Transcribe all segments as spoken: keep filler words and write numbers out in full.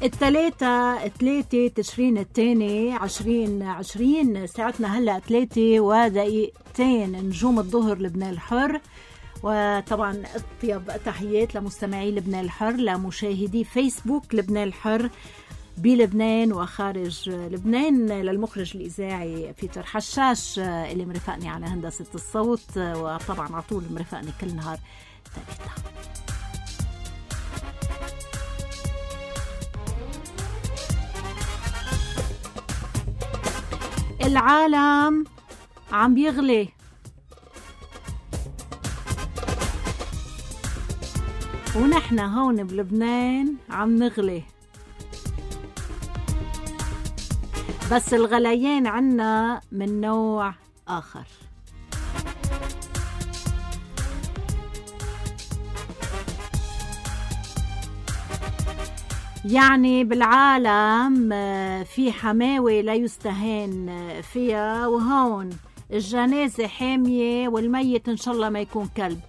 الثلاثة ثلاثة تشرين الثاني عشرين عشرين، ساعتنا هلأ ثلاثة ودقيقتين، نجوم الظهر لبنان الحر. وطبعا اطيب تحيات لمستمعي لبنان الحر، لمشاهدي فيسبوك لبنان الحر بلبنان وخارج لبنان، للمخرج الإذاعي بيتر حشاش اللي مرفقني على هندسة الصوت، وطبعا على طول مرفقني كل نهار ثلاثة. العالم عم بيغلي، ونحن هون بلبنان عم نغلي، بس الغليان عنا من نوع آخر. يعني بالعالم في حماوة لا يستهان فيها، وهون الجنازة حامية والميت إن شاء الله ما يكون كلب.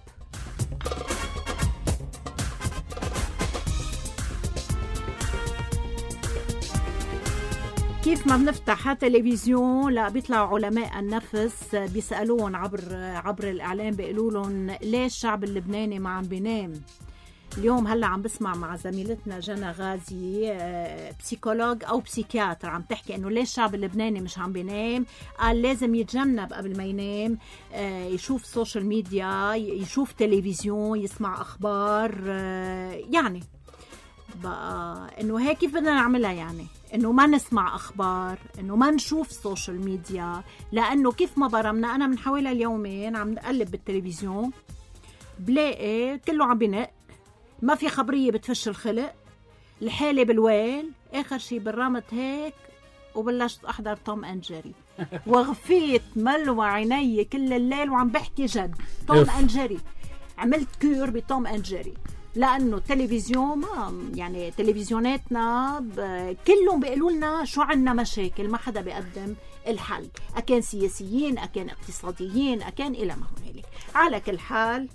كيف ما بنفتح تلفزيون لا بيطلعوا علماء النفس بيسألون عبر عبر الإعلام، بيقولوا لهم ليش الشعب اللبناني ما عم بينام. اليوم هلا عم بسمع مع زميلتنا جنى غازي بسيكولوج او بسيكياتر عم تحكي انه ليش الشعب اللبناني مش عم بينام. قال لازم يتجنب قبل ما ينام، يشوف سوشيال ميديا، يشوف تلفزيون، يسمع اخبار. يعني بقى انه هيك كيف بدنا نعملها؟ يعني انه ما نسمع اخبار، انه ما نشوف سوشيال ميديا، لانه كيف ما برمنا انا من حوالي اليومين عم نقلب بالتلفزيون بلاقي كله عم بنق، ما في خبرية بتفش الخلق، الحالة بالويل. آخر شي بالرمت هيك وبلشت أحضر توم أند جيري، وغفيت ملوى عيني كل الليل وعم بحكي جد. توم أند جيري، عملت كور بتوم أند جيري، لأنه التلفزيون ما يعني تلفزيوناتنا كلهم بيقولوا لنا شو عنا مشاكل، ما حدا بيقدم الحل، أكان سياسيين، أكان اقتصاديين، أكان إلى ما هنالك. على كل حال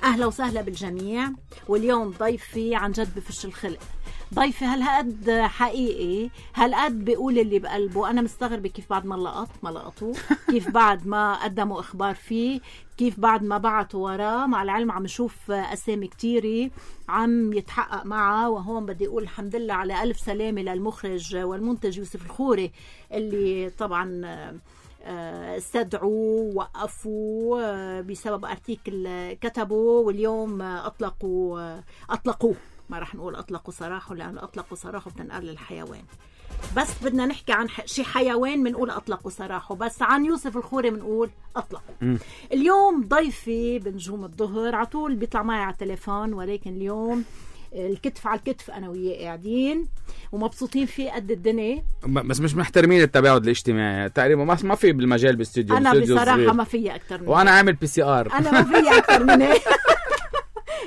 أهلا وسهلا بالجميع. واليوم ضيفي عن جد بفش الخلق، ضيفي هالقد حقيقي، هالقد بيقول اللي بقلبه. أنا مستغربة كيف بعد ما لقط ما لقطوه، كيف بعد ما قدموا إخبار فيه، كيف بعد ما بعتوا وراه. مع العلم عم نشوف أسامي كتيرة عم يتحقق معه. وهون بدي أقول الحمد لله على ألف سلامة للمخرج والمنتج يوسف الخوري، اللي طبعا استدعوا وقفوا بسبب ارتيكل كتبوا، واليوم اطلقوا اطلقوه ما رح نقول اطلقوا سراحه، لانه اطلقوا سراحه بتنقل للحيوان. بس بدنا نحكي عن شي حيوان بنقول اطلقوا سراحه، بس عن يوسف الخوري بنقول اطلقوا. اليوم ضيفي بنجوم الظهر على طول بيطلع معي على التليفون، ولكن اليوم الكتف على الكتف انا وياه قاعدين ومبسوطين فيه قد الدنيا، بس مش محترمين التباعد الاجتماعي تقريبا. ما ما في بالمجال باستوديو، انا بصراحه ما في اكثر من وانا عامل بي سي ار، انا ما في اكثر من هيك.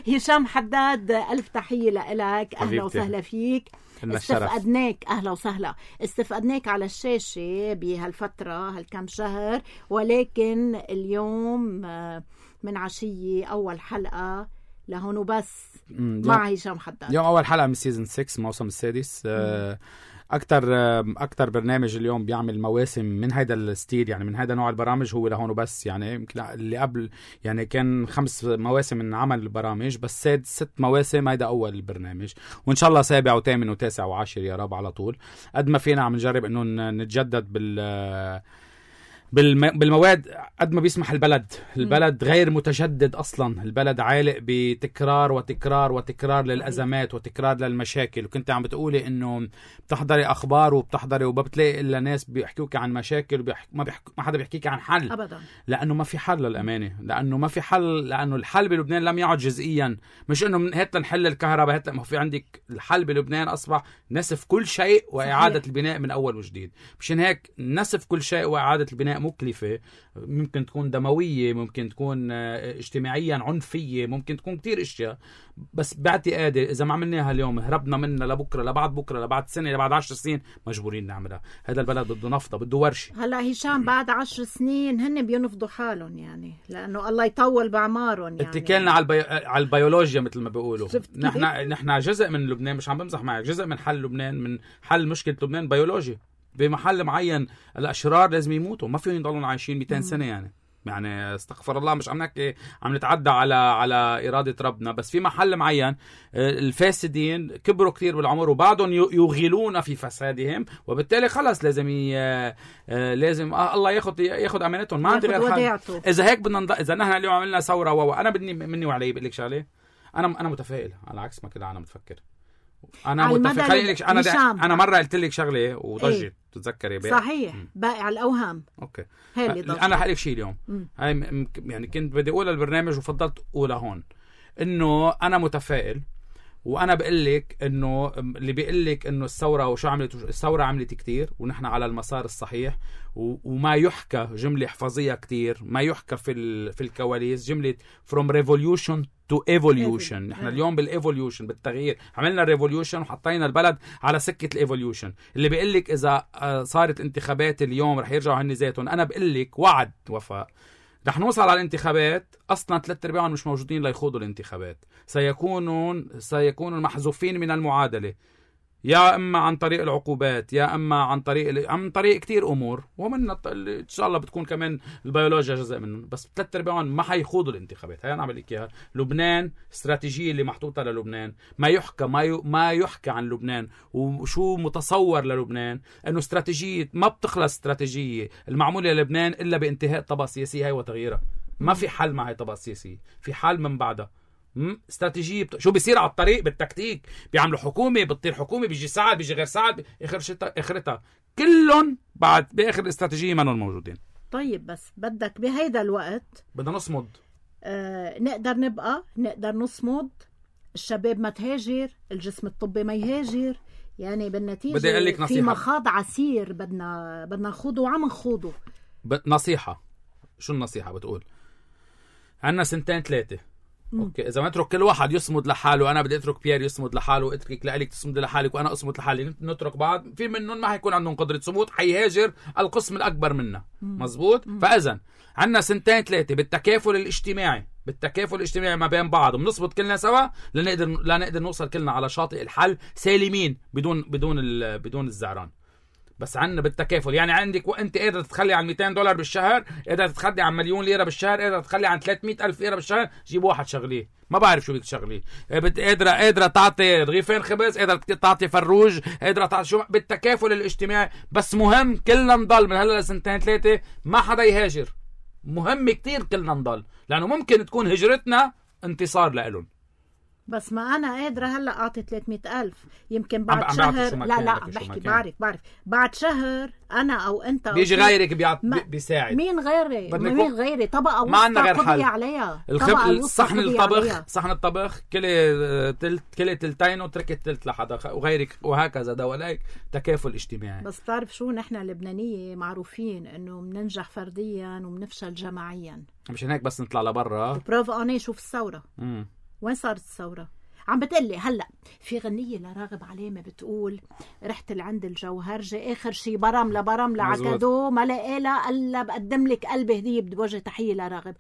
هشام حداد الف تحيه لك، اهلا وسهلا فيك. استفقدناك، اهلا وسهلا. استفقدناك على الشاشه بهالفتره هالكم شهر، ولكن اليوم من عشيه اول حلقه لهون وبس مع هشام حداد. يوم اول حلقه من سيزن ستة، الموسم السادس. اكثر اكثر برنامج اليوم بيعمل مواسم من هيدا الستيل، يعني من هيدا نوع البرامج، هو لهون وبس. يعني يمكن اللي قبل يعني كان خمس مواسم من عمل البرامج، بس ساد ست مواسم هيدا اول البرنامج، وان شاء الله سابع وثامن وتاسع وعاشر يا رب على طول. قد ما فينا عم نجرب انه نتجدد بال بالمواد قد ما بيسمح البلد. البلد غير متجدد أصلا، البلد عالق بتكرار وتكرار وتكرار للأزمات وتكرار للمشاكل. وكنت عم بتقولي إنه بتحضري أخبار وبتحضري وبتلاقي إلا ناس بيحكوك عن مشاكل وبيحك... ما, بيحك... ما حدا بيحكيك عن حل أبدا، لأنه ما في حل للأمانة، لأنه ما في حل، لأنه الحل بلبنان لم يعد جزئيا. مش إنه من هات نحل الكهرباء، هات ما في عندك الحل بلبنان أصبح نسف كل شيء وإعادة صحيح. البناء من أول وجديد. مشان هيك نسف كل شيء وإعادة البناء أشياء مكلفة، ممكن تكون دموية، ممكن تكون اجتماعيا عنفية، ممكن تكون كتير أشياء. بس باعتقادي إذا ما عملناها اليوم هربنا منها لبكرة، لبعد بكرة، لبعد سنة، لبعد عشر سنين مجبورين نعملها. هذا البلد بده نفطة، بده ورشة. هلا هشام بعد عشر سنين هن بينفضوا حالهم يعني، لأنه الله يطول بعمارهم يعني. اتكلنا على البي... على البيولوجيا مثل ما بيقولوا. نحن نحن جزء من لبنان، مش عم بمزح معك، جزء من حل لبنان، من حل مشكلة لبنان بيولوجي. بمحل معين الأشرار لازم يموتوا، ما فيهم يضلون عايشين مئتين سنة يعني. يعني استغفر الله، مش عم نحكي عم نتعدى على على إرادة ربنا، بس في محل معين الفاسدين كبروا كتير بالعمر وبعدهم يغيلون في فسادهم، وبالتالي خلص لازم ي... لازم آه الله ياخذ ياخذ امانتهم. ما عندي غير حل. اذا هيك بدنا نض... اذا نحن اليوم عملنا ثوره و انا بدي مني وعلي بقول لك شغله، انا انا متفائل على عكس ما كده انا متفكر. انا متفائل لك انا دا... انا مره قلت لك شغله وضجت ايه؟ تتذكري بقى صحيح م. باقي على الاوهام. اوكي هي اللي ضجت. انا حقول لك شيء اليوم م. هاي م... يعني كنت بدي اقول البرنامج وفضلت اقولها هون، انه انا متفائل. وانا بقول لك انه اللي بيقول لك انه الثوره وشو عملت، الثوره عملت كتير ونحن على المسار الصحيح، وما يحكى جمله احفظيها كتير، ما يحكى في ال... في الكواليس جمله from revolution to evolution. نحن اليوم بالايفوليوشن، بالتغيير. عملنا ريفوليوشن وحطينا البلد على سكه الايفوليوشن. اللي بيقول لك اذا صارت انتخابات اليوم رح يرجعوا هن ذاتهم، انا بقول لك وعد وفاء رح نوصل على الانتخابات اصلا ثلاث ارباعهم مش موجودين ليخوضوا الانتخابات، سيكونون سيكونوا محذوفين من المعادله، يا اما عن طريق العقوبات، يا اما عن طريق عن طريق كتير امور، ومن ان شاء الله بتكون كمان البيولوجيا جزء منهم. بس ثلاث ارباعهم ما حيخوضوا الانتخابات. هي انا عم لك اياها. لبنان استراتيجيه اللي محطوطه للبنان، ما يحكى ما ي... ما يحكى عن لبنان وشو متصور للبنان، انه استراتيجيه ما بتخلص. استراتيجيه المعموله للبنان الا بانتهاء الطبقه السياسيه هي وتغييرها. ما في حل مع هاي الطبقه السياسيه، في حل من بعدها. استراتيجيه بت... شو بيصير على الطريق بالتكتيك، بيعملوا حكومه، بتطير حكومه، بيجي ساعه، بيجي غير ساعه، اخر شتا اخرتها كلهم بعد باخر الاستراتيجيه ما موجودين. طيب بس بدك بهيدا الوقت بدنا نصمد. آه نقدر نبقى نقدر نصمد، الشباب ما تهاجر، الجسم الطبي ما يهاجر، يعني بالنتيجه بدي اقول لك نصيحه، في مخاض عسير بدنا بدنا نخوضه وعم نخوضه. ب... نصيحه. شو النصيحه؟ بتقول عندنا سنتين ثلاثه. اوكي اذا ما نترك كل واحد يصمد لحاله، انا بدي اترك بيير يصمد لحاله، واترك لك تصمد لحالك، وانا اصمد لحالي، نترك بعض، في منهم ما حيكون عندهم قدره صمود، حيهاجر القسم الاكبر منا. مزبوط. فاذا عندنا سنتين ثلاثه بالتكافل الاجتماعي، بالتكافل الاجتماعي ما بين بعض، وبنصبط كلنا سوا لنقدر لا نقدر نوصل كلنا على شاطئ الحل سالمين بدون بدون بدون الزعران. بس عنا بالتكافل. يعني عندك وانت قادر تتخلي عن مئتين دولار بالشهر، قادر تتخلي عن مليون ليره بالشهر، قادر تتخلي عن ثلاثمئة ألف ليره بالشهر، جيب واحد شغليه ما بعرف شو بدك تشغليه، قادره قادره تعطي رغيفين خبز، قادره تعطي فروج، قادره تعطي شو، بالتكافل الاجتماعي. بس مهم كلنا نضل من هلا لسنتين ثلاثه ما حدا يهاجر. مهم كتير كلنا نضل، لانه ممكن تكون هجرتنا انتصار لإلهم. بس ما أنا قادرة هلأ أعطي ثلاثمئة ألف، يمكن بعد شهر لا لا بحكي بعرف بعرف بعد شهر أنا أو أنت أو بيجي غيرك بيعط بيساعد. مين غيري؟ مين غيري؟ طبقة ما عندنا غير حل عليها. الخب... صحن الطبخ صحن الطبخ كلي تلت كلي تلتين وتركت تلت لحدا وغيرك، وهكذا دواليك تكافل اجتماعي. بس بتعرف شو، نحن اللبنانية معروفين إنه بننجح فرديا وبنفشل جماعيا. مش هيك بس نطلع لبرا. بروف أنا شوف الثورة. امم وين صارت الثورة؟ عم بتقلي هلأ في غنية لراغب علامة بتقول رحت لعند الجوهرجة آخر شي برم لبرم لعكدو ما لقيلا إلا بقدم لك قلبي هدية، بدي بوجه تحية لراغب،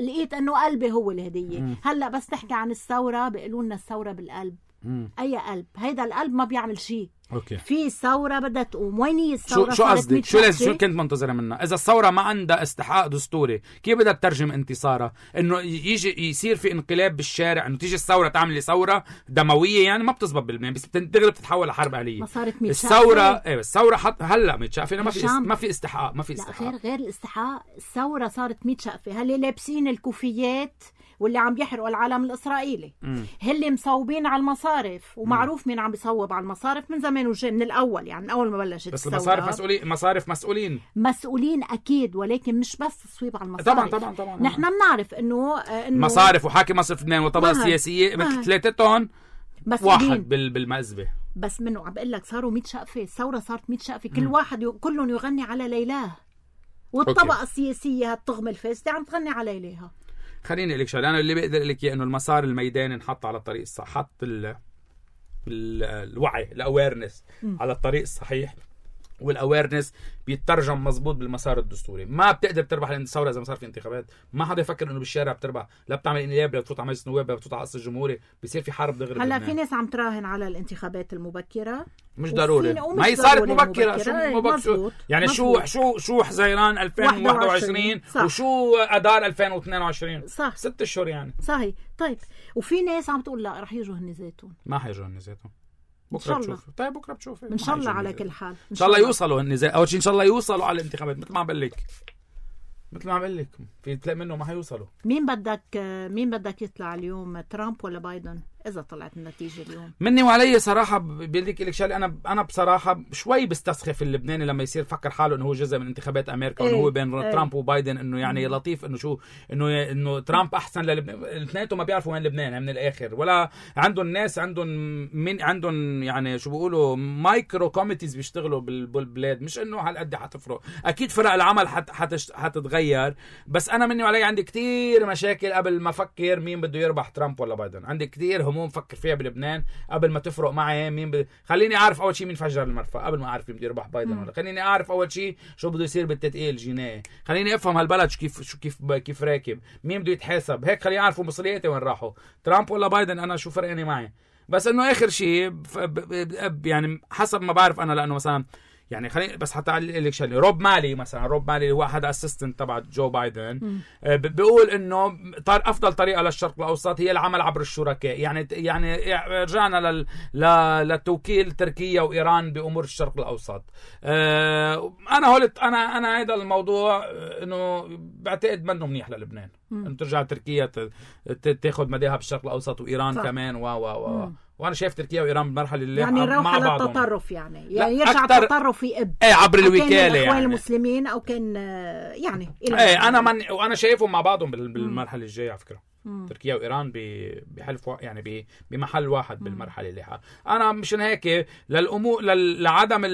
لقيت إنه قلبي هو الهدية. مم. هلأ بس تحكي عن الثورة بيقولوا لنا الثورة بالقلب. مم. أي قلب؟ هيدا القلب ما بيعمل شي. اوكي في ثوره بدها تقوم. وين هي الثوره؟ شو قصدك؟ شو لازم شو كنت منتظره منها؟ اذا الثوره ما عندها استحقاق دستوري كيف بدها تترجم انتصارها؟ انه يجي يصير في انقلاب بالشارع، انه تيجي الثوره تعمل ثوره دمويه، يعني ما بتزبط باللبنان، بس بتغلب تتحول لحرب اهليه. ما صارت ميت الثوره ايه الثوره حط هلا ميت شقفه، ما في ما في استحقاق، ما في استحقاق. غير غير الاستحقاق، الثوره صارت ميت شقفه. هل لابسين الكوفيات واللي عم بيحرقوا العالم الإسرائيلي، هل مصوبين على المصارف، ومعروف مين عم بيصوب على المصارف من زمان وجاي من الأول، يعني من أول ما بلشت بس المصارف مسؤولين، مصارف مسؤولين مسؤولين أكيد، ولكن مش بس تصويب على المصارف. طبعا طبعا طبعا نحن بنعرف إنه إنه مصارف وحاكم مصرف لبنان والطبقة السياسية مثل ثلاثتهم واحد بالمأزبة. بس منه عم بقول لك صاروا ميت شقفة، الثورة صارت ميت شقفة، كل واحد ي... كلهم يغني على ليلاه. والطبقة أوكي. السياسية هالطغمة الفاسدة عم تغني على ليها. خليني أقول لك شغله، أنا اللي بقدر أقول لك إياه إنه المسار الميداني انحط على الطريق الصح، حط ال ال الوعي الأويرنس على الطريق الصحيح، والاويرنس بيترجم مزبوط بالمسار الدستوري. ما بتقدر تربح الثوره اذا ما صار في انتخابات. ما حدا يفكر انه بالشارع بتربح، لا بتعمل انياب، لا بتفوت على مجلس النواب، لا بتفوت على قصر الجمهوري، بيصير في حرب دغري. هلا في ناس عم تراهن على الانتخابات المبكره، مش ضروري، ما هي صارت مبكره. شو مبكره شو يعني؟ مزبوط. شو شو شو حزيران ألفين وواحد وعشرين وشو اذار ألفين واثنين وعشرين، صح، ست اشهر يعني. صحيح. طيب وفي ناس عم تقول لا رح يجوا هن ذاتهم. ما حيجوا هن ذاتهم، بكره بتشوف. طيب بكره بتشوف ان شاء الله. على كل حال ان شاء الله يوصلوا النزاع. اول شيء ان شاء الله يوصلوا على الانتخابات. مثل ما عم بقول لك مثل ما عم بقول لك في تلاقي منه ما حيوصلوا. مين بدك مين بدك يطلع اليوم، ترامب ولا بايدن اذا طلعت النتيجه اليوم؟ مني وعلي صراحه بدي لك شغله، انا انا بصراحه شوي بستسخف اللبناني لما يصير فكر حاله انه هو جزء من انتخابات امريكا، وانه هو بين ايه ترامب وبايدن، انه يعني لطيف انه شو انه انه ترامب احسن للبنان. الاثنين ما بيعرفوا وين لبنان من الاخر، ولا عندهم ناس عندهم من عندهم يعني شو بيقولوا مايكرو كوميتيز بيشتغلوا بالبلاد. مش انه هالقد حتفرق، اكيد فرق العمل حت حت حتتغير، بس انا مني وعلي عندي كتير مشاكل قبل ما افكر مين بده يربح، ترامب ولا بايدن. عندي كتير هموم فكر فيها بلبنان قبل ما تفرق معي مين ب... خليني اعرف اول شيء مين فجر المرفأ قبل ما اعرف مين بده يربح، بايدن ولا. خليني اعرف اول شيء شو بده يصير بالتدقيق الجنائي، خليني افهم هالبلد شو كيف شو كيف كيف راكب، مين بده يتحاسب، هيك خليني اعرف مصرياتي وين راحوا، ترامب ولا بايدن. انا شو فرقني معي، بس انه اخر شيء ب... ب... يعني حسب ما بعرف انا، لانه مثلا يعني خليني بس حتى اقول لك شغله، روب مالي مثلا، روب مالي هو احد اسيستنت تبع جو بايدن، بيقول انه افضل طريقه للشرق الاوسط هي العمل عبر الشركاء. يعني يعني رجعنا لل للتوكيل تركيا وايران بامور الشرق الاوسط. انا قلت انا انا هذا الموضوع انه بعتقد منه منيح للبنان ان ترجع تركيا تاخذ مداها بالشرق الاوسط وايران صح. كمان و و و وانا شايف تركيا وايران بالمرحله اللي يعني مع على بعضهم التطرف، يعني يعني يرجع التطرف يقب ايه عبر الوكاله، كان الاخوان يعني المسلمين او كان يعني ايه انا من وانا شايفهم مع بعضهم بالمرحله الجايه على فكره. مم. تركيا وايران بحلف يعني بمحل واحد بالمرحله اللي حق. انا مشان هيك للامور لعدم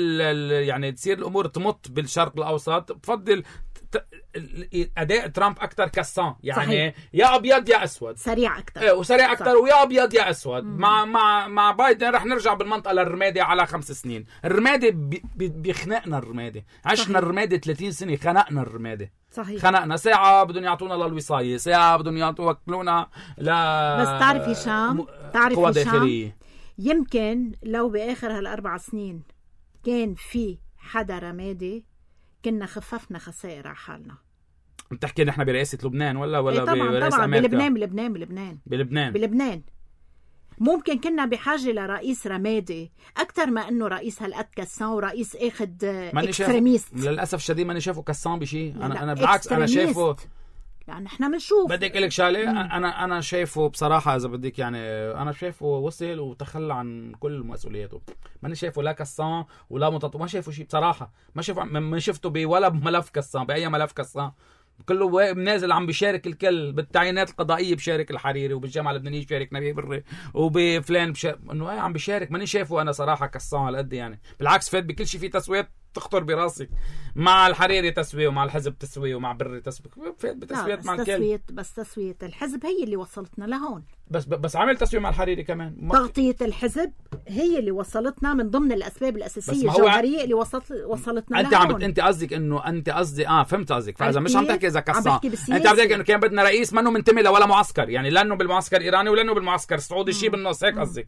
يعني تصير الامور تمط بالشرق الاوسط، بفضل اداء ترامب اكثر كسان، يعني صحيح. يا ابيض يا اسود، سريع اكثر ايه وسريع اكثر ويا ابيض يا اسود. مم. مع مع مع بايدن رح نرجع بالمنطقه للرمادي على خمس سنين. الرمادي بي بيخنقنا، الرمادي عشنا الرمادي ثلاثين سنه، خنقنا الرمادي صحيح. خنقنا ساعه بدهم يعطونا للوصايه، ساعه بدهم يوكلونا لا. بس تعرف هشام، تعرف هشام يمكن لو باخر هالاربع سنين كان في حدا رمادي كنا خففنا خسائر على حالنا. بتحكي نحن برئاسة لبنان ولا ولا إيه طبعا برئاسة طبعا أمريكا؟ بلبنان بلبنان بلبنان بلبنان بلبنان ممكن كنا بحاجة لرئيس رمادي أكتر ما أنه رئيس هالقد كسان ورئيس أخد إكستريميست. للأسف الشديد ماني شايفه كسان بشي. أنا أنا بالعكس أنا شايفه يعني احنا بنشوف. بدك لك شغله، انا انا شايفه بصراحه اذا بدك يعني انا شايفه وصل وتخلى عن كل مسؤولياته. ماني شايفه لا كسان ولا متطو، ما شايفه شيء بصراحه، ما شايفه ما شفته بولا بملف كسان، باي ملف كسان. كله نازل عم بيشارك الكل بالتعيينات القضائيه، بشارك الحريري وبالجامعه اللبنانيه بشارك نبيه بري وبفلان بشارك، انه ايه عم بيشارك. ماني شايفه انا صراحه كسان على قد يعني، بالعكس فات بكل شيء في تسويات تخطر براسك، مع الحريري تسويه ومع الحزب تسويه ومع بري تسويه، فات بتسويات مع الكل. تسوية بس تسوية الحزب هي اللي وصلتنا لهون. بس بس عمل تسويه مع الحريري كمان. تغطية الحزب هي اللي وصلتنا من ضمن الاسباب الاساسيه الجوهريه اللي وصلت وصلتنا انت لهون. عم انت قصدك انه انت قصدي اه فهمت قصدك. فاذا مش عم تحكي اذا كسان، انت عم تحكي انه كان بدنا رئيس منه منتمي لولا معسكر، يعني لانه بالمعسكر الايراني ولانه بالمعسكر السعودي، شيء بالنص، هيك قصدك؟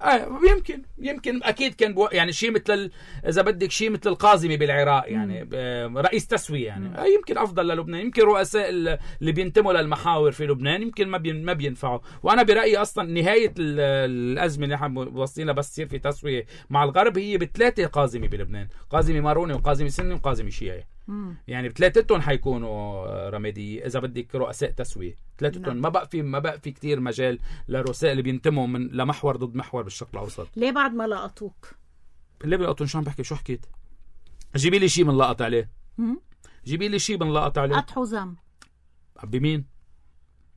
اه يمكن يمكن اكيد كان بو... يعني شيء مثل اذا بدك شيء مثل القاضمي بالعراق، يعني رئيس تسويه يعني. آه يمكن افضل للبنان. يمكن رؤساء اللي بينتموا للمحاور في لبنان يمكن ما بين... ما بينفعوا. وانا برايي اصلا نهايه الازمه اللي احنا واصلين بس يصير في تسويه مع الغرب هي بثلاثه قاضمي بلبنان، قاضمي ماروني وقاضمي سني وقاضمي شيعي. يعني بثلاثتهم حيكونوا رمادي اذا بدك رؤساء تسويه، ثلاثتهم. ما بقى في ما بقى في كثير مجال للرؤساء اللي بينتموا من لمحور ضد محور بالشرق الاوسط. ليه بعد ما لقطوك؟ ليه بلقطون؟ شو عم بحكي؟ شو حكيت؟ جيبي لي شيء من لقط عليه. جيبي لي شيء من لقط عليه. قطع حزام. بمين؟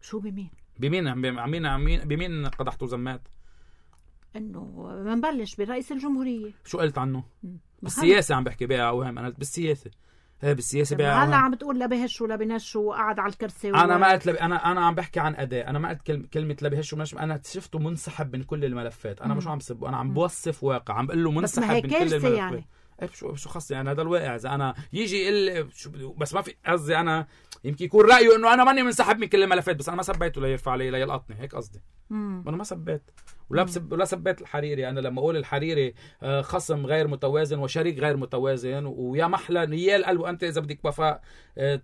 شو بمين؟ بمين عمين عمين بمين قدحتوا زمات؟ انه بنبلش برئيس الجمهوريه. شو قلت عنه؟ بالسياسه عم بحكي بقى اوهم. انا بالسياسه بالسياسة هلا عم بتقول لا بهش ولا بنش وقعد على الكرسي و... انا ما قلت لب... انا انا عم بحكي عن اداء. انا ما قلت كلمه كلمه لا بهش ومنش. انا شفته منسحب من كل الملفات. انا مش عم بسب، انا عم بوصف واقع، عم بقول له منسحب من كل الملفات. يعني شو شو خصني انا هذا الواقع. اذا انا يجي يقول شو بس ما في قصدي، انا يمكن يكون رايه انه انا ماني منسحب من كل الملفات، بس انا ما سبيته ليرفع علي ليلقطني، هيك قصدي. انا ما سبيت ولا بسب ولا سبيت الحريري. انا لما اقول الحريري خصم غير متوازن وشريك غير متوازن ويا محلى نيال قلبه، انت اذا بدك وفاء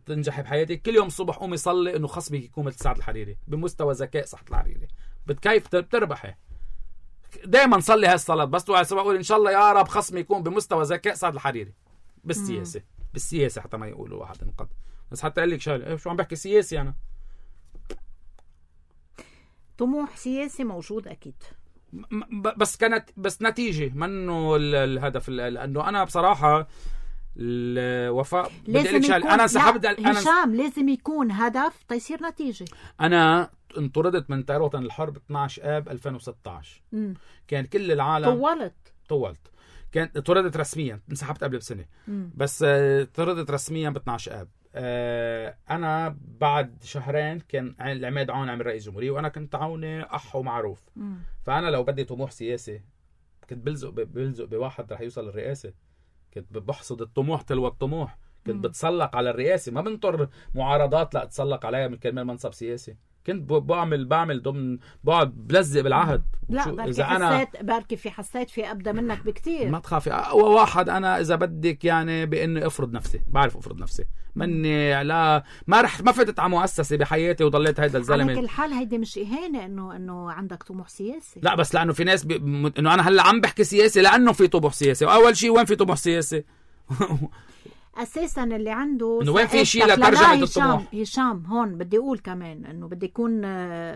تنجحي بحياتك كل يوم الصبح قومي صلي انه خصمك يكون مثل سعد الحريري بمستوى ذكاء صحة الحريري، بتكيف بتربحي. دائما صلي هالصلاه بس بقول ان شاء الله يا رب خصمي يكون بمستوى ذكاء سعد الحريري بالسياسه. بالسياسه حتى ما يقولوا واحد انقض، بس حتى اقول لك شغله شو عم بحكي سياسي. انا طموح سياسي موجود اكيد، بس كانت بس نتيجه منه الهدف. لانه انا بصراحه الوفاء بدي لك شغله، انا انسحبت. انا هشام لازم يكون هدف تيصير نتيجه. انا انطردت من طيران الحرب اثنعش آب ألفين وستة عشر. م. كان كل العالم طولت طولت كانت طردت رسميا، انسحبت قبل بسنه. م. بس طردت رسميا ب اثنعش آب. أه انا بعد شهرين كان العماد عون عمل رئيس جمهورية وانا كنت عوني اح ومعروف. م. فانا لو بدي طموح سياسي كنت بلزق بلزق بواحد رح يوصل للرئاسه، كنت بحصد الطموح تلو الطموح، كنت م. بتسلق على الرئاسه، ما بنطر معارضات لا اتسلق عليها من كرمال منصب سياسي. كنت بعمل بعمل ضمن بقعد بلزق بالعهد. لا بركي حسيت بركي في حسيت في ابدا منك بكتير. ما تخافي، اقوى واحد انا اذا بدك يعني باني افرض نفسي، بعرف افرض نفسي. مني لا ما رح ما فتت على مؤسسه بحياتي وضليت هيدا الزلمه. على كل حال هيدي مش اهانه انه انه عندك طموح سياسي. لا بس لانه في ناس بي... انه انا هلا عم بحكي سياسي لانه في طموح سياسي. واول شيء وين في طموح سياسي؟ اساسا اللي عنده انه وين في شيء لترجمه الطموح. هشام هون بدي اقول كمان انه بدي يكون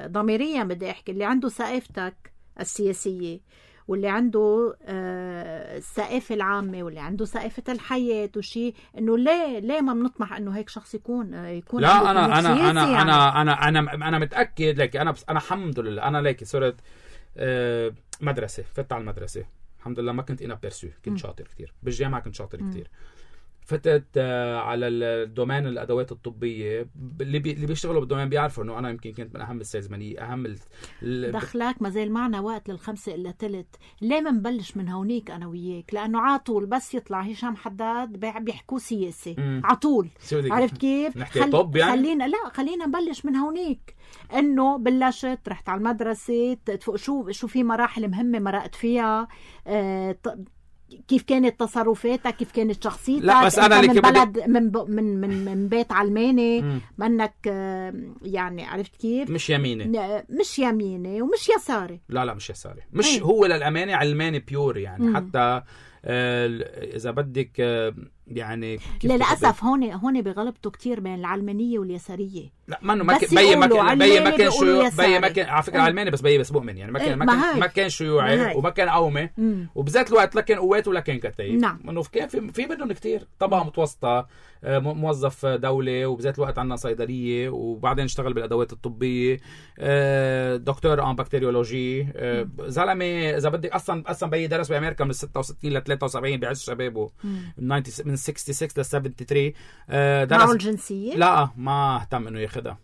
ضميريا، بدي احكي اللي عنده ثقافتك السياسيه واللي عنده الثقافه العامه واللي عنده ثقافه الحياه وشيء، انه ليه ليه ما بنطمح انه هيك شخص يكون يكون لا انا انا انا, يعني. انا انا انا انا متاكد لك. انا انا الحمد لله انا ليك صرت مدرسه، فتت على المدرسه الحمد لله، ما كنت انا بيرسو، كنت شاطر كتير بالجامعه، كنت شاطر كتير. فتت على الدومين الادوات الطبيه، اللي بي اللي بيشتغلوا بالدومين بيعرفوا انه انا يمكن كنت من اهم السيلزمانيه، اهم ال... دخلك ما زال معنا وقت للخمسة الا ثلث. ليه ما نبلش من هونيك انا وياك؟ لانه عاطول بس يطلع هشام حداد بيحكوا سياسي عطول، عرفت كيف؟ نحكي خل... طب يعني خلينا لا خلينا نبلش من هونيك. انه بلشت رحت على المدرسه، شو شو في مراحل مهمه مرقت فيها، اه... كيف كانت تصرفاتك، كيف كانت شخصيتك. لا بس انا من بلد بدي... من, ب... من من من بيت علماني، منك يعني عرفت كيف؟ مش يميني مش يميني ومش يساري. لا لا مش يساري، مش أي. هو للامانه علماني بيور يعني. مم. حتى آه اذا بدك آه يعني للاسف هون هون بغلبته كتير بين العلمانيه واليساريه. لا ما انه ما كان بي ما كان بي ما كان شيوعي، بي ما كان على فكره علماني بس بي بس مؤمن يعني. ما كان ما كان ما كان شيوعي وما كان قومي، وبذات الوقت لا كان قوات ولا كان كتايب. نعم. انه كان في في منهم كتير طبقه متوسطه، موظف دولي، وبذات الوقت عندنا صيدليه، وبعدين اشتغل بالادوات الطبيه، دكتور ان بكتيريولوجي، زلمه اذا بدك اصلا اصلا بي درس بامريكا من ستة وستين ل ثلاثة وسبعين بعز شبابه، من من ستة وستين ل سبعة وسبعين. درس معه الجنسيه؟ لا ما اهتم انه ياخذها.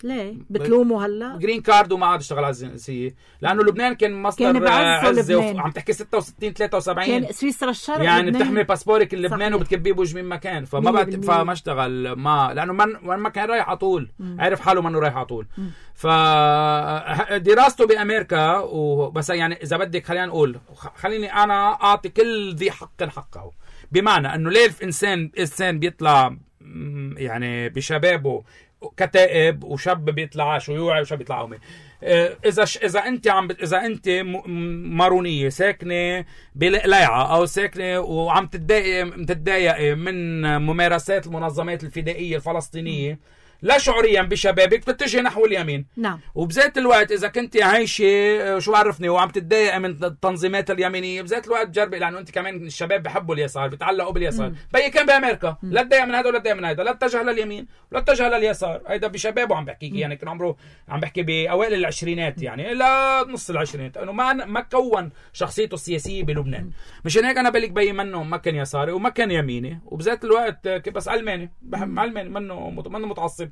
ليه بتلومه هلا؟ جرين كارد وما عاد اشتغل على الجنسيه، لانه لبنان كان مصدر عزه. عم تحكي ستة وستين ثلاثة وسبعين كان سويسرا الشرق يعني بتحمل باسبورك اللبناني وبتكبيه بوجه من مكان. فما بعد فما اشتغل، ما لانه من ما كان رايح على طول، عرف حاله منه رايح على طول. فدراسته بامريكا وبس يعني اذا بدك خلينا نقول، خليني انا اعطي كل ذي حق حقه، بمعنى انه ليه الانسان انسان بيطلع يعني بشبابه كتائب، وشاب بيطلع شيوعي وشاب بيطلع قومي. اذا اذا انت عم اذا انت مارونيه ساكنه بلقلاعه او ساكنه وعم تتضايق تتضايق من ممارسات المنظمات الفدائيه الفلسطينيه، لا شعوريا بشبابك بتتجه نحو اليمين. نعم. وبذات الوقت اذا كنت عايشه شو عرفني وعم تتضايق من التنظيمات اليمينيه، بذات الوقت جربي، لانه انت كمان الشباب بحبوا اليسار، بيتعلقوا باليسار. بي كان بامريكا، مم. لا تضايق من هذا ولا تضايق من هذا، لا اتجه لليمين ولا اتجه لليسار. هيدا بشبابه عم بحكيك، يعني كان عمره عم بحكي باوائل العشرينات، يعني لا نص العشرينات، انه ما ما كون شخصيته السياسيه بلبنان. مم. مشان هيك انا بلك بي منه ما كان يساري وما كان يميني، وبذات الوقت بس علماني، بحب علماني، منه منه متعصب،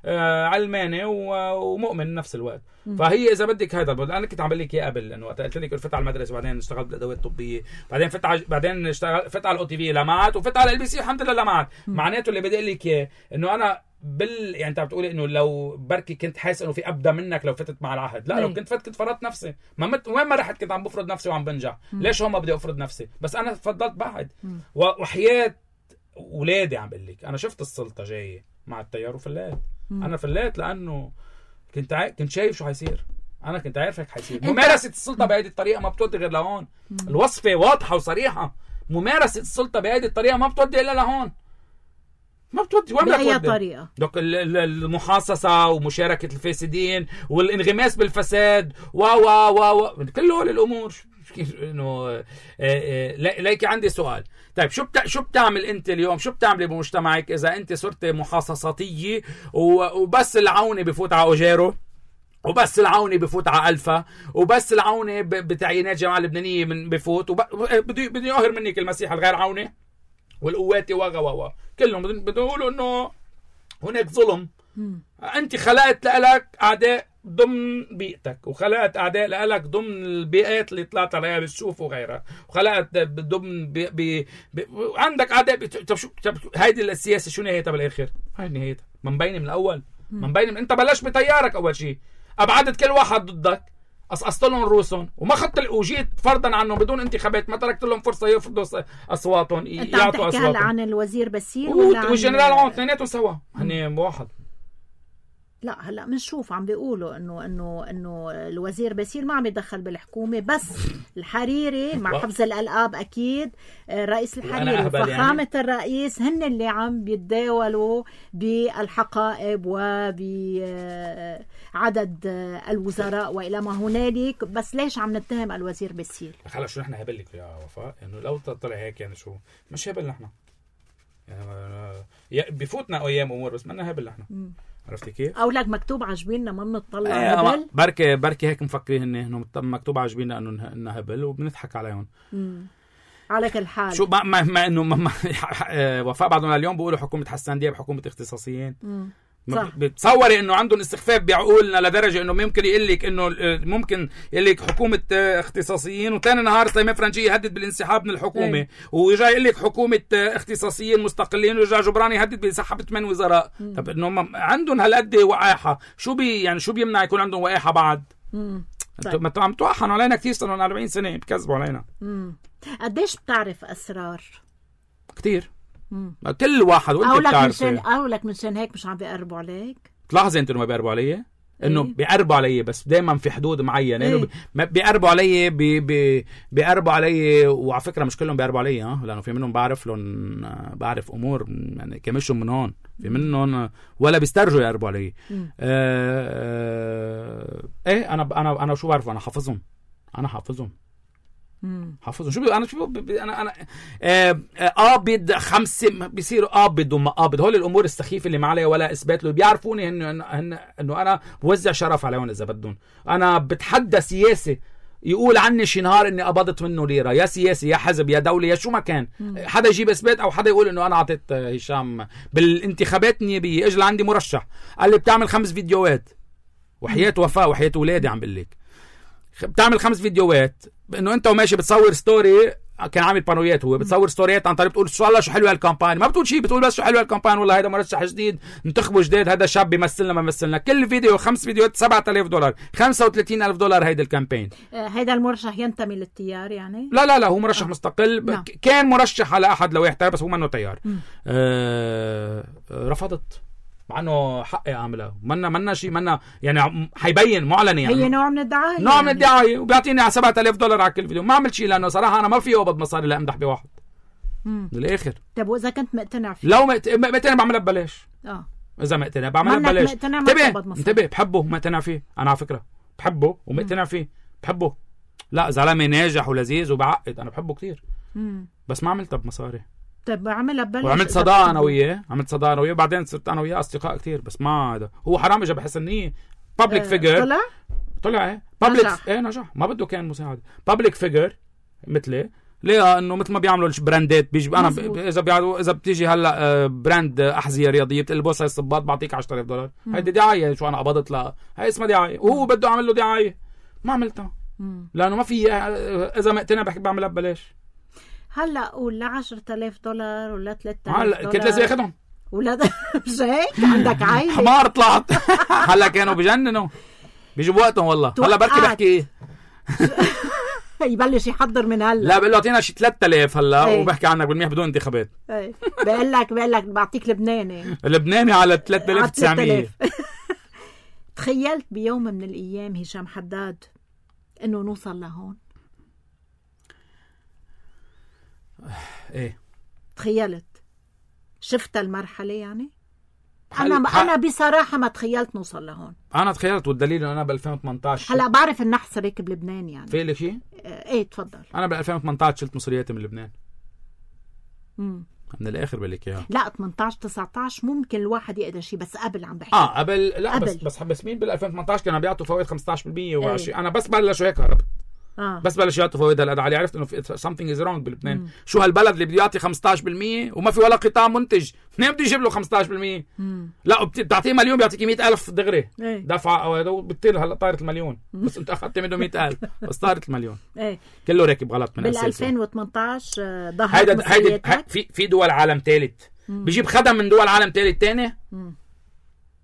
آه علماني ومؤمن نفس الوقت. م. فهي اذا بدك هذا انا كنت عم بقول لك اياه قبل، انه وقت قلت لك فت على المدرسه، بعدين اشتغلت بالادوات الطبيه، بعدين فت على بعدين اشتغلت فت على الاو تي في لمعت، وفت على ال بي سي الحمد لله لمعت. معناته اللي بدي اقول لك اياه انه انا بال يعني انت عم تقولي انه لو بركي كنت حاسس انه في ابدا منك لو فتت مع العهد، لا. مي. لو كنت فت كنت فرضت نفسي، ما مت... وين ما رحت كنت عم بفرض نفسي وعم بنجح. م. ليش هون ما بدي افرض نفسي؟ بس انا فضلت بعد. وحياه اولادي عم بقول لك انا شفت السلطه جايه مع التيار وفلات. انا فلات لانه كنت عا... كنت شايف شو حيصير، انا كنت عارف هيك حيصير. ممارسه السلطه بهذه الطريقه ما بتودي غير لهون. الوصفه واضحه وصريحه، ممارسه السلطه بهذه الطريقه ما بتودي الا لهون، ما بتودي وين بأي طريقة. دوك المحاصصه ومشاركه الفاسدين والانغماس بالفساد و و و كل هول الامور. انه ليك عندي سؤال، طيب شو بتا... شو بتعمل انت اليوم، شو بتعملي بمجتمعك اذا انت صرت محاصصاتيه وبس العوني بفوت على اوجيرو، وبس العوني بفوت على الفا، وبس العوني ب... بتعيينات جماعه لبنانيه من بفوت وب... بدي بدي اقهر منك المسيح الغير عوني والقوات وغا وغا كلهم بدهم يقولوا انه هناك ظلم. م. انت خلقت لك اعداء ضمن بيئتك، وخلقت اعداء لك ضمن البيئات اللي طلعت عليها بالسوف وغيرها، وخلقت ضمن بي بي بي عندك اعداء بي... طب شو طب هيدي السياسه شو نهايتها بالاخر؟ هاي نهايتها ما مبينه من الاول. ما مبينه من... انت بلشت بتيارك اول شيء، ابعدت كل واحد ضدك، قصقصت لهم رؤوسهم وما خدت وجيت فرضا عنهم بدون انتخابات، ما تركت لهم فرصه يفرضوا اصواتهم، يعطوا اصواتهم. انت عم عن الوزير باسيل ولا والجنرال عون اثنيناتهم سوا هن واحد؟ لا هلا بنشوف عم بيقولوا انه انه انه الوزير باسيل ما عم يدخل بالحكومه، بس الحريري مع حفظ الالقاب اكيد رئيس الحريري وفخامه يعني. الرئيس هن اللي عم بيتداولوا بالحقائب وبعدد الوزراء والى ما هنالك. بس ليش عم نتهم الوزير باسيل؟ خلص شو نحن هبل لك يا وفاء، انه لو طلع هيك يعني شو مش هبل نحن، يعني بفوتنا ايام امور بس ما هبل نحن. عرفتي كيف؟ او لك مكتوب عجبيننا ما بنطلع هبل، بركي بركي هيك مفكرين انه مكتوب عجبيننا انه انه هبل وبنضحك عليهم. امم على كل حال شو ما ما, ما انه ما وفاء بعضهم اليوم بيقولوا حكومه حسان دياب حكومه اختصاصيين. امم بتصوري انه عندهم استخفاف بعقولنا لدرجه انه ممكن يقول لك انه ممكن يقول لك حكومه اختصاصيين وثاني نهار سليمان فرنجي يهدد بالانسحاب من الحكومه، ايه. ويرجع يقول لك حكومه اختصاصيين مستقلين، ويرجع جبراني يهدد بسحب ثمان وزراء. مم. طب انه عندهم هالقد وقاحه، شو بي يعني شو بيمنع يكون عندهم وقاحه بعد؟ امم طيب. انتوا عم توحنوا علينا كثير، صار لنا أربعين سنه بكذبوا علينا. امم قديش بتعرف اسرار؟ كثير. مم. كل واحد وانت بتعرفي. اقول لك منشان هيك مش عم بيقربوا عليك. تلاحظي انت انه ما بيقربوا علي، انه ايه؟ بيقربوا علي بس دائما في حدود معينه. ايه؟ انه بيقربوا علي بي بي بيقربوا علي، وعلى فكره مش كلهم بيقربوا علي، ها، لانه في منهم بعرف لهم بعرف امور يعني كمشهم من هون، في منهم ولا بيسترجوا يقربوا علي. آه آه ايه انا انا انا شو بعرف، انا حافظهم انا حافظهم حافظهم شو انا شو انا انا قابض خمسه بيصيروا قابض وما قابض، هول الامور السخيفه اللي ما عليها ولا اثبات له، بيعرفوني انه انه انا بوزع شرف عليهم اذا بدهم. انا بتحدى سياسي يقول عني شي نهار اني قبضت منه ليره، يا سياسي يا حزب يا دوله يا شو ما كان، حدا يجيب اثبات او حدا يقول انه انا اعطيت هشام بالانتخابات النيابيه، اجى لعندي مرشح قال لي بتعمل خمس فيديوهات، وحياه وفاء وحياه اولادي عم بقول لك بتعمل خمس فيديوهات انه انت وماشي بتصور ستوري، كان عامل بانويات هو بتصور ستوريات عن طريق بتقول ان شاء الله شو حلوه هالكامباني، ما بتقول شيء، بتقول بس شو حلوه هالكامباني، والله هذا مرشح جديد انتخبوا جديد، هذا شاب بيمثلنا ما بيمثلنا، كل فيديو خمس فيديوهات سبعة آلاف دولار، خمسة وثلاثين ألف دولار هيدا الكامبين. هيدا المرشح ينتمي للتيار يعني؟ لا لا لا هو مرشح آه. مستقل. لا. كان مرشح على احد لوائح بس هو منه تيار. آه رفضت مع انه حقي اعملها، منا منا شيء منا يعني حيبين معلن يعني هي نوع من الدعايه، نوع من الدعايه، وبيعطيني على سبعة آلاف دولار على كل فيديو. ما عملت شيء لانه صراحه انا ما في اقبض مصاري لامدح بواحد. امم بالاخر طيب واذا كنت مقتنع فيه؟ لو مقتنع بعملها ببلاش. اه اذا مقتنع بعملها ببلاش. انتبه انتبه بحبه ومقتنع فيه انا على فكره، بحبه ومقتنع فيه، بحبه لا زلمه ناجح ولذيذ وبعقد، انا بحبه كتير مم. بس ما عملتها بمصاري. طيب بعملها ببلاش وعملت صداقه انا وياه، عملت صداقه انا وياه وبعدين صرت انا وياه اصدقاء كتير. بس ما هذا هو حرام اجى بحسن نيه بابليك اه فيجر. طلع طلع ايه بابليك ايه نجح، ما بده كان مساعده بابليك فيجر مثلي. ليه؟ انه مثل ما بيعملوا البراندات بيجي انا ب... اذا بيعملوا اذا بتيجي هلا براند احذيه رياضيه بتلبس هاي الصباط بعطيك عشرة آلاف دولار، هيدي دعايه شو انا قبضت لها، هاي اسمها دعايه وهو بده اعمل له دعايه. ما عملتها لانه ما في، اذا مقتنع بحكي بعملها ببلاش. هلا قول ل عشرة آلاف دولار ولا ثلاثة آلاف دولار هلا كنت لازم اخذهم ولا مش هيك عندك عائله حمار طلعت. هلا كانوا بجننوا بيجوا وقتهم والله. هلا بركي بحكي يبلش يحضر من هلا. لا بقول له اعطينا شي ثلاثة آلاف هلا ايه. وبحكي عنك بالميح بدون انتخابات. ايه بقول لك بقول لك بعطيك لبناني لبناني على ثلاثة آلاف وتسعمية. تخيلت بيوم من الايام هشام حداد انه نوصل لهون؟ ايه تخيلت؟ شفت المرحله يعني؟ انا ح... انا بصراحه ما تخيلت نوصل لهون. انا تخيلت والدليل انه انا ب ألفين وثمانية عشر هلا بعرف النحس هيك بلبنان يعني. في لك شيء؟ ايه تفضل. انا ب ألفين وثمانية عشر شلت مصرياتي من لبنان. امم من الاخر بقول اياها. لا ثمانية عشر تسعة عشر ممكن الواحد يقدر شيء، بس قبل عم بحكي. اه قبل لا قبل. بس بس بس مين بال ألفين وثمانية عشر كانوا بيعطوا فوائد خمسة عشر بالمية وعشرين. انا بس بلشوا هيك هربت. آه. بس بلش يعطوا فوائد هالقد علي، عرفت انه something is wrong بلبنان. مم. شو هالبلد اللي بده يعطي خمسة عشر بالمية وما في ولا قطاع منتج، منين بده يجيب له خمسة عشر بالمية؟ مم. لا بتعطيه مليون بيعطيك مئة ألف دغري ايه. دفعه او هذا بتطير هلا طارت المليون. مم. بس انت اخذت منه مئة ألف بس طارت المليون. ايه كله راكب غلط من بال ألفين وثمانية عشر ظهرت هيدا هيدا في في دول عالم ثالث بيجيب خدم من دول عالم ثالث ثاني.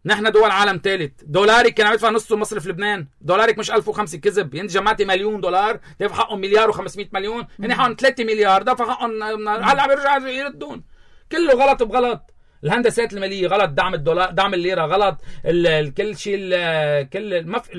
نحن دول عالم ثالث. دولارك كان عم يدفع نص مصرف لبنان، دولارك مش ألف وخمسة كذب. انت جمعتي مليون دولار دفع حقهم مليار وخمسمية مليون، هن حقهم ثلاثة مليار دفع حقهم هلا عم يرجعوا يردون. كله غلط بغلط. الهندسات الماليه غلط، دعم الدولار دعم الليره غلط، كل شيء كل المف...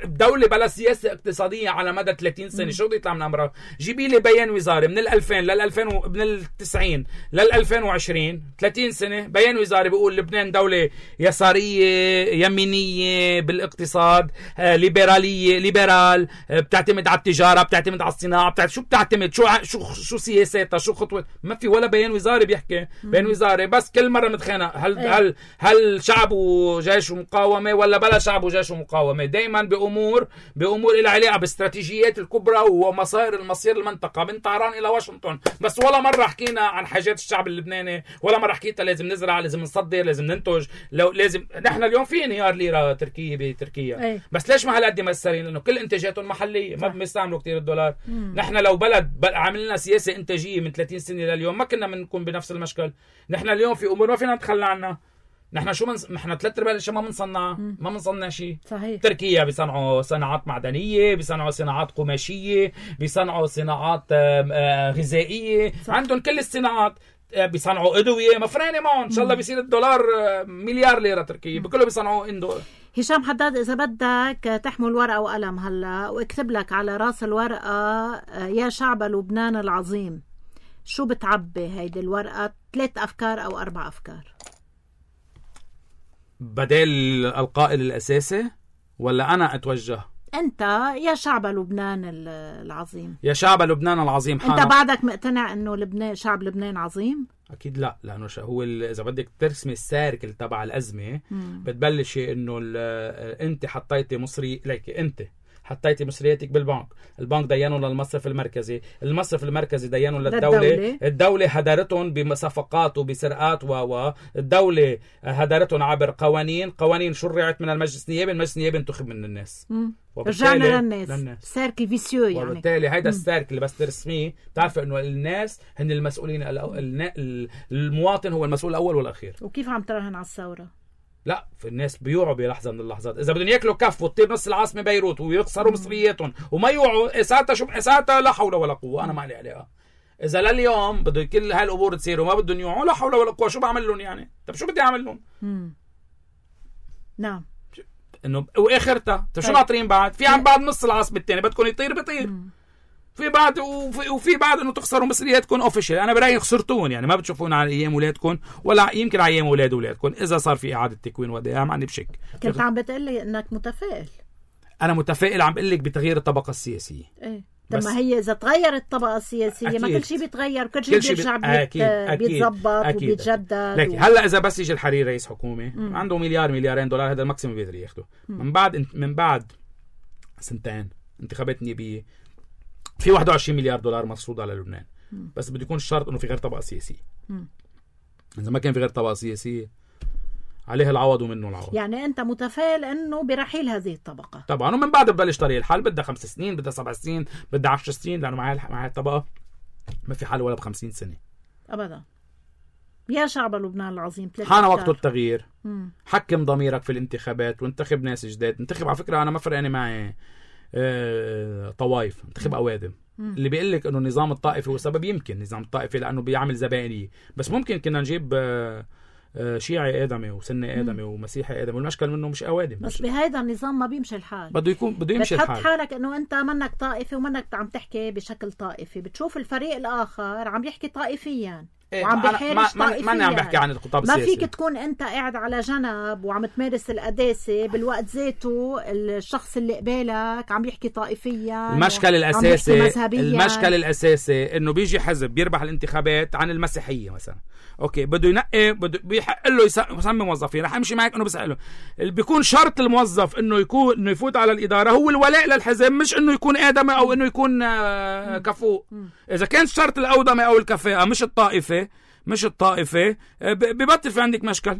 دوله بلا سياسه اقتصاديه على مدى ثلاثين سنه. شو بده يطلع من امرها؟ جيبي لي بيان وزاري من الألفين للألفين و... من التسعين للألفين وعشرين ثلاثين سنه بيان وزاري بيقول لبنان دوله يساريه يمينيه بالاقتصاد، آه، ليبراليه ليبرال، آه، بتعتمد على التجاره، بتعتمد على الصناعه، بتعتمد شو بتعتمد شو شو شو سياساتها، شو خطوه. ما في ولا بيان وزاري بيحكي. بيان وزاري بس كل مرة متخانق هل ايه. هل هل شعب وجيش ومقاومه ولا بلا شعب وجيش ومقاومه. دائما بامور بامور لها علاقه باستراتيجيات الكبرى ومصائر المصير المنطقه من طهران الى واشنطن. بس ولا مره حكينا عن حاجات الشعب اللبناني، ولا مره حكيتها لازم نزرع، لازم نصدر، لازم ننتج، لو لازم. نحن اليوم في انهيار ليره تركيه بتركيا ايه. بس ليش ما هالقد مأثرين؟ لانه كل انتاجاتهم محليه، ما بيستعملوا كثير الدولار. مم. نحن لو بلد عملنا سياسه انتاجيه من ثلاثين سنه لليوم ما كنا بنكون بنفس المشكل. نحن اليوم في امور ما فينا نتخلى عنها. نحن شو من نحن ثلاث ارباع الاشياء ما بنصنع، ما بنصنع شيء. صحيح. تركيا بيصنعوا صناعات معدنيه، بيصنعوا صناعات قماشيه، بيصنعوا صناعات غذائيه، عندهم كل الصناعات. بيصنعوا ادويه مفرانه معهم. ان شاء الله بيصير الدولار مليار ليره تركيه، بكله بيصنعوا اندو. هشام حداد اذا بدك تحمل ورقه وقلم هلا واكتب لك على راس الورقه يا شعب لبنان العظيم، شو بتعبي هيدي الورقه؟ ثلاث افكار او اربع افكار بدل القائل الاساسي، ولا انا اتوجه؟ انت يا شعب لبنان العظيم. يا شعب لبنان العظيم. انت بعدك مقتنع انه لبنان شعب لبنان عظيم؟ اكيد لا، لانه هو اذا بدك ترسمي السيركل تبع الازمه مم. بتبلشي انه انت حطيتي مصري ليك، انت حطيتي مصرياتك بالبنك، البنك دينه للمصرف المركزي، المصرف المركزي دينه للدولة، الدولة هدرتهم بصفقات وبسرقات و الدولة هدرتهم عبر قوانين، قوانين شرعت من المجلس النيابي، المجلس النيابي انتخب من الناس. رجعنا للناس, للناس. سيركل فيسيو يعني. وبالتالي هيدا السيركل اللي بس ترسميه بتعرف انه الناس هن المسؤولين، المواطن هو المسؤول الاول والاخير. وكيف عم تراهن على الثورة؟ لا، في الناس بيوعوا بلحظه من اللحظات. اذا بدهم ياكلوا كف وتطير نص العاصمه بيروت ويخسروا مصرياتهم وما يوعوا، ساعتها شو ساعتها لا حول ولا قوه. انا ما لي عليها. اذا لليوم بده كل هالامور تصير وما بدهم يوعوا، لا حول ولا قوه، شو بعمل لهم يعني؟ طب شو بدي اعمل لهم؟ نعم انه واخرتها طيب شو ناطرين بعد؟ في عن بعد نص العاصمه الثاني بدكم يطير بطير. مم. في بعض وفي, وفي بعض انه تخسروا مصرياتكم اوفيشال. انا برايي خسرتون يعني ما بتشوفون على ايام اولادكم ولا يمكن على ايام اولاد اولادكم اذا صار في اعاده تكوين ودائع. ما عندي بشك. كنت عم بتقلي انك متفائل. انا متفائل عم بقول لك بتغيير الطبقه السياسيه. ايه طب ما هي اذا تغيرت الطبقه السياسيه أكيد. ما كل شيء بيتغير وكل شيء بيرجع بيتظبط وبيتجدد. لكن و... هلا اذا بس يجي الحريري رئيس حكومه مم. عنده مليار مليارين دولار هذا الماكسيمم بيقدر ياخده. من بعد من بعد سنتين انتخابات نيابيه في واحد وعشرين مليار دولار مفروض على لبنان. مم. بس بده يكون الشرط انه في غير طبقه سياسيه. مم. اذا ما كان في غير طبقه سياسيه عليها العوض ومنه العوض. يعني انت متفائل انه برحيل هذه الطبقه طبعا ومن بعد ببلش طريق الحل. بدها خمس سنين بدها سبع سنين بدها عشر سنين لانه مع مع الطبقه ما في حل ولا بخمسين سنه ابدا. يا شعب لبنان العظيم حان وقت التغيير. مم. حكم ضميرك في الانتخابات وانتخب ناس جداد. انتخب على فكره انا ما فرقاني معي اه طوائف. انتخب اوادم. مم. اللي بيقول لك انه النظام الطائفي هو سبب يمكن النظام الطائفي لانه بيعمل زبائنيه بس ممكن كنا نجيب اه شيعي آدمي وسني آدمي ومسيحي آدمي والمشكل منه مش أوادم. بس بهذا النظام ما بيمشي الحال. بده يكون بده يمشي الحال. بتحط حالك إنه أنت منك طائفي ومنك عم تحكي بشكل طائفي. بتشوف الفريق الآخر عم يحكي طائفيا إيه وعم بيحارش طائفيا. ما أنا عم بحكي عن الخطاب ما السياسي. فيك تكون أنت قاعد على جنب وعم تمارس القداسة بالوقت ذاته الشخص اللي قبالك عم يحكي طائفيا. المشكل الأساسي المشكل الأساسي إنه بيجي حزب بيربح الانتخابات عن المسيحية مثلا. اوكي بده ينقي بده بيحق له يسمي موظفين. رح امشي معك انه بساله اللي بيكون شرط الموظف انه يكون انه يفوت على الاداره هو الولاء للحزب مش انه يكون ادمي او انه يكون آه كفؤ. اذا كان شرط الاودمه او الكفاءه مش الطائفه مش الطائفه ببطل في عندك مشكل.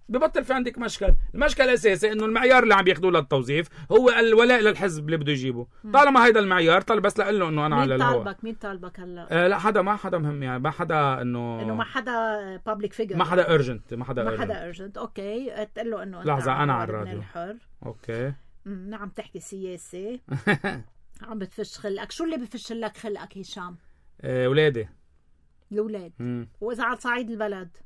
ببطل في عندك مشكل. المشكل الاساسي انه المعيار اللي عم ياخذوه للتوظيف هو الولاء للحزب اللي بده يجيبه. طالما هيدا المعيار طالب بس لقول له انه انا على الهواء. مين طالبك مين طالبك هلا؟ آه لا حدا ما حدا مهم يعني ما حدا انه انه ما حدا بابليك فيجر ما حدا اورجنت ما حدا ما حدا اورجنت. اوكي تقول له انه لحظه انا على الراديو الحر. اوكي نعم تحكي سياسه عم بتفش خلقك. شو اللي بفش لك خلقك هشام؟ آه ولادي الاولاد. واذا على صعيد البلد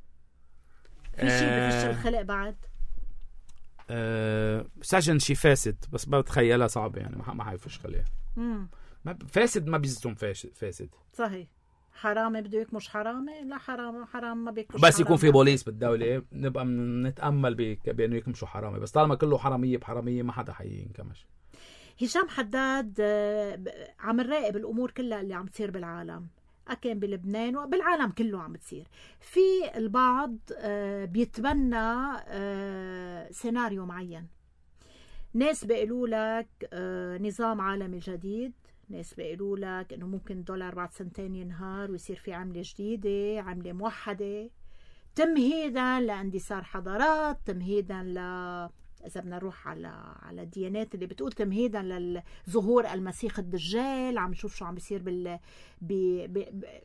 في شيء آه بفش الخلق بعد؟ أه سجن شي فاسد بس بتخيلها صعبة يعني ما حيفش خليها. ما فاسد ما بيزتم فاسد. صحيح. حرامي بده يكمش حرامي. لا حرام حرام ما بيكمش بس يكون في بوليس بالدولة نبقى نتأمل بأنه يكمشوا حرامي. بس طالما كله حرامية بحرامية ما حدا حينكمش. هشام حداد عم نراقب الأمور كلها اللي عم تصير بالعالم أكين بلبنان وبالعالم كله عم بتصير. في البعض بيتبنى سيناريو معين. ناس بيقولوا لك نظام عالمي جديد. ناس بيقولوا لك إنه ممكن الدولار بعد سنتين ينهار ويصير في عملة جديدة عملة موحدة تمهيدا لاندثار حضارات تمهيدا ل إذا بدنا نروح على على الديانات اللي بتقول تمهيدا للظهور المسيح الدجال. عم نشوف شو عم بيصير بال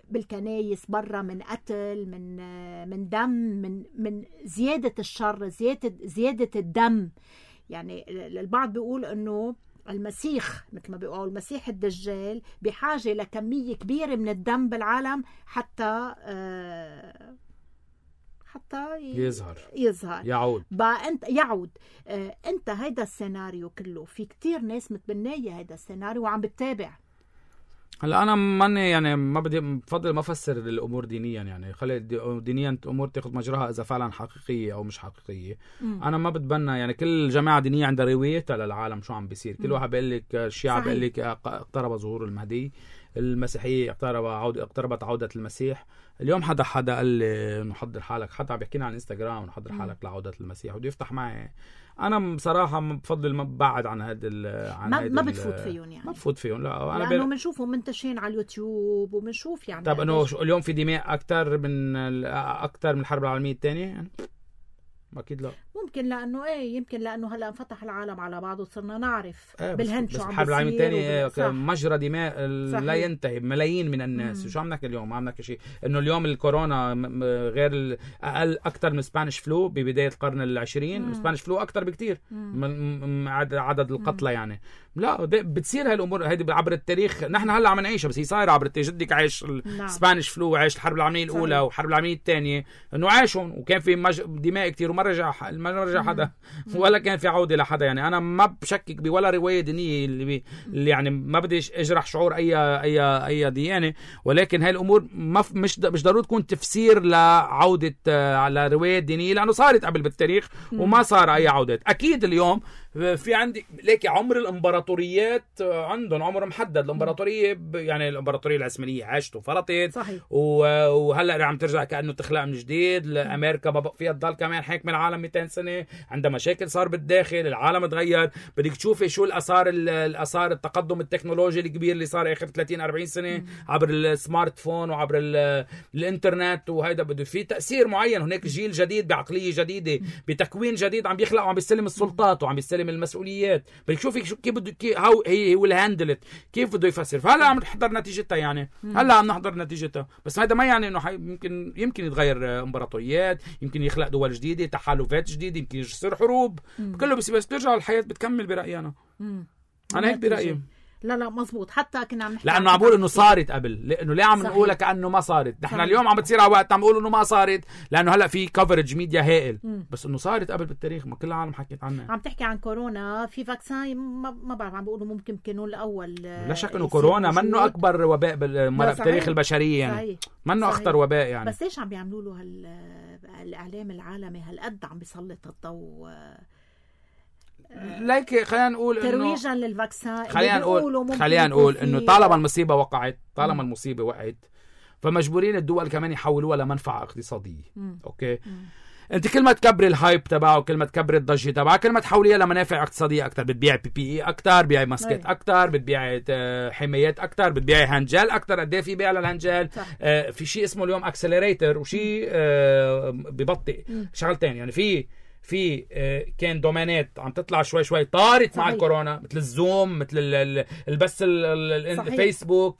بالكنايس برا من قتل من من دم من من زيادة الشر زيادة زيادة الدم. يعني البعض بيقول إنه المسيح مثل ما بيقولوا المسيح الدجال بحاجة لكمية كبيرة من الدم بالعالم حتى آه حتى يظهر يظهر يعود بقى انت يعود. آه انت هيدا السيناريو كله في كتير ناس متبنيه هيدا السيناريو وعم بتتابع. هلا انا ماني يعني ما بدي بفضل ما افسر الامور دينيا يعني خلي دينيا امور تاخذ مجراها اذا فعلا حقيقيه او مش حقيقيه. م. انا ما بتبنى يعني كل جماعه دينيه عندها روايتها للعالم شو عم بيصير. كل واحد بيقول لك الشيعة بيقول لك اقترب ظهور المهدي. المسيحيه اقترب عودة اقتربت عوده المسيح. اليوم حدا حدا قال لي انه حضر حالك حتى عم بيحكينا عن انستغرام انه حضر حالك لعوده المسيح وبده يفتح معي. انا بصراحه بفضل ما ببعد عن هذا عن ما, ما بتفوت فيهم يعني ما بفوت فيهم. لا انا لانه بنشوفهم منتشرين على اليوتيوب وبنشوف يعني. طب انه اليوم في دماء اكثر من اكثر من الحرب العالميه الثانيه يعني اكيد لا. ممكن لانه ايه يمكن لانه هلا انفتح العالم على بعضه وصرنا نعرف إيه بالهند شو عم بيصير. الحرب العالميه الثانيه مجرى دماء لا ينتهي ملايين من الناس. شو عم نحكي اليوم ما عم نحكي شيء انه اليوم الكورونا غير اقل اكثر من سبانيش فلو ببدايه القرن العشرين. سبانيش فلو اكثر بكتير من عدد القتلى يعني. لا بتصير هالامور هيدي عبر التاريخ. نحن هلا عم نعيشها بس هي صايره عبر التاريخ. جدك عايش السبانيش فلو وعايش الحرب العالميه الاولى والحرب العالميه الثانيه انه عايشهم وكان في مج... دماء كتير ما رجع ما رجع حدا ولا كان في عودة لحدا. يعني أنا ما بشكك بولا رواية دينية اللي, بي اللي يعني ما بدي أجرح شعور أي أي أي ديانة، ولكن هاي الأمور ما مش مش ضروري تكون تفسير لعودة على رواية دينية، لأنه صارت قبل بالتاريخ وما صار أي عودات. أكيد اليوم في عندي ليك عمر الامبراطوريات عندهم عمر محدد. الامبراطوريه يعني الامبراطوريه العثمانيه عاشت وفرطت، وهلا عم ترجع كانه تخلق من جديد. امريكا ما بقى فيها تضل كمان حاكمه العالم مئتين سنه، عندها مشاكل صار بالداخل، العالم تغير. بدك تشوفي شو الاثار الاثار التقدم التكنولوجي الكبير اللي صار اخر ثلاثين أربعين سنه م. عبر السمارت فون وعبر الانترنت، وهيدا بده في تاثير معين. هناك جيل جديد بعقليه جديده بتكوين جديد عم بيخلق وعم بيستلم السلطات وعم بيستلم من المسؤوليات. بدك تشوفي شو كيف بده كيف هاو هي هو الهاندلت كيف بده يفسر. فهلا عم نحضر نتيجتها، يعني هلا عم نحضر نتيجتها. بس هذا ما يعني انه يمكن يمكن يتغير امبراطوريات، يمكن يخلق دول جديده، تحالفات جديده، يمكن يصير حروب. كله بس بس ترجع الحياه بتكمل برايي انا. انا هيك برايي. لا لا مزبوط. حتى كنا عم نحكي لانه عم بقول انه صارت قبل، لانه ليه عم نقولها كانه ما صارت. نحن اليوم عم بتصير على وقت عم نقول انه ما صارت لانه هلا في كفرج ميديا هائل، مم. بس انه صارت قبل بالتاريخ، ما كل العالم حكيت عنها. عم تحكي عن كورونا، في فاكسين ما, ما بعرف، عم بيقولوا ممكن كانوا الاول. لا شك انه كورونا منه اكبر وباء بالتاريخ البشريه، يعني منه اخطر وباء يعني. بس ليش عم بيعملوا له هال الاعلام العالمي هالقد عم بيسلط الضوء؟ لايك خلينا نقول انه ترويجا للفاكسين. خلينا نقول خلينا نقول انه طالما المصيبه وقعت، طالما المصيبه وقعت، فمجبورين الدول كمان يحولوها لمنفعه اقتصاديه. مم. اوكي مم. انت كل ما تكبري الهايب تبعه، كل ما تكبري الضجه تبعه، كل ما تحوليها لمنافع اقتصاديه اكثر. بتبيعي بي بي اي اكثر، بيعي ماسكات اكثر، بتبيعي حمايات اكثر، بتبيعي هانجل اكثر. قد ايه في بيع للهانجل؟ آه في شيء اسمه اليوم اكسلريتر، وشيء آه ببطئ شغلتين. يعني في في كان دومينات عم تطلع شوي شوي طارت مع الكورونا، مثل الزوم، مثل البث الفيسبوك،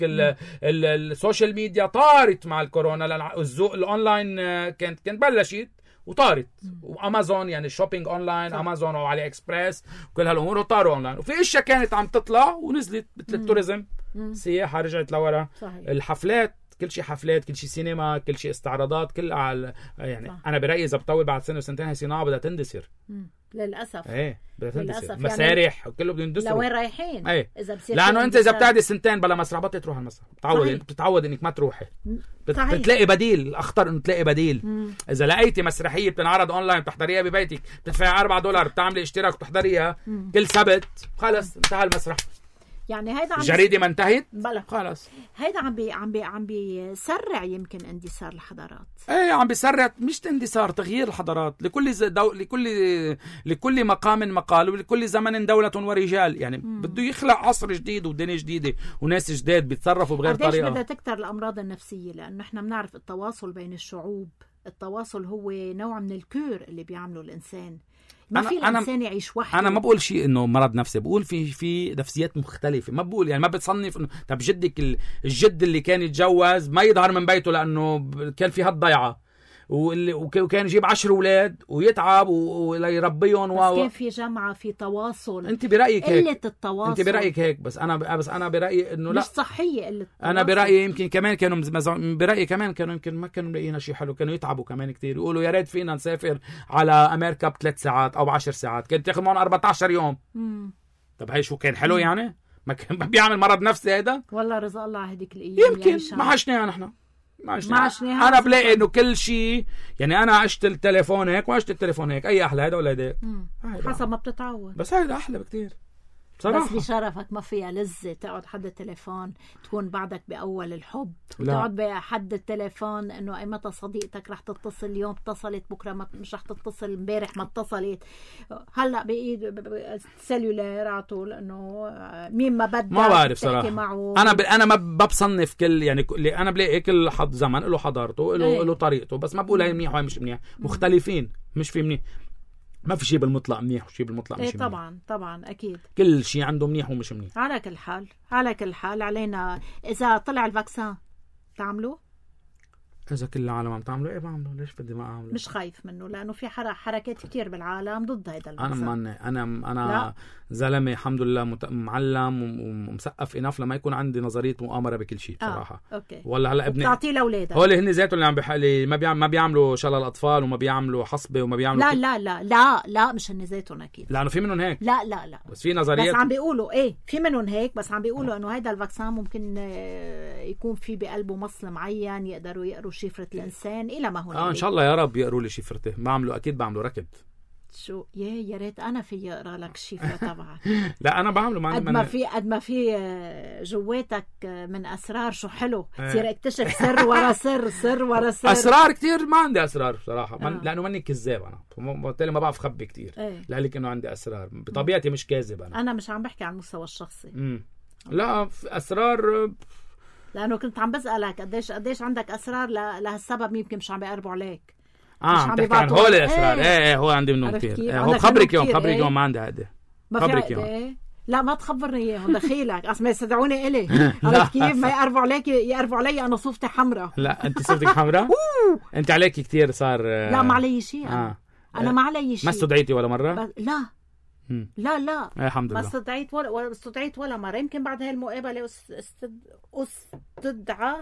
السوشيال ميديا طارت مع الكورونا. الاونلاين كانت كانت بلشت وطارت، وامازون يعني الشوبينج اونلاين، امازون وعلي اكسبريس وكل هالامور طاروا اونلاين. وفي اشياء كانت عم تطلع ونزلت، مثل التوريزم، السياحه رجعت لورا، الحفلات، كل شيء حفلات، كل شيء سينما، كل شيء استعراضات، كل على يعني صح. انا برايي اذا بطول بعد سنه وسنتين هي صناعه بدها تندثر للاسف. ايه بدها تندثر، مسارح يعني كله بده يندثر. لوين رايحين؟ ايه اذا بصير، لانه انت اذا بتقعدي سنتين بلا مسرح بطل تروح على المسرح، بتعودي بتتعود انك ما تروحي، بتلاقي بديل. الاخطر انه تلاقي بديل. مم. اذا لقيتي مسرحيه بتنعرض اونلاين بتحضريها ببيتك، بتدفعي أربعة دولار، بتعملي اشتراك وتحضريها كل سبت، خلص انتهى المسرح. يعني هيدا عم الجريدة ما انتهت خلاص. هيدا عم بي عم بي عم بيسرع يمكن اندثار الحضارات. ايه عم بيسرع، مش اندثار، تغيير الحضارات. لكل دو... لكل لكل مقام مقال، ولكل زمن دولة ورجال. يعني مم. بده يخلق عصر جديد ودنيا جديدة وناس جداد بيتصرفوا بغير طريقة. قديش بدها تكتر الامراض النفسية؟ لانه نحن بنعرف التواصل بين الشعوب، التواصل هو نوع من الكور اللي بيعمله الانسان. ما في الانسان يعيش وحده. انا ما بقول شيء انه مرض نفسي، بقول في في نفسيات مختلفه. ما بقول يعني ما بتصنف انه طب جدك الجد اللي كان يتجوز ما يظهر من بيته لانه كان في هالضيعه، وكان يجيب عشر اولاد ويتعب ويربيهم. بس كان في جمعه، في تواصل. انت برايك هيك؟ قله التواصل. انت برايك هيك؟ بس انا بس انا برايي انه لا، مش صحيه قله التواصل. انا برايي يمكن كمان كانوا مزع... برايي كمان كانوا يمكن ما كانوا لاقيين شيء حلو، كانوا يتعبوا كمان كتير، يقولوا يا ريت فينا نسافر على امريكا بثلاث ساعات او بعشر ساعات، كانت تاخذ معهم أربعة عشر يوم. مم. طب هي شو كان حلو؟ مم. يعني ما كان بيعمل مرض نفسي هيدا. والله رزق الله هديك الايام يمكن ما عشناها نحن، ما عشناها. انا بلاقي انه كل شيء، يعني انا عشت التليفون هيك وعشت التليفون هيك، اي احلى هذا ولا هيدا؟ حسب ما بتتعود. بس هيدا احلى بكتير بصراحة. بس بشرفك ما فيها لذة تقعد حد التليفون تكون بعدك بأول الحب، تقعد بحد التليفون انه اي متى صديقتك رح تتصل، اليوم اتصلت بكره ما مش رح تتصل، امبارح ما اتصلت، هلا بايد السلولار على طول، انه مين ما بدك ما بعرف صراحة. انا ب... انا ما بصنف كل، يعني انا بلاقي كل حد زمن له حضارته، له له طريقته، بس ما بقول هي منيح وهي مش منيح، مختلفين، مش في منيح، ما في شيء بالمطلق منيح وشيء بالمطلق مش إيه منيح. طبعا طبعا اكيد كل شيء عنده منيح ومش منيح. على كل حال على كل حال علينا اذا طلع الفاكسين تعملوه. اذا كل العالم عم تعملوا ايه بعملوا، ليش بدي ما اعمله؟ مش خايف منه لانه في حركات كتير بالعالم ضد هذا انا المنظر. ماني انا انا زلمه الحمد لله مت... معلم ومثقف اناف لما يكون عندي نظريه مؤامره بكل شيء بصراحه. آه. اوكي. ولا هلا ابني بتعطيه لاولادك، هول هن ذاتهم اللي عم بحالي ما بيعم... ما بيعملوا شلل الاطفال وما بيعملوا حصبه وما بيعملوا لا كت... لا لا لا لا مش هن ذاتهم اكيد، لانه في منهم هيك. لا لا لا بس في نظريه بس عم بيقولوا ايه في منهم هيك، بس عم بيقولوا انه هيدا الفاكسان ممكن يكون في بقلبه مصل معين يقدروا يقروا شفره الانسان الى ما هنالك. اه ان شاء الله يا رب يقروا لي شفرته. بعملوا اكيد بعملوا ركض. شو يا يا ريت انا في اقرا لك الشفره تبعك. لا انا بعمله مع قد ما في قد ما في جواتك من اسرار. شو حلو تصير اكتشف سر ورا سر سر ورا سر. اسرار كتير. ما عندي اسرار بصراحه. آه. من... لانه ماني كذاب انا، بالتالي ما بعرف خبي كتير. ايه. لذلك انه عندي اسرار بطبيعتي، مش كاذب انا. انا مش عم بحكي عن المستوى الشخصي. امم لا اسرار، لانه كنت عم بسالك قديش قديش عندك اسرار لهالسبب، يمكن مش عم بيقربوا عليك. اه عم تحكي عن هول الاسرار. ايه ايه هو عندي منهم كثير. ايه هو خبرك يوم خبرك يوم ما عندي هذا. خبرك يوم. ايه؟ لا ما تخبرني اياهم دخيلك اصلا يستدعوني الي. عرفت كيف؟ ما يقربوا عليك يقربوا علي انا صوفتي حمراء. لا انت صوفتك حمراء. انت عليك كثير صار. لا ما علي شيء انا. آه. انا ما علي شيء. ما استدعيتي ولا مره؟ ب... لا م. لا لا ايه الحمد لله ما استدعيت ولا ولا استدعيت ولا مره. يمكن بعد هاي المقابله استد... استدعى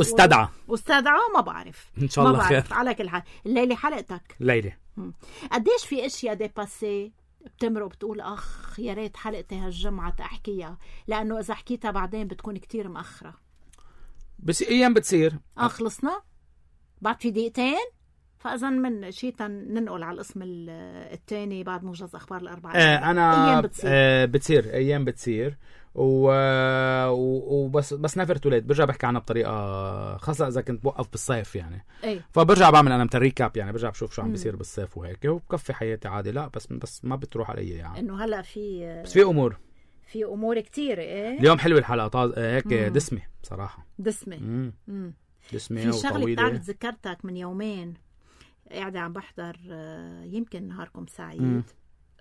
استدعى استدعى ما بعرف ان شاء الله خير. على كل حال الليله حلقتك ليله. قديش في اشياء ديباسي بتمرق بتقول اخ يا ريت حلقتي هالجمعه احكيها، لانه اذا حكيتها بعدين بتكون كتير مأخره. بس ايام بتصير. اه خلصنا بعد في دقيقتين، فاذا من شيء ننقل على القسم الثاني بعد موجز اخبار الاربعاء. آه انا ايام بتصير. آه بتصير ايام بتصير و... وبس بس نفر توليد برجع بحكي عنها بطريقه خاصه اذا كنت بوقف بالصيف يعني. ايه؟ فبرجع بعمل انا متل ريكاب يعني، برجع بشوف شو عم بيصير بالصيف وهيك وبكفي حياتي عادي. لا بس بس ما بتروح علي يعني. انه هلا في بس في امور في امور كتير. ايه اليوم حلوه الحلقه طاز... هيك دسمه بصراحه. دسمه امم امم دسمه في شغله وطويله. بتعرف ذكرتك من يومين قاعده عم بحضر يمكن نهاركم سعيد. مم.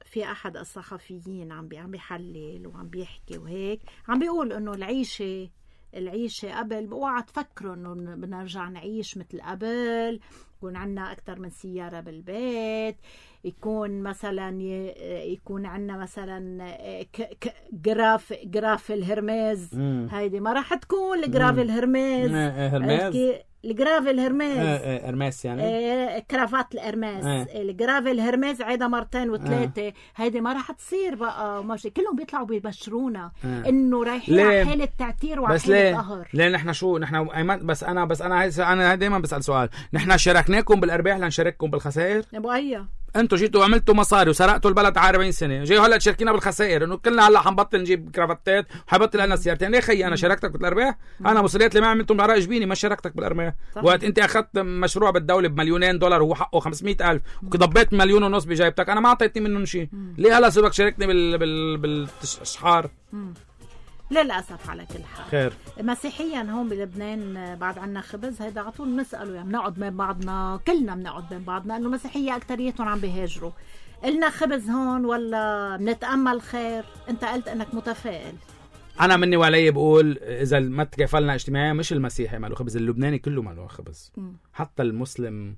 في احد الصحفيين عم بي عم بيحلل وعم بيحكي وهيك عم بيقول انه العيشه العيشه قبل اوعى تفكروا انه بدنا نرجع نعيش مثل قبل، يكون عندنا اكثر من سياره بالبيت، يكون مثلا يكون عندنا مثلا جراف جراف الهرميز. هيدي ما راح تكون الجراف الهرميز. هرميز الجراف الهرميز اه ارماس يعني اه كرافات الارماس. اه الجراف الهرميز عيدا مرتين وثلاثه. اه هيدي ما راح تصير بقى وماشي. كلهم بيطلعوا بيبشرونا اه انه رايحين على حاله تعتير وعلى حاله قهر. ليه نحن شو نحن بس انا بس انا انا دائما بسال سؤال، نحن شاركناكم بالارباح لنشارككم بالخسائر؟ ابو ايه انتوا جيتوا عملتوا مصاري وسرقتوا البلد على أربعين سنه، جاي هلا تشاركينا بالخسائر انه كلنا هلا حنبطل نجيب كرافتات وحبطل لنا سيارتين. ليه خيي انا شاركتك بالارباح؟ انا مسؤوليات اللي ما عملتم على جبيني، ما شاركتك بالارباح. وقت انت اخذت مشروع بالدوله بمليونين دولار وهو حقه خمسمية ألف وضبيت مليون ونص بجايبتك، انا ما اعطيتني منهم شيء. ليه هلا صرت تشاركني بال بال بالاشحار؟ للأسف على كل حال. خير. مسيحيا هون بلبنان بعد عنا خبز هيدا على طول بنسأله يعني بنقعد بين بعضنا، كلنا بنقعد بين بعضنا انه مسيحية اكتريتهم عم بيهاجروا. قلنا خبز هون ولا بنتأمل خير؟ انت قلت انك متفائل. انا مني وعلي بقول اذا ما تكافلنا اجتماعيا مش المسيحي ماله خبز، اللبناني كله ماله خبز. م. حتى المسلم،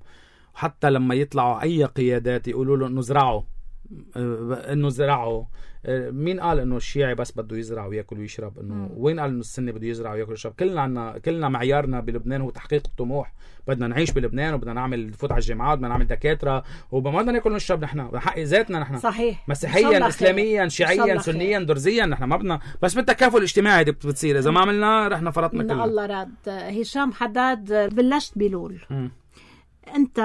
حتى لما يطلعوا اي قيادات يقولوا له انه زرعوا انه زرعوا. مين قال انه الشيعي بس بده يزرع وياكل ويشرب؟ انه وين قال انه السني بده يزرع وياكل ويشرب؟ كلنا عنا كلنا معيارنا بلبنان هو تحقيق الطموح. بدنا نعيش بلبنان وبدنا نعمل نفوت على الجامعات، بدنا نعمل دكاتره وما بدنا ناكل ونشرب. نحن بحق ذاتنا نحن صحيح، مسيحيا اسلاميا شيعيا سنيا درزيا، نحن ما بدنا بس بالتكافل الاجتماعي دي بتصير. اذا ما عملنا رحنا فرطنا كلنا. الله راد. هشام حداد بلشت بلول. م. انت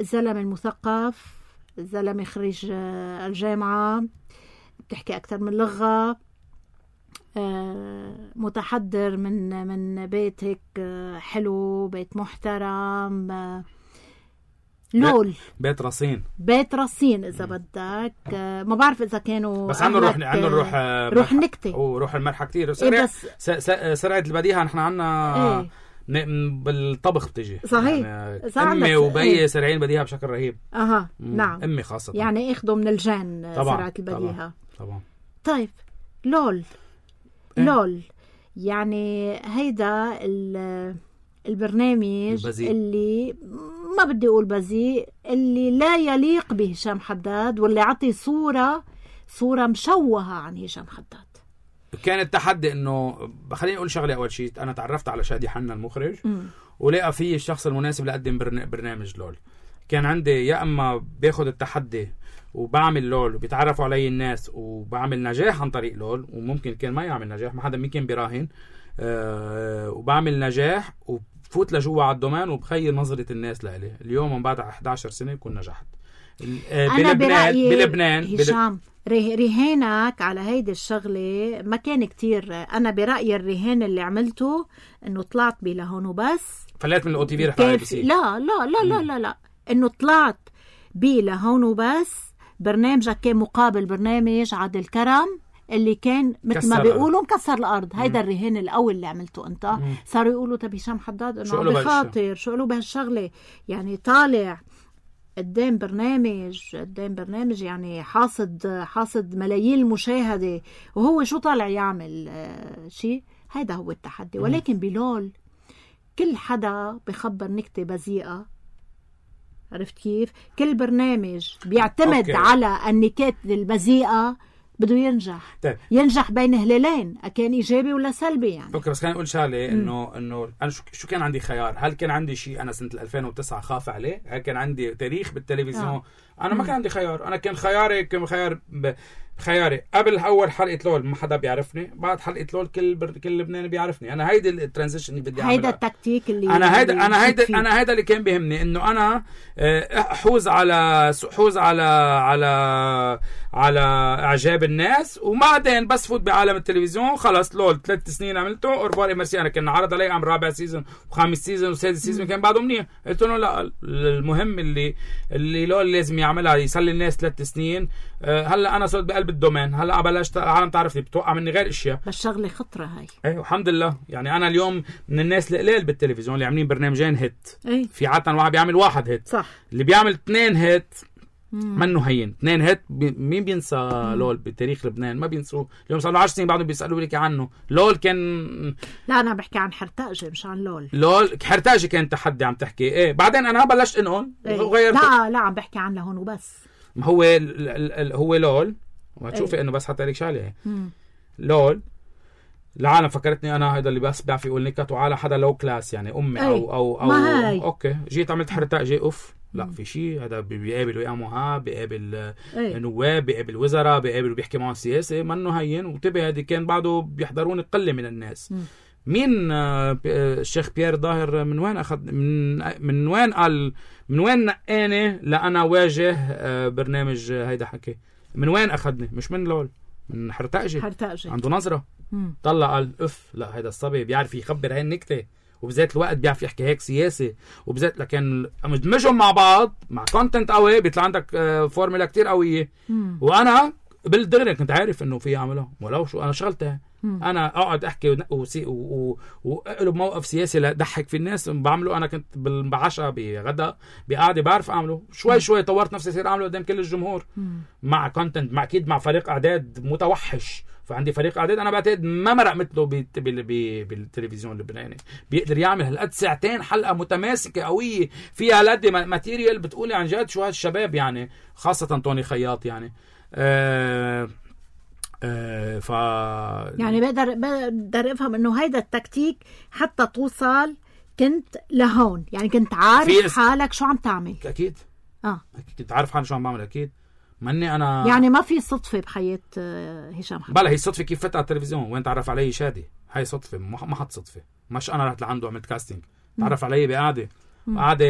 زلمه المثقف، زلمه خريج الجامعه، بتحكي أكثر من لغة، متحضر من من بيت هيك حلو، بيت محترم. لول بيت رصين بيت رصين إذا بدك. ما بعرف إذا كانوا بس عنده روح عنده روح روح النكتة وروح المرحة كتير. سرعة إيه سرعة البديهة نحن عنا إيه؟ بالطبخ بتجي صحيح. يعني امي وبي ايه؟ سرعين بديهة بشكل رهيب. اها نعم امي خاصة يعني اخذوا من الجان سرعة البديهة. طبعا طبعا. طيب لول إيه؟ لول يعني هيدا البرنامج البذيء. اللي ما بدي أقول بذيء، اللي لا يليق بهشام حداد، واللي عطي صورة صورة مشوهة عن هشام حداد. كان التحدي انه خليني اقول شغله. اول شيء انا تعرفت على شادي حنا المخرج م. ولقى فيه الشخص المناسب لأقدم برنامج لول. كان عندي يا اما باخد التحدي وبعمل لول وبيتعرفوا علي الناس وبعمل نجاح عن طريق لول، وممكن كان ما يعمل نجاح، ما حدا ممكن براهن، أه وبعمل نجاح وبفوت لجوا على الدومين وبخير نظرة الناس لإلي. اليوم من بعد إحدى عشر سنة يكون نجحت. أنا برأيي بلبنان هشام رهانك على هيدي الشغلة ما كان كتير. أنا برأيي الرهان اللي عملته إنه طلعت بي لهون وبس، فلات من الأو تي في رحت على بي سي. لا لا لا لا لا لا إنه طلعت بي لهون وبس. برنامجك كان مقابل برنامج عادل كرم اللي كان مثل ما بيقولوا مكسر الأرض. هيدا الرهان الأول اللي عملته أنت. مم. صاروا يقولوا طب هشام حداد إنه عم بخاطر، شو قالوا بهالشغلة؟ يعني طالع قدام برنامج قدام برنامج يعني حاصد حاصد ملايين المشاهدة، وهو شو طالع يعمل آه شيء. هيدا هو التحدي. ولكن بلول كل حدا بخبر نكتة بذيئة، عرفت كيف؟ كل برنامج بيعتمد أوكي. على النكات البذيئة بده ينجح. طيب. ينجح بين هلالين، كان إيجابي ولا سلبي يعني. اوكي بس خليني اقول شغله انه انه انا شو, شو كان عندي خيار. هل كان عندي شيء انا سنه ألفين وتسعة خاف عليه؟ هل كان عندي تاريخ بالتلفزيون؟ آه. انا ما كان عندي خيار. انا كان خياري كان خيار ب... خياري قبل اول حلقه لول ما حدا بيعرفني، بعد حلقه لول كل بر... كل لبناني بيعرفني. انا هيدي الترانزيشن اللي بدي اعملها، هيدا التكتيك اللي انا هيدا انا هيدا انا هيدا اللي كان بيهمني، انه انا احوز على حوز على على على اعجاب الناس، وبعدين بس فوت بعالم التلفزيون. خلص لول ثلاث سنين عملته اورباري ميرسي. انا كان عرض علي عم رابع سيزون وخامس سيزون وسادس سيزون كان بعده منيح. قلت له لا، المهم اللي اللي لول لازم يعملها يسلي الناس ثلاث سنين. هلا انا صرت بقلب الدومين، هلا بلشت العالم تعرفني، بتوقع مني غير اشياء. بس شغله خطره هاي. ايه الحمد لله. يعني انا اليوم من الناس القليل بالتلفزيون اللي عاملين برنامجين هيت. أي. في عاده واحد بيعمل واحد هيت، صح. اللي بيعمل اثنين هيت منه هين. اثنين هيت بي... مين بينسى مم. لول بتاريخ لبنان؟ ما بينسوه. اليوم صار له عشر سنين بعدهم بيسالوا لك عنه. لول كان لا انا بحكي عن حرتاجه مش عن لول. لول حرتاجه كان تحدي عم تحكي. ايه بعدين انا بلشت انقل إيه. وغيرت. لا لا عم بحكي عن لهون وبس. ما هو ال... ال... ال... هو لول وهتشوفي. إيه. انه بس حتى لك شغله. لول العالم فكرتني انا هذا اللي بس بيعرف يقول نكت، وعلى حدا لو كلاس يعني امي. أي. او او او اوكي جيت عملت حرتاجه اوف لا في شيء. هذا بيقابل ويا مهاب، بيقابل نواب، بيقابل وزراء، بيقابل وبيحكي معهم سياسه، منه هين. وانتبه هذه كان بعده بيحضرون قله من الناس. م. مين الشيخ بيير ظاهر من وين اخذ من من وين قال من وين نقاني لانا واجه برنامج هيدا حكي؟ من وين اخذني؟ مش من لول، من حرتاجه. حرتاجه عنده نظره. مم. طلع قال اف لا هيدا الصبي بيعرف يخبر هاي النكته، وبذات الوقت بيعرف يحكي هيك سياسي، وبذات لكن مدمجهم مع بعض مع كونتنت قوي بيطلع عندك فورمولا كتير قوية. مم. وانا بالدغري كنت عارف انه في اعملها ولو شو انا شغلتها. مم. انا اقعد احكي واقلب موقف سياسي لضحك في الناس بعمله. انا كنت بعشاء بغدا بقعده بعرف اعمله شوي. مم. شوي طورت نفسي صير اعمله قدام كل الجمهور. مم. مع كونتنت مع اكيد مع فريق اعداد متوحش. فعندي فريق اعداد انا بعتقد ما مرق مثله بالتلفزيون اللبناني، بيقدر يعمل هالقد ساعتين حلقه متماسكه قويه فيها هالقد ماتيريال بتقولي عن جد شو هالشباب يعني، خاصه توني خياط يعني. أه أه ف يعني بقدر بقدر افهم انه هيدا التكتيك حتى توصل كنت لهون، يعني كنت عارف حالك شو عم تعمل. اكيد اه اكيد كنت عارف حالي شو عم بعمل. اكيد مني انا يعني ما في صدفه بحياه هشام حداد. بلا هي صدفه كيف فتح على التلفزيون وين تعرف علي شادي. هاي صدفه ما حد صدفه. مش انا رحت لعنده عملت كاستنج، تعرف علي بقعده قعده.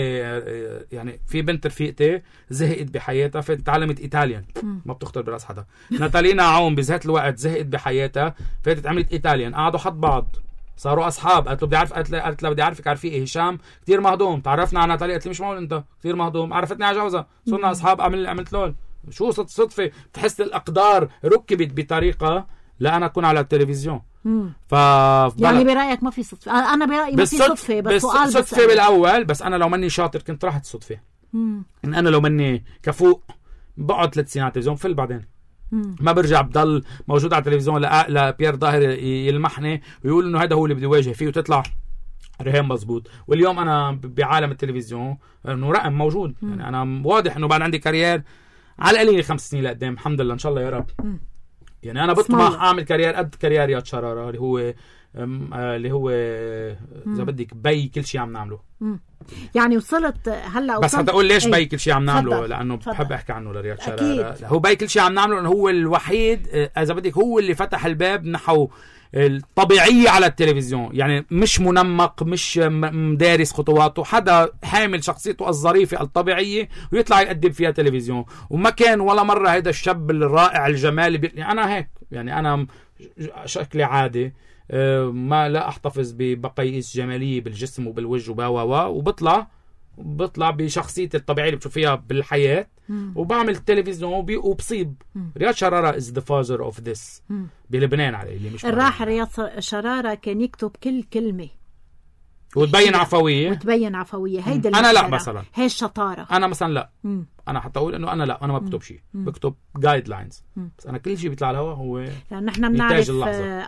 يعني في بنت رفيقتي زهقت بحياتها فتعلمت ايطاليان، ما بتخطر براس حدا. ناتالينا عون بذات الوقت زهقت بحياتها فاتت عملت ايطاليان، قعدوا حد بعض صاروا اصحاب. قالت له بدي اعرف، قالت له قالت له بدي اعرفك عارفي ايه هشام كثير مهضوم. تعرفنا على ناتاليا، قالت لي مش معقول انت كثير مهضوم. عرفتني على جوزها صرنا اصحاب. عمل عملت لول. شو صدفه بتحس الاقدار ركبت بطريقه لا انا اكون على التلفزيون. ف يعني برايك ما في صدفه؟ انا برايي ما في صدفه، بس سؤال بس صدفه بالاول. بس انا لو ماني شاطر كنت راحت صدفه. مم. ان انا لو ماني كفوق بقعد ثلاث سنين على التلفزيون فل بعدين. مم. ما برجع بضل موجود على التلفزيون لا لا بيير ظاهر يلمحني ويقول انه هذا هو اللي بدي واجه فيه وتطلع رهيب مزبوط. واليوم انا بعالم التلفزيون انه رقم موجود. م. يعني انا واضح انه بعد عندي كارير على القليل خمس سنين لقدام الحمد لله ان شاء الله يا رب. م. يعني انا بطمح اعمل كارير قد كارير رياض شرارة اللي هو اللي هو اذا بدك بي كل شيء عم نعمله. م. يعني وصلت هلا بس حتى اقول ليش بي كل شيء عم نعمله فضل. لانه فضل. بحب احكي عنه لرياض شرارة. هو بي كل شيء عم نعمله انه هو الوحيد اذا بدك هو اللي فتح الباب نحو الطبيعية على التلفزيون. يعني مش منمق مش مدارس خطواته حدا حامل شخصيته الظريفة الطبيعية ويطلع يقدم فيها تلفزيون. وما كان ولا مرة هيدا الشاب الرائع الجمالي بي... يعني أنا هيك يعني أنا شكلي عادي ما لا أحتفظ ببقاييس جمالية بالجسم وبالوجه وبا وبطلع بطلع بشخصيتي الطبيعية اللي بتشوفيها بالحياة. مم. وبعمل تلفزيون وبي... وبصيب. مم. رياض شرارة is the father of this. مم. بلبنان عليه اللي مش الراحل رياض شرارة كان يكتب كل كلمة وتبين عفوية وتبين عفوية. هيدا أنا لا مثلا هي الشطارة. أنا مثلا لا. مم. أنا حتى أقول إنه أنا لا أنا ما بكتب شيء بكتب جايد لاينز. بس أنا كل شيء بيطلع على الهواء هو لأن نحن بنعرف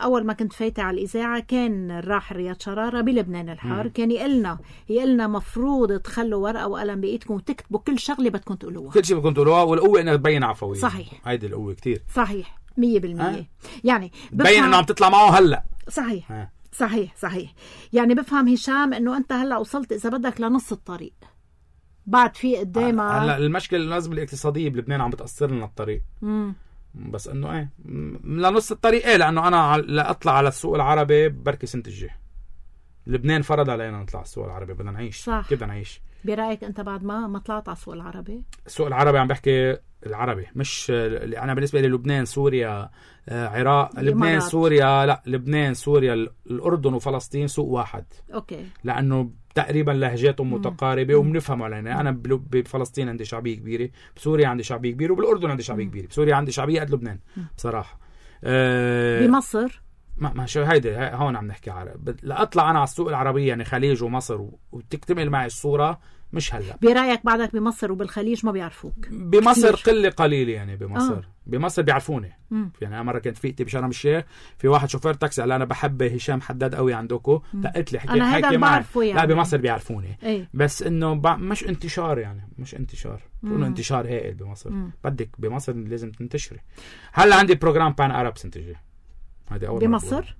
أول ما كنت فايتة على الإذاعة كان الراحل رياض شرارة بلبنان الحار. مم. كان يقلنا يقلنا مفروض تخلوا ورقة وقلم بإيدكم وتكتبوا كل شغلة بدكم تقولوها كل شيء بدكم تقولوها والقوة إنها تبين عفوية. صحيح هيدي القوة كتير صحيح مية بالمية. أه؟ يعني بين إنه عم تطلع معه هلأ. صحيح أه. صحيح صحيح. يعني بفهم هشام انه انت هلا وصلت اذا بدك لنص الطريق بعد في قدامها. هلا المشكله الازمه الاقتصاديه بلبنان عم بتاثر لنا الطريق. مم. بس انه ايه لنص الطريق ايه لانه انا لا اطلع على السوق العربي بركي سنه الجاي. لبنان فرض علينا نطلع على السوق العربي بدنا نعيش. صح. كيف بدنا نعيش؟ برايك انت بعد ما ما طلعت على السوق العربي؟ السوق العربي عم بحكي العربي مش انا بالنسبه لي لبنان سوريا عراق لبنان سوريا لا لبنان سوريا الاردن وفلسطين سوق واحد. اوكي. لانه تقريبا لهجاتهم متقاربه وبنفهم علينا. انا بفلسطين عندي شعبيه كبيره بسوريا عندي شعبيه كبيره وبالاردن عندي شعبيه كبيره بسوريا عندي شعبيه قد لبنان بصراحه. أه بمصر ما ما شو هيدي هون عم نحكي عربي. لا اطلع انا على السوق العربيه يعني خليج ومصر وتكتمل معي الصوره مش هلا. برايك بعدك بمصر وبالخليج ما بيعرفوك؟ بمصر قله قليله يعني بمصر. آه. بمصر بيعرفوني. مم. يعني انا مره كنت فيقتي بشرم الشيخ في واحد شوفير تاكسي قال انا بحب هشام حداد قوي عندكم دقت لي حكيت حكي معي يعني. لا بمصر بيعرفوني. ايه؟ بس انه ب... مش انتشار يعني مش انتشار انه انتشار هائل بمصر. مم. بدك بمصر لازم تنتشري. هلا عندي بروجرام بان عرب سنه الجاي هذه اول بمصر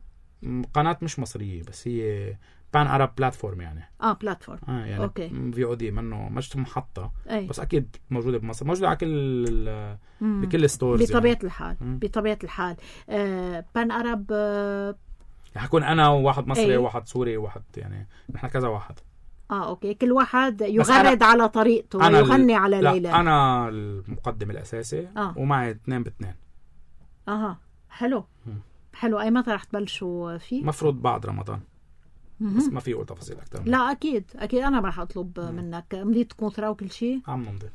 قناه مش مصريه بس هي بان عرب بلاتفورم يعني. اه بلاتفورم. اه يعني اوكي. في او دي منه مش محطه. أي. بس اكيد موجوده بمصر موجوده على كل بكل الستورز بطبيعه يعني. الحال مم. بطبيعه الحال آه بان عرب آه حكون انا وواحد مصري وواحد سوري وواحد يعني نحن كذا واحد. اه اوكي كل واحد يغرد على طريقته ويغني على ليلى. انا المقدم الاساسي. آه. ومعي اثنين باثنين. اها حلو. مم. حلو. اي متى رح تبلشوا فيه؟ مفروض بعد رمضان. بس ما في اقول تفاصيل اكثر. لا اكيد اكيد انا رح اطلب مم. منك مضيت كونترا وكل شيء. عم نمضي.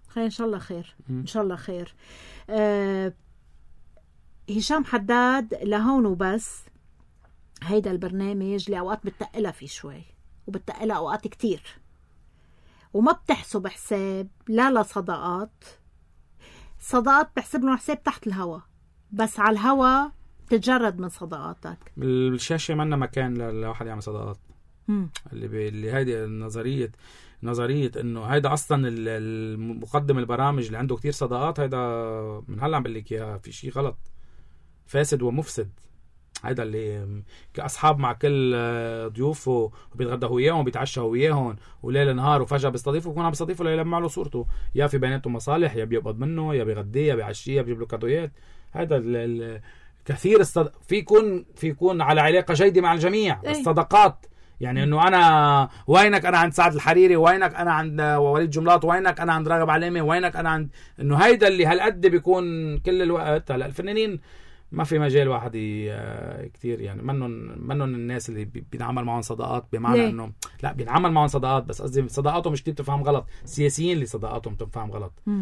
خير ان شاء الله خير. مم. ان شاء الله خير. أه هشام حداد لهون وبس. هيدا البرنامج لاوقات بتقلها فيه شوي وبتقلها اوقات كتير وما بتحسب حساب لا لصداقات. صداقات بحسب لهم حساب تحت الهوا بس على الهوا تتجرد من صداقاتك. الشاشة منا مكان لواحد يعمل صداقات. مم. اللي بي... اللي هيدي النظرية نظرية انه هيدا اصلا المقدم البرامج اللي عنده كتير صداقات هيدا من هلا عم بقول لك اياها في شيء غلط فاسد ومفسد. هيدا اللي كأصحاب مع كل ضيوفه وبيتغدى وياهم وبيتعشى وياهم وليل نهار وفجأة بيستضيفه ويكون عم بيستضيفه ليلمع له صورته يا في بيناتهم مصالح يا بيقبض منه يا بيغديه يا بيعشيه يا بيجيب له كادويات. هيدا ال... ال... كثير الصد... في يكون في يكون على علاقة جيدة مع الجميع. أي. الصداقات يعني انه انا وينك انا عند سعد الحريري وينك انا عند وليد جملات وينك انا عند راغب علامة وينك انا عند انه هيدا اللي هالقد بيكون كل الوقت. هلا الفنانين ما في مجال واحد كتير يعني منن منن الناس اللي بينعمل معهم صداقات بمعنى انه لا بينعمل معهم صداقات بس قصدي صداقاتهم مش كتير تفهم غلط. السياسيين اللي صداقاتهم تفهم غلط. م.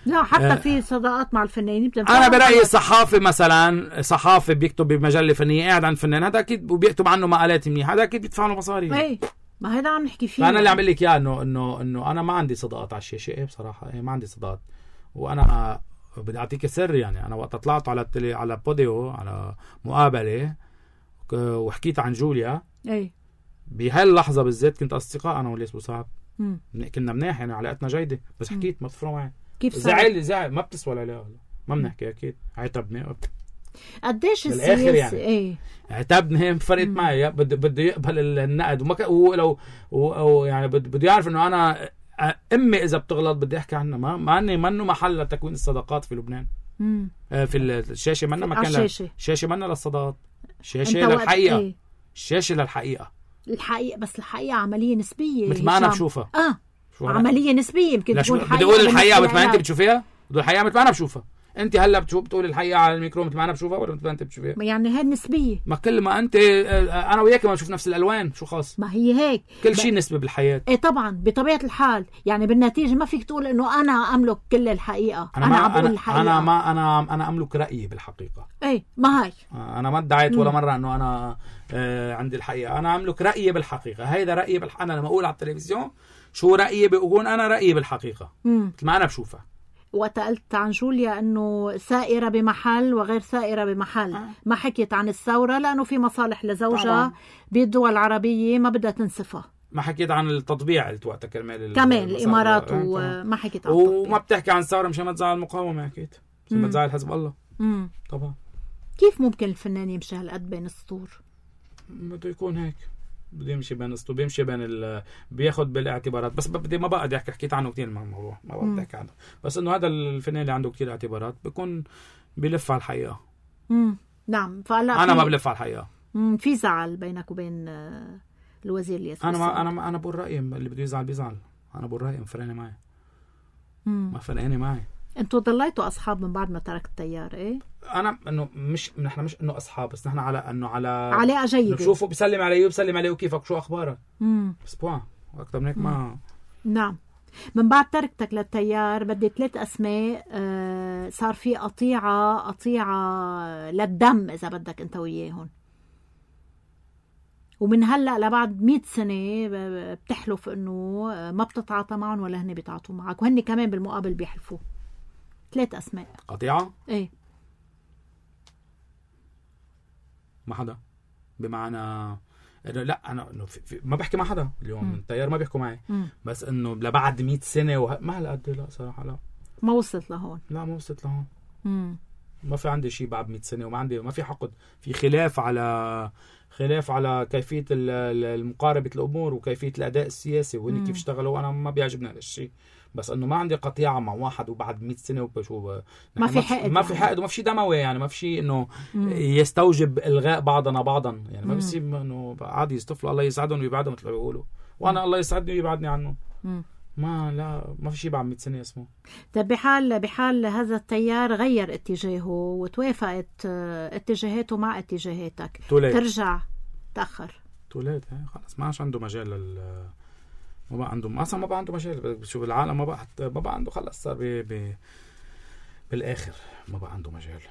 لا حتى آه في صداقات مع الفنانين انا برايي الصحافي مثلا صحافي بيكتب بمجله فنيه قاعد عند فنان هذا اكيد وبيكتب عنه مقالات منيحه هذا اكيد بيدفع له مصاري. اي ما هذا عم نحكي فيه. فانا اللي عم بقول لك اياه انه انه انه انا ما عندي صداقات على الشاشه. ايه بصراحه ايه ما عندي صداقات. وانا بدي اعطيك سر يعني انا وقت طلعت على التلي على بوديو على مقابله وحكيت عن جوليا اي بهاي اللحظة بالذات كنت أصدقاء أنا والليس بوصعب، مم. كنا مناح يعني علاقتنا جيدة، بس حكيت ما بتفرقوا معي. كيف زعل زعل ما بتسوى عليها، ما بنحكي أكيد. عتبني قديش السياسة يعني. ايه عتبني هي فرقت معي، بده بده يقبل النقد وما ولو و يعني بده يعرف إنه أنا أمي إذا بتغلط بدي أحكي عنها، ما ما أني منه محل لتكوين الصداقات في لبنان. مم. في الشاشة منا مكان الشاشة الشاشة منا للصداقات، الشاشة للحقيقة. ايه؟ الشاشة للحقيقة، الحقيقة بس الحقيقة عملية نسبية مثل ما أنا بشوفها. اه عملية نسبية يمكن تكون حقيقة. بدي أقول الحقيقة مثل ما أنت بتشوفيها، بدي الحقيقة مثل ما أنا بشوفها. أنت هلا بتشوف بتقول الحقيقة على الميكرو مثل ما أنا بشوفها ولا مثل ما أنت بتشوفيها؟ يعني هاي النسبية. ما كل ما أنت أنا وياك ما نشوف نفس الألوان شو خاص. ما هي هيك كل شيء نسبة بالحياة. إيه طبعا بطبيعة الحال، يعني بالنتيجة ما فيك تقول إنه أنا أملك كل الحقيقة. أنا, أنا ما عم بقول أنا الحقيقة. أنا ما أنا أنا أملك رأيي بالحقيقة. إيه ما هاي. أنا ما ادعيت ولا مرة إنه أنا آه عندي الحقيقة، أنا أملك رأيي بالحقيقة. هيدا رأيي بالحقيقة. أنا لما أقول على التلفزيون شو رأيي بقول أنا رأيي بالحقيقة مثل ما أنا بشوفها. وقت عن جوليا انه سائرة بمحل وغير سائرة بمحل. آه. ما حكيت عن الثورة لانه في مصالح لزوجها بالدول العربية ما بدها تنسفها. ما حكيت عن التطبيع اللي وقتها كرمال كمان الامارات وما حكيت عن التطبيع. وما بتحكي عن الثورة مشان ما تزعل المقاومة، حكيت مشان ما تزعل حزب الله. مم. طبعا. كيف ممكن الفنان يمشي هالقد بين السطور؟ بده يكون هيك، بده يمشي بين السطور، بيمشي بين ال بياخد بالاعتبارات. بس بدي ما بقى احكي حكيت عنه كثير الموضوع، ما بقى بدي احكي عنه. بس انه هذا الفنان اللي عنده كثير اعتبارات بيكون بيلف على الحقيقه. امم نعم. فلا انا ما بلف على الحقيقه. امم في زعل بينك وبين الوزير الياسر. انا ما انا ما انا بقول رايي، اللي بده يزعل بيزعل. انا بقول رايي، فرقاني معي. امم ما فرقاني معي. انتوا ضليتوا اصحاب من بعد ما تركت التيار؟ ايه انا انه مش نحن مش انه اصحاب، بس نحن على انه على علاقه جيده. بشوفه بيسلم علي وبسلم عليه وكيفك شو اخبارك. امم بس بوان اكثر من هيك ما. نعم. من بعد تركتك للتيار بدي ثلاث اسماء. آه صار في قطيعه قطيعه للدم اذا بدك انت وياهم، ومن هلا لبعد مئة سنه بتحلف انه ما بتتعاطى معهم ولا هن بيتعاطوا معك، وهن كمان بالمقابل بيحلفوا. ثلاث اسماء. قطيعه؟ ايه ما حدا. بمعنى انه لا انا انه ما بحكي مع حدا اليوم. التيار ما بيحكوا معي. م. بس انه لبعد مئة سنه وه... ما هالقد. لا صراحه لا ما وصلت لهون. لا ما وصلت لهون. م. ما في عندي شيء بعد مئة سنه، وما عندي ما في حقد. في خلاف على خلاف على كيفيه المقاربه الامور وكيفيه الاداء السياسي وهن كيف اشتغلوا. انا ما بيعجبني هذا الشيء، بس انه ما عندي قطيعه مع واحد وبعد مئة سنه وبشو ما في حقد. ما في حقد وما في شيء دموي، يعني ما في شيء انه يستوجب الغاء بعضنا بعضا. يعني ما في انه عادي يصطفلوا الله يسعدهم ويبعدهم مثل ما بيقولوا، وانا الله يسعدني ويبعدني عنه. مم. ما لا ما في شيء بعد مئة سنه اسمه. طيب بحال بحال هذا التيار غير اتجاهه وتوافقت اتجاهاته مع اتجاهاتك، توليت. ترجع تاخر توليت خلص ما عادش عنده مجال لل ما بقى عنده اصلا ما بقى عنده مجال. بشوف العالم ما بقى ما بقى عنده خلص صار ب... ب... بالاخر ما بقى عنده مجال.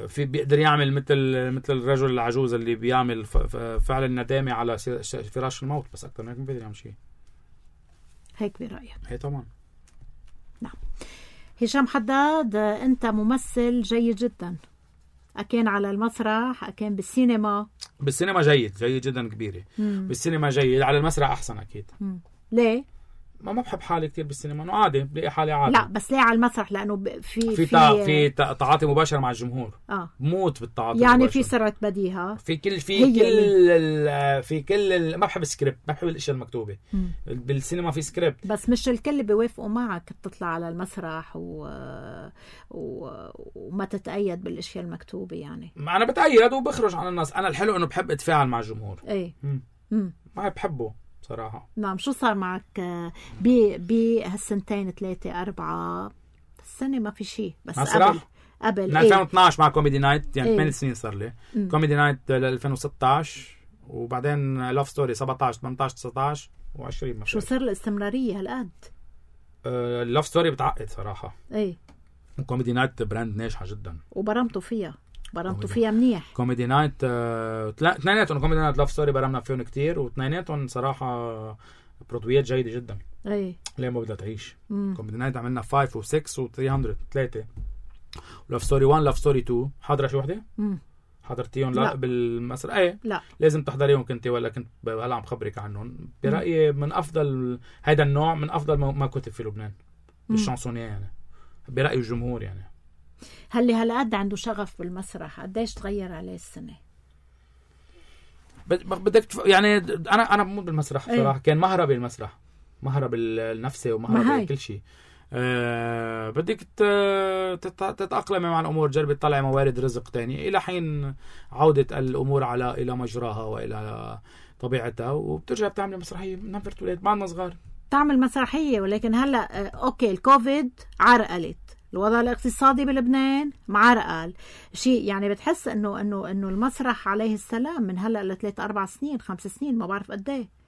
في بيقدر يعمل مثل مثل الرجل العجوز اللي بيعمل ف... فعل الندامه على فراش الموت، بس اكثر من هيك ما بيقدر يعمل شيء. هيك برايك؟ هي طبعا. نعم. هشام حداد انت ممثل جيد جدا، أكان على المسرح، أكان بالسينما. بالسينما جيد جيد جدا كبيرة. مم. بالسينما جيد، على المسرح أحسن أكيد. مم. ليه؟ ما ما بحب حالي كتير بالسينما، إنه عادي بلاقي حالي عادي. لا بس ليه على المسرح؟ لأنه في في في, في تعاطي مباشر مع الجمهور. اه موت بالتعاطي يعني المباشر. في سرعة بديهة في كل في كل في كل ما بحب السكريبت، ما بحب الاشياء المكتوبة. مم. بالسينما في سكريبت، بس مش الكل بيوافقوا معك تطلع على المسرح و... و... وما تتأيد بالاشياء المكتوبة. يعني ما انا بتأيد وبخرج على الناس. انا الحلو انه بحب اتفاعل مع الجمهور. ايه امم ما بحبه صراحة. نعم. شو صار معك ب بهالسنتين ثلاثة أربعة السنة؟ ما في شيء بس مسرح؟ قبل قبل من ألفين واثني عشر مع كوميدي نايت، يعني ثمانية إيه؟ سنين صار لي. م. كوميدي نايت ل ألفين وستة عشر، وبعدين لاف ستوري سبعة عشر ثمانية عشر تسعة عشر وعشرين. شو صار الاستمرارية هالقد؟ آه لاف ستوري بتعقد صراحة. ايه. كوميدي نايت براند ناجحة جدا، وبرمتوا فيها برمتوا فيها منيح. كوميدي نايت اثنيناتهم، كوميدي نايت لاف ستوري برمنا فيهم كتير، واثنيناتهم صراحة برودويات جيدة جدا. ايه. ليه ما بدها تعيش. مم. كوميدي نايت عملنا خمسة و6 و300 ثلاثة، لاف ستوري واحد لاف ستوري اثنين. حاضرة شو وحدة؟ امم حضرتيهم لا, لا بالمسرح؟ ايه لا لازم تحضريهم كنت ولا كنت هلا عم خبرك عنهم. برأيي من افضل هيدا النوع من افضل ما كتب في لبنان بالشانسونيه يعني برأي الجمهور يعني. هل هلا قد عنده شغف بالمسرح قديش تغير عليه السنه؟ بدك تف... يعني انا انا بموت بالمسرح بصراحه. ايه؟ كان مهربي المسرح مهرب النفسي ومهرب كل شيء. أه بدك تتأقلم مع الأمور جربي تطلع موارد رزق تاني إلى حين عودة الأمور على إلى مجراها وإلى طبيعتها وبترجع بتعمل مسرحية. نفرت ولاد بعدنا صغار تعمل مسرحية ولكن هلأ أوكي الكوفيد عرقلت الوضع الاقتصادي بلبنان معرقل شيء يعني بتحس إنه إنه إنه المسرح عليه السلام من هلأ لثلاث أربع سنين خمس سنين ما بعرف قد إيه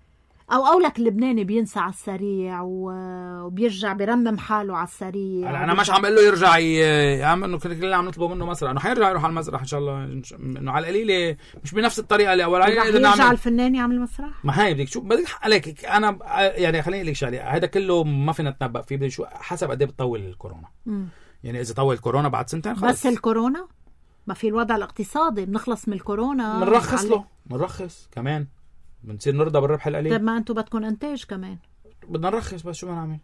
او اولك اللبناني بينسى على السريع وبيرجع بيرمم حاله على السريع. انا مش عم اقول له يرجع ي... عم انه كلنا عم نطلبه منه مسرح انه حيرجع يروح على المسرح ان شاء الله انه على القليله مش بنفس الطريقه اللي اول عليه يرجع نعمل... الفنان يعمل مسرح. ما هي بدك شو بدك عليك انا يعني خليني اقول لك شغله هذا كله ما فينا نتنبأ فيه بدي شو حسب قد ايه بتطول الكورونا. م. يعني اذا طول الكورونا بعد سنتين خلص بس الكورونا ما في الوضع الاقتصادي بنخلص من الكورونا بنرخص له بنرخص كمان بنصير نرضى بالربح القليل. طيب ما انتم بدكم انتاج كمان بدنا نرخص بس شو بدنا نعمل؟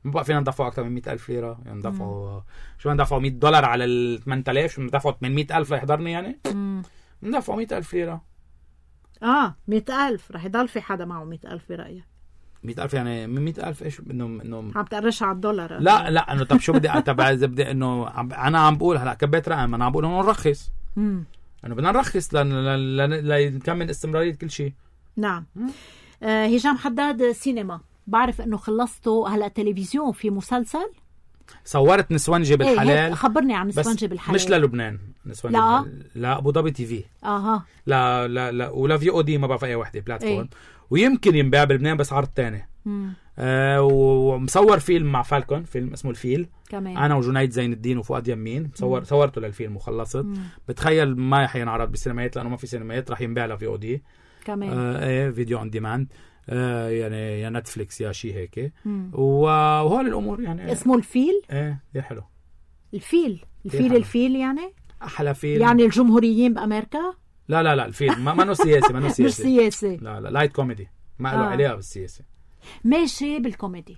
ما بقى فينا ندفعوا اكثر من مئة ألف ليره يعني ندفعوا شو بدنا ندفعوا مئة دولار على ال ثمانية آلاف شو ندفعوا ثمانمئة ألف ليحضرني يعني ندفعوا مئة ألف ليره. اه مئة ألف رح يضل في حدا معه مئة ألف برايك؟ مئة ألف يعني من مئة ألف ايش انه انه عم تقرش على الدولار. لا لا انه طب شو بدي تبع اذا بدي انه انا عم بقول هلا كبيت رقم انا عم بقول انه نرخص امم انه بدنا نرخص لنكمل استمراريه كل شيء. نعم. آه هشام حداد سينما بعرف انه خلصته هلا تلفزيون في مسلسل صورت نسوانجي بالحلال. ايه خبرني عن نسوانجي بالحلال. مش للبنان نسوانجي لا بالحلال. لا ابو ظبي تي في. اها لا لا لا ولا في او دي ما بعرف اي وحده بلاتفورم. ايه. ويمكن ينباع بلبنان بس عرض ثاني. آه ومصور فيلم مع فالكون فيلم اسمه الفيل كمان. انا وجنيد زين الدين وفؤاد يمين صور مم. صورته للفيلم وخلصت. مم. بتخيل ما حينعرض بالسينمائيات لانه ما في سينمائيات رح ينباع له في او دي كمان. آه ايه فيديو اون ديماند آه يعني يا نتفليكس يا شيء هيك. وهول الامور يعني اسمه الفيل. ايه كثير حلو الفيل الفيل الفيل يعني احلى فيل يعني الجمهوريين بامريكا. لا لا لا الفيل ما منه سياسي منه سياسي مش سياسي لا لا لايت كوميدي ما له آه. علاقه بالسياسه ماشي بالكوميدي.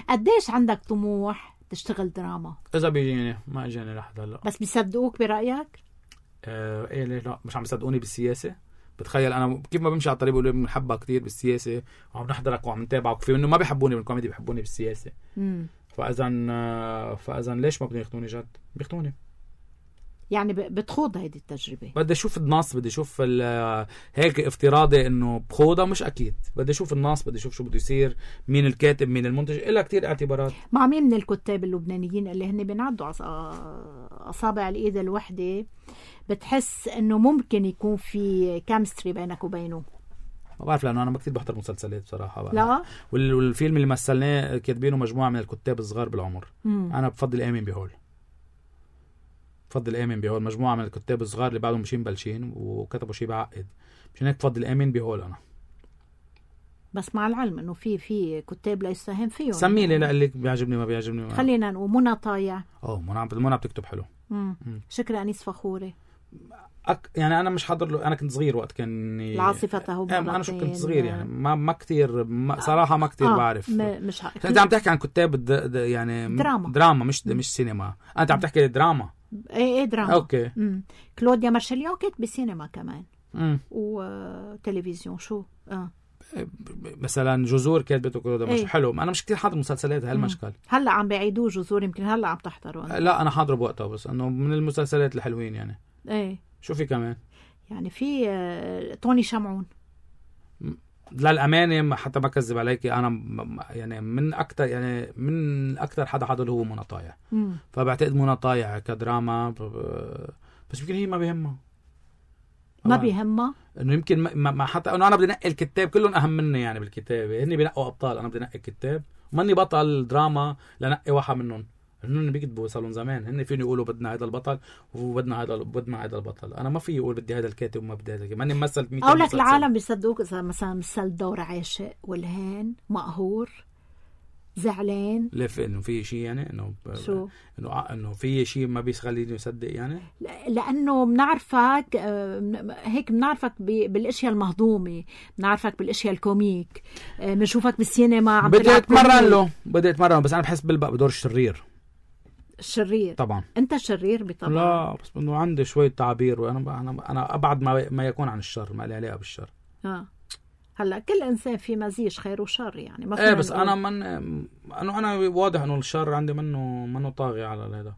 قديش عندك طموح تشتغل دراما؟ اذا بيجيني ما اجاني لحد هلا بس بيصدقوك برايك؟ آه ايه ليه لا مش عم يصدقوني بالسياسه. بتخيل انا كيف ما بمشي على الطريق بقول بنحبها كثير بالسياسه وعم نحضرك وعم نتابعك في انه ما بيحبوني بالكوميدي بيحبوني بالسياسه. امم فاذا فاذا ليش ما بدهم ياخذوني جد؟ بياخذوني يعني بتخوض هيدي التجربه. بدي اشوف النص بدي اشوف هيك افتراضي انه بخوضها مش اكيد بدي اشوف النص بدي اشوف شو بده يصير مين الكاتب مين المنتج إلها كتير اعتبارات. مع مين من الكتاب اللبنانيين اللي هن بينعدوا اصابع الايد الوحده بتحس انه ممكن يكون في كيمستري بينك وبينه؟ ما بعرف لانه انا ما كتير بحضر مسلسلات بصراحه بقى. لا والفيلم اللي مثلناه كاتبينه مجموعه من الكتاب الصغار بالعمر. مم. انا بفضل امين بهول بفضل امين بهول مجموعه من الكتاب الصغار اللي بعدهم مشين بلشين وكتبوا شيء بعقد مشان هيك بفضل امين بهول انا. بس مع العلم انه في في كتاب لا يساهم فيهم. سمي لي لك بيعجبني ما بيعجبني. خلينا نقول منى طايع. اه منى منى بتكتب حلو. امم شكرا انيس فخوري. أك... يعني انا مش حاضر له انا كنت صغير وقت كان العاصفه تهب. انا شو كنت صغير يعني ما ما كثير ما صراحه ما كثير آه. بعرف. م... مش حق. انت عم تحكي عن كتاب د... د... يعني دراما دراما مش مش سينما. انت عم تحكي دراما. ايه ايه دراما. اوكي. مم. كلوديا مارشاليون كانت بسينما كمان. امم وتلفزيون شو اه مثلا جذور كاتبته كلوديا مارشاليون حلو. انا مش كثير حاضر مسلسلات هالمشكل. هلا عم بيعيدوه جذور يمكن هلا عم تحضروا. لا انا حاضره بوقتها بس انه من المسلسلات الحلوين يعني. ايه شو في كمان يعني في آه... توني شمعون. للأمانة حتى ما كذب عليك أنا يعني من أكتر يعني من أكتر حدا حضر هو منى طايع. فبعتقد منى طايع كدراما بس يمكن هي ما بيهمها ما بيهمها إنه يمكن ما, ما حتى إنه أنا بدي نقي الكتاب كلهم أهم مني يعني بالكتابة هني بينقوا أبطال أنا بدي نقي الكتاب وماني بطل دراما لنقي واحد منهم هن بيكتبوا صاروا زمان هن فيني يقولوا بدنا هذا البطل وبدنا هذا بدنا هذا البطل انا ما في اقول بدي هذا الكاتب وما بدي هذا ماني ممثل او لك العالم بيصدقوك اذا مثلا مثل دور عاشق والهان مقهور زعلان ليه؟ في انه في شيء يعني انه شو انه انه في شيء ما بيخليني يصدق يعني، لانه بنعرفك هيك، بنعرفك بالاشياء المهضومه، بنعرفك بالاشياء الكوميك، بنشوفك بالسينما عم بدي اتمرن له بدي اتمرن بس انا بحس بالبق بدور الشرير. الشرير طبعا انت الشرير بطبعا. لا بس انه عندي شويه تعابير وانا انا انا ابعد ما ما يكون عن الشر، ما لي علاقه بالشر. اه هلا كل انسان في مزيج خير وشر يعني، ما ايه بس انا من انه انا واضح انه الشر عندي منه منه طاغي على هذا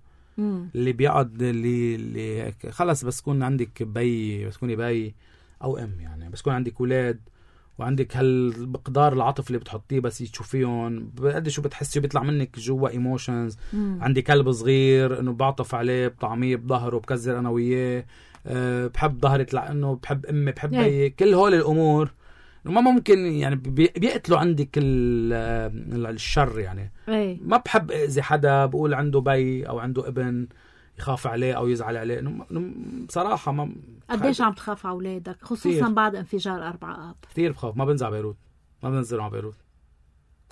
اللي بيقعد اللي اللي هيك خلص. بس تكون عندك بي بس تكوني بي او ام يعني، بس تكون عندك اولاد وعندك هالمقدار العاطف اللي بتحطيه بس تشوفيهم قد شو بتحسي بيطلع منك جوا ايموشنز. عندي كلب صغير انه بعطف عليه بطعميه بظهره بكزر انا وياه، أه بحب ظهري لانه بحب امي بحب بي. كل هول الامور ما ممكن يعني بيقتلوا عندك الشر يعني. أي. ما بحب اذا حدا بقول عنده بي او عنده ابن يخاف عليه او يزعل عليه. بصراحه ما قديش عم تخاف على اولادك خصوصا كتير. بعد انفجار أربعة آب كثير بخاف. ما بنزع بيروت، ما بنزل على بيروت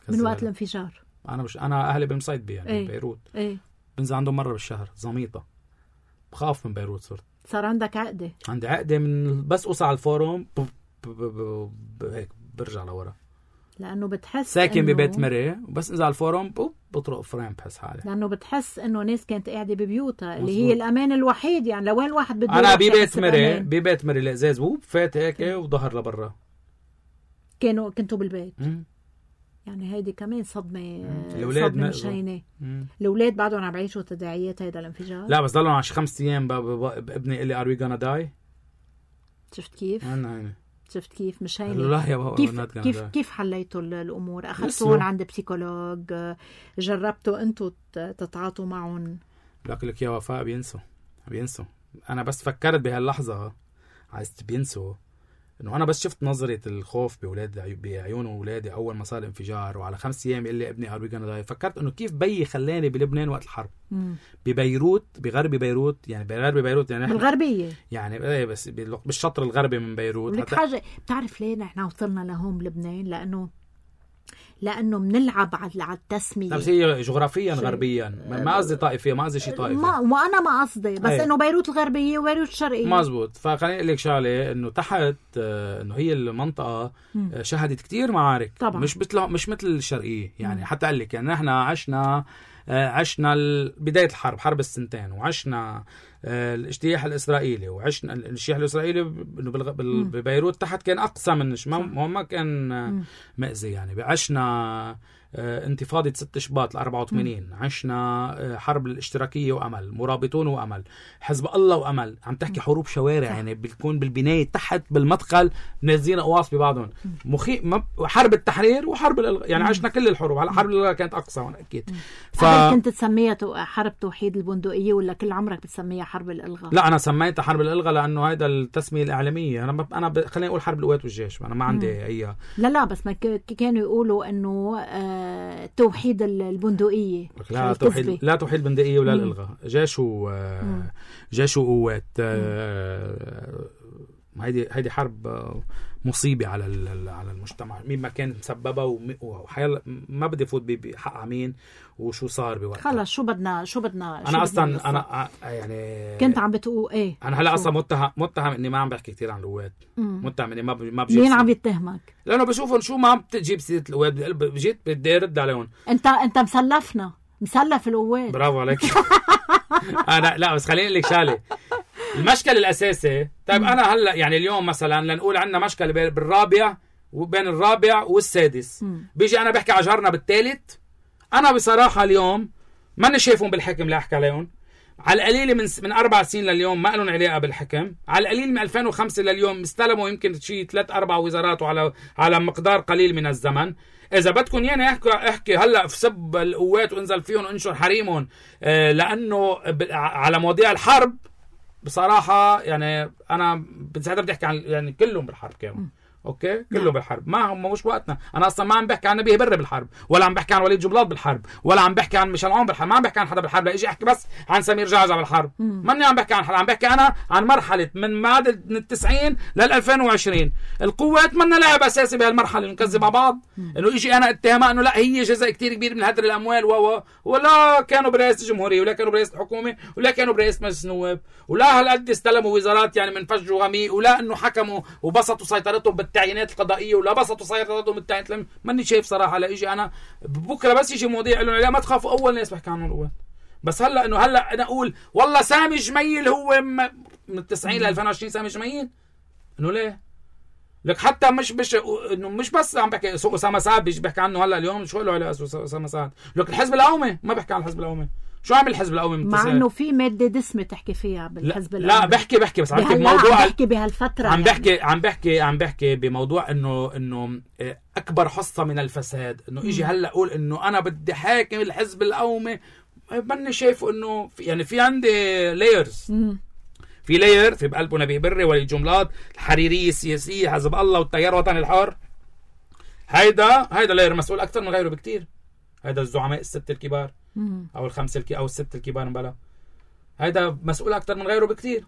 من وقت الانفجار. انا مش انا اهلي بمصيدبي يعني ايه. بيروت ايه. بنزل عندهم مره بالشهر زميطه. بخاف من بيروت. صرت صار عندك عقده. عندي عقده من بس اوصل على الفورم ب... ب... ب... ب... هيك برجع لورا لانه بتحس ساكن إنه... ببيت مري وبس انزل على الفورم بوب بطرق فريم بحس حالي. لانه بتحس انه ناس كانت قاعده ببيوتها اللي هي الامان الوحيد يعني. لوين الواحد بده انا ببيت مري ببيت مري الازاز بوب فات هيك وظهر لبرا. كانوا كنتوا بالبيت مم. يعني هيدي كمان صدمه. الاولاد صدمه مش هينه. الاولاد بعدهم عم يعيشوا تداعيات هيدا الانفجار. لا بس ضلوا على خمس ايام ابني قال لي ار وي غانا داي. شفت كيف؟ انا هينه شفت كيف مش هينه. لا يا بابا كيف كيف كيف حليتوا الامور؟ اخذتوهم عند بسيكولوج؟ جربتوا انتوا تتعاطوا معهم؟ لكن لك يا وفاء بينسوا بينسوا. انا بس فكرت بهاللحظه عايز بينسوا انه انا بس شفت نظره الخوف باولاد بعيون اولادي اول ما صار الانفجار وعلى خمس ايام يقول لي ابني ار وي غانا داي. فكرت انه كيف بيي خلاني بلبنان وقت الحرب. مم. ببيروت بغرب بيروت يعني بغرب بيروت يعني بالغربيه يعني ايه بس بالشطر الغربي من بيروت. لك حاجه بتعرف ليه نحن وصلنا لهون بلبنان؟ لانه لانه بنلعب على التسميه. بس هي جغرافيا غربيا ما قصدي طائفيه ما قصدي شيء طائفي ما وانا ما قصدي بس أيه. انه بيروت الغربيه وبيروت الشرقيه مزبوط. فخليني اقول لك شغله انه تحت انه هي المنطقه شهدت كتير معارك طبعا. مش مثل مش مثل الشرقيه يعني. مم. حتى قال لك يعني نحن عشنا عشنا بدايه الحرب حرب السنتين وعشنا الاجتياح الاسرائيلي وعشنا الاجتياح الاسرائيلي ببيروت تحت كان اقصى من ما ما كان مأذي يعني. عشنا انتفاضة ست شباط الأربعة وثمانين. عشنا حرب الاشتراكية وأمل، مرابطون وأمل، حزب الله وأمل. عم تحكي حروب شوارع يعني بتكون بالبناية تحت بالمدخل نازلين قواص ببعضهم. مخي حرب التحرير وحرب الإلغاء يعني. عشنا كل الحروب. على حرب الإلغاء كانت أقصى هون أكيد. ف... كنت تسميها حرب توحيد البندقية ولا كل عمرك بتسميها حرب الإلغاء؟ لا أنا سميتها حرب الإلغاء لأنه هيدا التسمية الإعلامية. أنا ب... أنا ب... خليني أقول حرب القوات والجيش. أنا ما عندي مم. أي لا لا بس ما ك... كانوا يقولوا إنه آه توحيد البندقية. لا توحيد لا توحيد البندقية ولا الإلغاء. جيش و جيش وقوات. هيدي هيدي حرب مصيبة على على المجتمع. مين ما كان مسببها وحيال ما بدي فوت بحق مين وشو صار بوقتها. خلص شو بدنا شو بدنا انا اصلا انا يعني كنت عم بتقول ايه. انا هلا اصلا متهم متهم اني ما عم بحكي كثير عن القوات. متهم اني ما ب... ما بجيب. مين عم يتهمك؟ لانه بشوفهم شو ما بتجيب سيره القوات. جيت بدي ارد عليهم. انت انت مسلفنا مسلف القوات. برافو عليك. انا لا بس خليني اقول لك شغله. المشكل الاساسي طيب م. انا هلا يعني اليوم مثلا لنقول عندنا مشكله بالرابع وبين الرابع والسادس. م. بيجي انا بحكي على جارنا بالثالث. انا بصراحه اليوم ماني شايفهم بالحكم لا احكي عليهم. على القليل من من اربع سنين لليوم ما لهم علاقه بالحكم. على القليل من ألفين وخمسة لليوم استلموا يمكن شيء ثلاث اربع وزارات وعلى على مقدار قليل من الزمن. اذا بدكم يعني احكي احكي هلا في سب القوات وانزل فيهم انشر حريمهم آه لانه على مواضيع الحرب بصراحة يعني أنا بتساعدها بدي أحكي عن يعني كلهم بالحرب كانوا اوكي كله نعم. بالحرب، ما هم مش وقتنا. انا اصلا ما عم بحكي عن نبيه بر بالحرب، ولا عم بحكي عن وليد جبلاط بالحرب، ولا عم بحكي عن ميشيل عون بالحرب، ما عم بحكي عن حدا بالحرب، لا اجي احكي بس عن سمير جعجع بالحرب. ماني عم بحكي عن حدا، عم بحكي انا عن مرحله من بعد من التسعين لل ألفين وعشرين. القوات منا لاعب اساسي بهالمرحله، نكذب على بعض انه يجي انا اتهامها انه لا هي جزء كتير كبير من هدر الاموال و ولا كانوا برئاسه الجمهوريه، ولا كانوا برئاسه الحكومه، ولا كانوا برئاسه مجلس النواب، ولا هالقد استلموا وزارات يعني من فج وغميق، ولا انه حكموا وبسطوا سيطرتهم بالتعيينات القضائيه، ولا بسطوا سيطرتهم بالتعيينات. ماني شايف صراحه. لا اجي انا بكره بس يجي مواضيع له لا ما تخافوا، اول ناس بحكي عنهم القوات. بس هلا انه هلا انا اقول والله سامي جميل هو من التسعين ل ألفين وعشرين سامي جميل، انه ليه؟ لك حتى مش مش انه مش بس عم بحكي اسامه سعد بيجي بحكي عنه هلا اليوم، شو له على اسامه سعد؟ لك الحزب القومي ما بحكي عن الحزب القومي. شو عمل الحزب القومي من مع انه في ماده دسمه تحكي فيها بالحزب القومي؟ لا, لا بحكي بحكي بس عم بحكي بموضوع، عم بحكي بهالفتره، عم بحكي يعني. عم بحكي عم بحكي بموضوع انه انه اكبر حصه من الفساد، انه يجي هلا اقول انه انا بدي حاكم الحزب القومي. ماني شايفه انه في يعني في عندي لايرز، في لاير في بقلبه نبيه بري وليد جملاط، الحريريه السياسيه، حزب الله والتيار الوطني الحر. هيدا هيدا لاير مسؤول اكثر من غيره بكتير. هيدا الزعماء الست الكبار او الخمسه الكي او الست الكبار مبلا، هيدا مسؤول اكثر من غيره بكتير.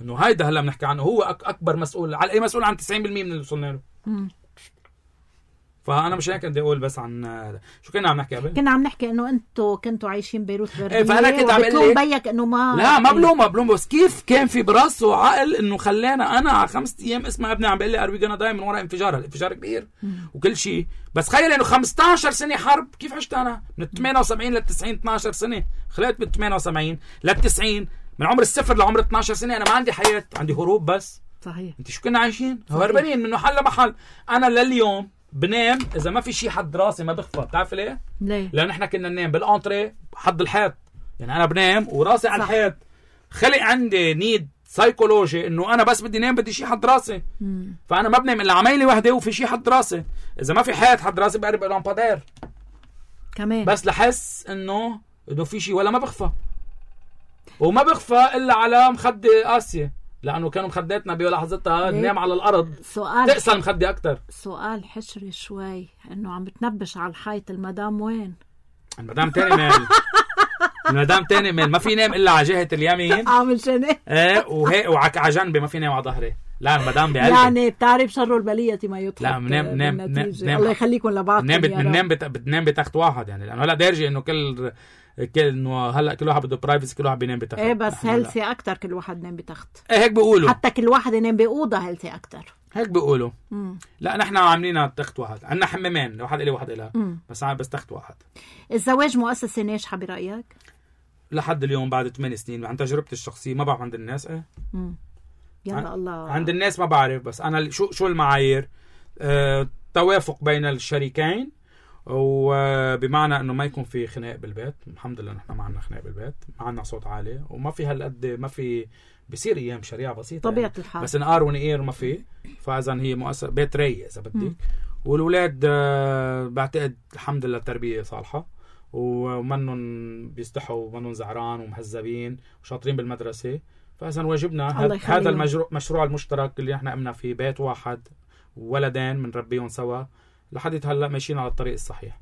انه هيدا هلا بنحكي عنه هو أك اكبر مسؤول، على اي مسؤول عن تسعين بالمية من اللي وصلنا له. فانا مش هيك بدي اقول بس عن شو كنا عم نحكي قبل. كنا عم نحكي انه انتم كنتوا عايشين بيروت برديه. ايه فانا كنت عم اقول بيك انه ما لا ما بلوم ما بلوم بس كيف كان في براسه عقل انه خلانا انا على خمسة ايام اسمع ابني عم بيقول لي اربي جانا دايما من وراء انفجار، الانفجار كبير وكل شيء. بس تخيل انه خمسة عشر سنه حرب، كيف عشت انا من ثمانية وسبعين لل تسعين اثني عشر سنه، خلقت من ثمانية وسبعين لل تسعين، من عمر الصفر لعمر اثني عشر سنه انا ما عندي حياه، عندي هروب بس. صحيح. انت شو كنا عايشين؟ هربانين من محل لمحل. انا لليوم بنام اذا ما في شيء حد راسي ما بخفى. بتعرف ليه؟ ليه؟ لان احنا كنا ننام بالانتري حد الحيط، يعني انا بنام وراسي على الحيط. خلق عندي نيد سايكولوجي انه انا بس بدي نام بدي شيء حد راسي. مم. فانا ما بنام الا عميلي وحده وفي شيء حد راسي. اذا ما في حيط حد راسي بقرب لامبادير كمان، بس لحس انه انه في شيء، ولا ما بخفى. وما بخفى الا على مخدة قاسية، لانه كانوا مخداتنا بلحظتها ننام على الارض سؤال تقسى المخدة اكثر. سؤال حشري شوي، انه عم بتنبش على الحيط، المدام وين؟ المدام تاني مال المدام تاني مال ما في نام الا على جهة اليمين عامل شنو؟ ايه وهيك وعلى جنبي ما في نام على ظهري. لا المدام بقلبي يعني بتعرف شر البلية ما يضحك. لا بنام نام نام الله يخليكم لبعض. بنام بنام بتنام بتخت واحد، يعني لانه هلا دارجه انه كل كل انه هلا كل واحد بده برايفسي، كل واحد بينام بتخت. ايه بس هيلثي اكثر كل واحد ينام بتخت. ايه هيك بيقولوا، حتى كل واحد ينام باوضه هيلثي اكثر، هيك بيقولوا. لا نحن عاملينها تخت واحد، عندنا حمامين، واحد الي واحد لها، بس بس تخت واحد. الزواج مؤسسه ناجحه برايك؟ لحد اليوم بعد ثمان سنين عن تجربتي الشخصيه، ما بعرف عند الناس. ايه امم يلا الله، عند الناس ما بعرف، بس انا شو شو المعايير؟ أه توافق بين الشريكين، وبمعنى انه ما يكون في خناق بالبيت. الحمد لله نحن ما عندنا خناق بالبيت، ما عندنا صوت عالي، وما في هالقد ما في بصير ايام شريعه بسيطه طبيعه يعني. الحال، بس نقار ونقير ما في. فاذا هي مؤسسه بيت رايق اذا بدك. والولاد أه بعتقد الحمد لله التربيه صالحه، ومنن بيستحوا ومنن زعران ومهذبين وشاطرين بالمدرسه. فاذا واجبنا هذا المشروع مشروع المشترك اللي احنا قمنا فيه، بيت واحد وولدين بنربيهم سوا لحد هلا ماشيين على الطريق الصحيح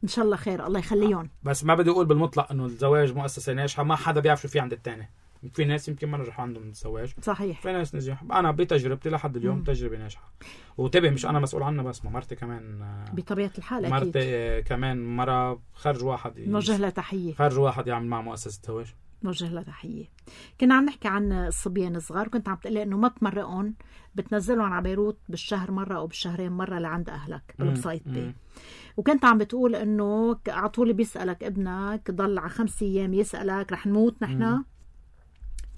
ان شاء الله خير. الله يخليهم. بس ما بدي اقول بالمطلق انه الزواج مؤسسه ناجحه، ما حدا بيعرف شو في عند الثاني. في ناس يمكن ما نجحوا عندهم الزواج، صحيح، في ناس نجح. انا بتجربتي لحد اليوم مم. تجربه ناجحه. وتبه مش انا مسؤول عنها بس، ما مرتي كمان بطبيعه الحال اكيد. مرتي كمان مره خرج واحد نوجه لها تحيه، خرج واحد يعمل مع مؤسسه زواج، نوجه لها تحيه. كنا عم نحكي عن الصبيان الصغار، كنت عم تقلي انه ما بتمرقهم، بتنزلهم على بيروت بالشهر مره او بالشهرين مره لعند اهلك بالبسيط بي. وكنت عم بتقول انه على طول بيسالك ابنك ضل على خمس ايام يسالك رح نموت نحن.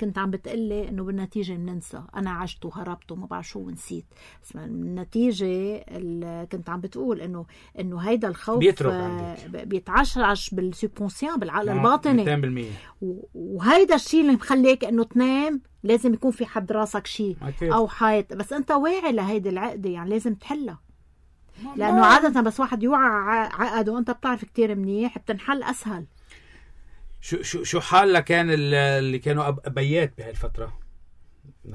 كنت عم بتقلي انه بالنتيجه بننسى، انا عشت وهربت وما بعرف شو ونسيت. بس النتيجه كنت عم بتقول انه انه هيدا الخوف بيتعشعش بالسوبونسيون، بالعقل الباطني مئتين بالمية. وهيدا الشيء اللي مخليك انه تنام لازم يكون في حد راسك شيء او حيط، بس انت واعي لهيدي العقده، يعني لازم تحلها. لانه عاده بس واحد يوعى عقد وانت بتعرف كتير منيح بتنحل اسهل. شو شو شو حالة كان اللي كانوا ابيات بهالفتره؟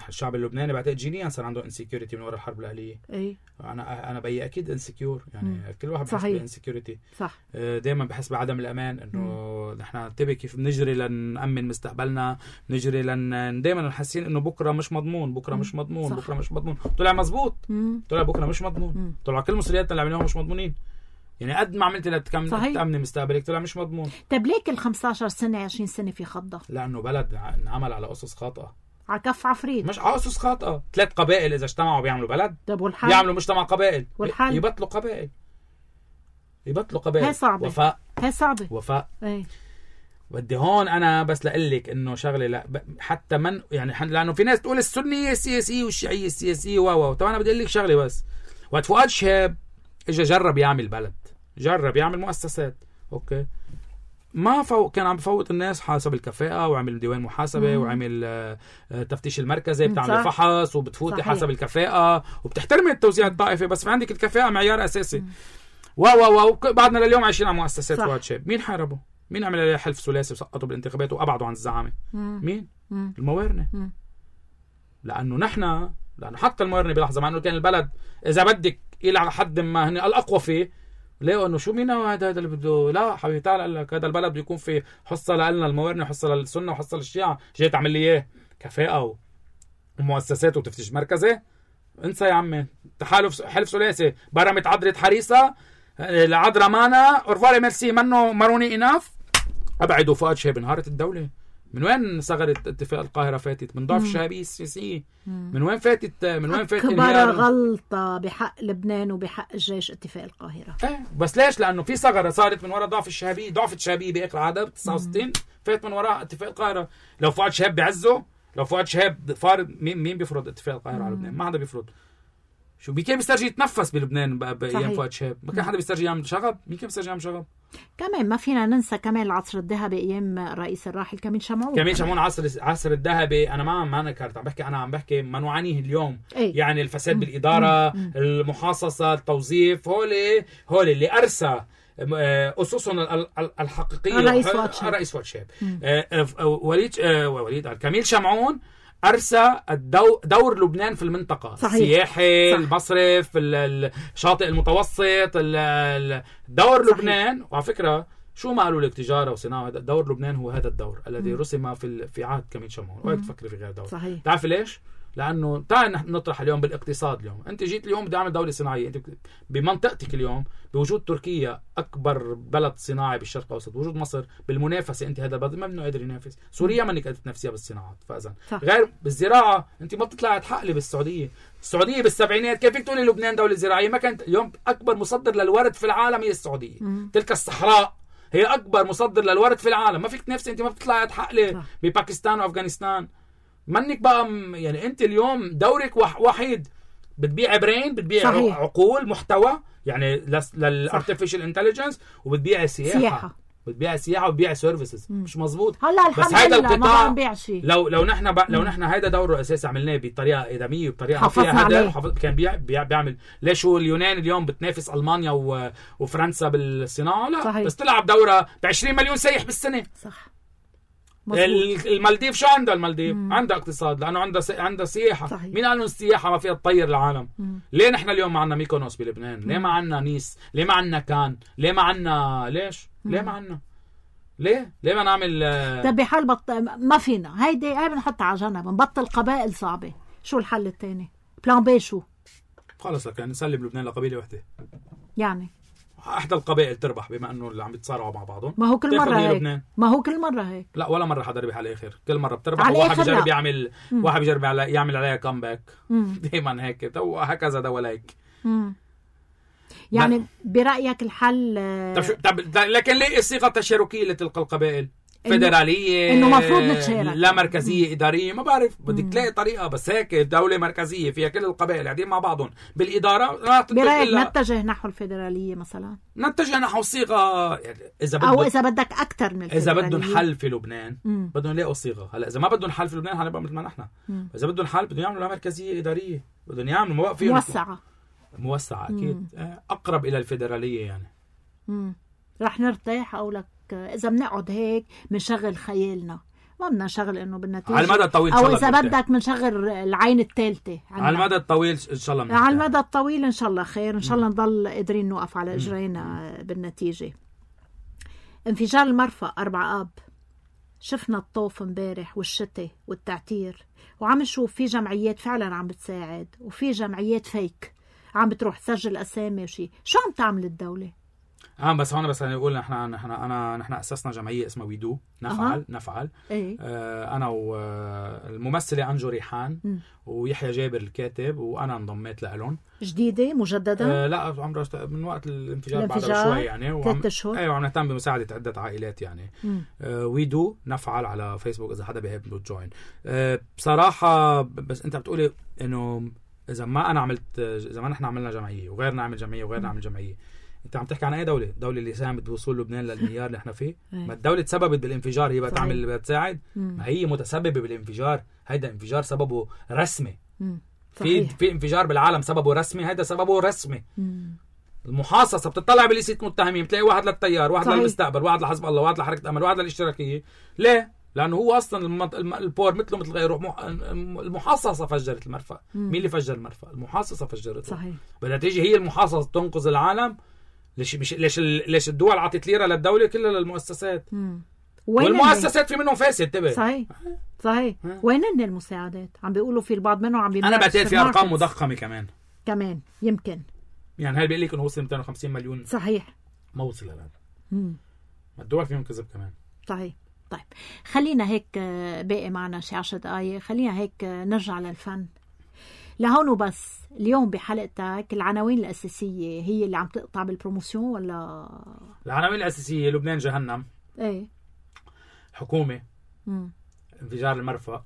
الشعب اللبناني بعتقد جينيا صار عنده انسكيورتي من وراء الحرب الاهليه. اي انا انا بي اكيد انسكيور يعني. مم. كل واحد بحس بالانسكيورتي. صح. دائما بحس بعدم الامان انه نحن انتبه كيف بنجري لنأمن مستقبلنا، نجري لن دائما حاسين انه بكره مش مضمون، بكره مم. مش مضمون، صح. بكره مش مضمون. طلع مزبوط. مم. طلع بكره مش مضمون. مم. طلع كل مسؤولياتنا اللي عملناها مش مضمونين. يعني قد ما عملت لتأمن مستقبلك طلع مش مضمون. طيب ليك ال خمسطعش سنة عشرين سنة في خضة؟ لانه بلد انعمل على اسس خاطئه، على كف عفريت، مش على اسس خاطئه. ثلاث قبائل اذا اجتمعوا بيعملوا بلد. طيب والحل؟ يعملوا مجتمع قبائل. والحل؟ يبطلوا قبائل، يبطلوا قبائل. هي صعبة. وفاء. هي صعبة. وفاء. ايه. بدي هون انا بس لقلك انه شغله لا حتى من يعني لانه في ناس تقول السنيه السياسيه والشيعيه السياسيه و و طبعا انا بدي اقول لك شغله بس. وقت فؤاد شهاب اجى جرب يعمل بلد، جرب يعمل مؤسسات، اوكي، ما فوق كان عم بفوت الناس حسب الكفاءة، وعمل ديوان محاسبة، مم. وعمل آه تفتيش المركزي، بتعمل فحص وبتفوتي حسب الكفاءة وبتحترمي التوزيع الطائفي، بس في عندك الكفاءة معيار أساسي. واو واو واو بعدنا لليوم عايشين على مؤسسات فؤاد شهاب. مين حاربه؟ مين عمل عليه حلف ثلاثي وسقطوا بالانتخابات وأبعدوا عن الزعامة؟ مم. مين؟ مم. الموارنة. مم. لأنه نحن لأنه حتى الموارنة بلحظة مع أنه كان البلد إذا بدك إلى حد ما هن الأقوى فيه، ليه انه شو مين هذا اللي بده؟ لا حبيبي تعال قال لك هذا البلد بده يكون في حصه لنا الموارنه وحصه للسنه وحصه للشيعه، جاي تعمل لي اياه كفاءه ومؤسسات وتفتيش مركزي؟ انسى يا عمي. تحالف حلف ثلاثي برمت عذره حريصه العذره مانا اورفالي ميرسي منه ماروني اناف ابعدوا فؤاد شهاب. انهارت الدوله. من وين صغرت اتفاق القاهرة فاتت؟ من ضعف الشهابية السياسية. من وين فاتت؟ من وين فاتت؟ أكبر غلطة بحق لبنان وبحق الجيش اتفاق القاهرة. ايه بس ليش؟ لأنه في ثغرة صارت من وراء ضعف الشهابية. ضعف الشهابية بآخر عهدها ب تسعة وستين فات من وراء اتفاق القاهرة. لو فؤاد شهاب بعزه، لو فؤاد شهاب فارض، مين مين بيفرض اتفاق القاهرة على لبنان؟ ما حدا بيفرض. شو مين كان بيسترجي يتنفس بلبنان بايام فؤاد شهاب؟ ما كان حدا بيسترجي يعمل شغب. مين كان بيسترجي يعمل شغب؟ كمان ما فينا ننسى كمان العصر الذهبي ايام الرئيس الراحل كميل شمعون. كميل شمعون عصر العصر الذهبي. انا ما ما نكرت عم بحكي، انا عم بحكي ما نعانيه اليوم. أي. يعني الفساد مم. بالاداره، مم. المحاصصه، التوظيف، هول هول اللي ارسى اسسهم الحقيقيه الرئيس فؤاد شهاب. الرئيس فؤاد شهاب. وليد وليد كميل شمعون أرسى الدو دور لبنان في المنطقة. صحيح. السياحي، صح. المصرف، الشاطئ المتوسط، دور صحيح. لبنان. وعلى فكرة شو ما قالوا لك تجارة وصناعة، دور لبنان هو هذا الدور الذي رسم في في عهد كميل شمعون. وهيك تفكري في غير دور. صحيح. تعرفي ليش؟ لأنه تعال نطرح اليوم بالاقتصاد. اليوم أنت جيت اليوم بدي أعمل دولة صناعية. أنت بمنطقتك اليوم بوجود تركيا أكبر بلد صناعي بالشرق الأوسط، وجود مصر بالمنافسة، أنت هذا البلد ما منه قادر ينافس. سوريا ما إنك قادر تنافسيها بالصناعات. فإذا غير بالزراعة أنت ما بتطلعي تحقلي بالسعودية. السعودية بالسبعينات كيف تقولي لبنان دولة زراعية؟ ما كانت. اليوم أكبر مصدر للورد في العالم هي السعودية. مم. تلك الصحراء هي أكبر مصدر للورد في العالم. ما فيك تنافسي. أنت ما بتطلعي تحقلي بباكستان وأفغانستان. منك بقى يعني انت اليوم دورك وحيد. بتبيع برين، بتبيع صحيح. عقول، محتوى يعني للارتفيشال انتليجنس، وبتبيع سياحه, سياحة. بتبيع سياحه وبتبيع سيرفيسز. مش مزبوط. هلا الحمد لله ما عم بيع شيء. لو لو نحن ب... لو نحن هيدا دوره اساسي عملناه بطريقه ادميه وبطريقه فيها هذا حفظ... كان بيع... بيع... بيعمل. ليش هو اليونان اليوم بتنافس المانيا و... وفرنسا بالصناعه؟ لا صحيح. بس تلعب دوره ب عشرين مليون سايح بالسنه. صح. مزبوط. المالديف شو عندها؟ المالديف مم. عندها اقتصاد لانه عندها س... عندها سياحه. صحيح. مين قال انه السياحه ما فيها تطير العالم؟ مم. ليه نحن اليوم ما عندنا ميكونوس بلبنان؟ ليه ما عندنا نيس؟ ليه ما عندنا كان؟ ليه ما عندنا ليش؟ مم. ليه ما عندنا؟ ليه؟ ليه ما نعمل طيب بحال بط... ما فينا. هيدي هاي بنحطها على جنب، نبطل قبائل صعبه. شو الحل الثاني؟ بلان بي شو؟ خلص لك يعني نسلم لبنان لقبيله وحده. يعني احدى القبائل تربح بما انه اللي عم يتصارعوا مع بعضهم. ما هو كل مره هيك لبنان. ما هو كل مره هيك. لا ولا مره حدا ربح على الاخر. كل مره بتربح وواحد بيجرب يعمل مم. واحد بيجرب يعمل عليها كامباك. دائما هيك وهكذا ده ولا هيك. يعني ما. برايك الحل طب شو طب لكن ليه الصيغه التشاركيه لتلك القبائل؟ فيدراليه انه مفروض نتشارك، لا مركزيه مم. اداريه. ما بعرف بدك تلاقي طريقه. بس هيك دوله مركزيه فيها كل القبائل قاعدين مع بعضهم بالاداره. برايك نتجه نحو الفيدراليه مثلا؟ نتجه نحو الصيغه يعني اذا بدك، او اذا بدك اكثر من الفيدراليه. اذا بدهم حل في لبنان مم. بدهم يلاقوا صيغه. هلا اذا ما بدهم حل في لبنان هنبقى مثل ما نحن. اذا بدهم حل بدهم يعملوا مركزيه اداريه، بدهم يعملوا موقف موسعه موسعه اكيد مم. اقرب الى الفيدراليه يعني. امم رح نرتاح. او لك اذا بنقعد هيك بنشغل خيالنا ما بدنا نشغل انه بالنتيجه على المدى الطويل او اذا بدك بنشغل العين الثالثه على المدى الطويل ان شاء الله على المدى الطويل ان شاء الله خير، ان شاء الله نضل قادرين نوقف على اجرينا بالنتيجه. انفجار المرفأ أربعة آب، شفنا الطوف امبارح والشتاء والتعتير، وعم نشوف في جمعيات فعلا عم بتساعد وفي جمعيات فيك عم بتروح تسجل اسامي وشي. شو عم تعمل الدوله؟ اه بس هون بس نقول نحن نحن انا نحن اسسنا جمعيه اسمها ويدو نفعل. أه. نفعل ايه؟ آه انا والممثله انجو ريحان م. ويحيى جابر الكاتب وانا انضميت لهم. جديده مجدده؟ آه لا عمرها من وقت الانفجار بعد شوي يعني. ثلاث اشهر. ايوه عم نهتم بمساعده عده عائلات يعني. آه ويدو نفعل على فيسبوك اذا حدا بيحب جوين. آه بصراحه بس انت بتقولي انه اذا ما انا عملت اذا ما نحن عملنا جمعيه وغيرنا عمل جمعيه وغيرنا عمل جمعيه، انت عم تحكي عن اي دوله؟ دوله اللي ساهمت بوصول لبنان للمليار اللي احنا فيه. ما الدوله تسببت بالانفجار هي بتعمل اللي بتساعد؟ ما هي متسببه بالانفجار. هيدا انفجار سببه رسمي. في في انفجار بالعالم سببه رسمي، هيدا سببه رسمي. مم. المحاصصه بتطلع بليسته متهمين بتلاقي واحد للتيار، واحد صحيح. للمستقبل، واحد لحزب الله، واحد لحركه امل، واحد للاشتراكيه. ليه؟ لانه هو اصلا البور مثله مثل غيره. المحاصصه فجرت المرفأ. مين اللي فجر المرفأ؟ المحاصصه فجرته. صحيح. بدها تيجي هي المحاصصه تنقذ العالم. ليش مش ليش ليش الدول عطت ليره للدوله كلها للمؤسسات؟ والمؤسسات في منهم فاسد. تبع صحيح صحيح. وين هن المساعدات؟ عم بيقولوا في البعض منهم عم انا بعتقد في ارقام مضخمه كمان كمان يمكن يعني. هل بيقول لك انه وصل مئتين وخمسين مليون؟ صحيح ما وصل الان. ما الدول فيهم كذب كمان. صحيح. طيب خلينا هيك باقي معنا شي عشر دقايق، خلينا هيك نرجع للفن لهون وبس. اليوم بحلقتك العناوين الأساسية هي اللي عم تقطع بالبروموسيون ولا؟ العناوين الأساسية لبنان جهنم. ايه؟ حكومة. مم. انفجار المرفأ.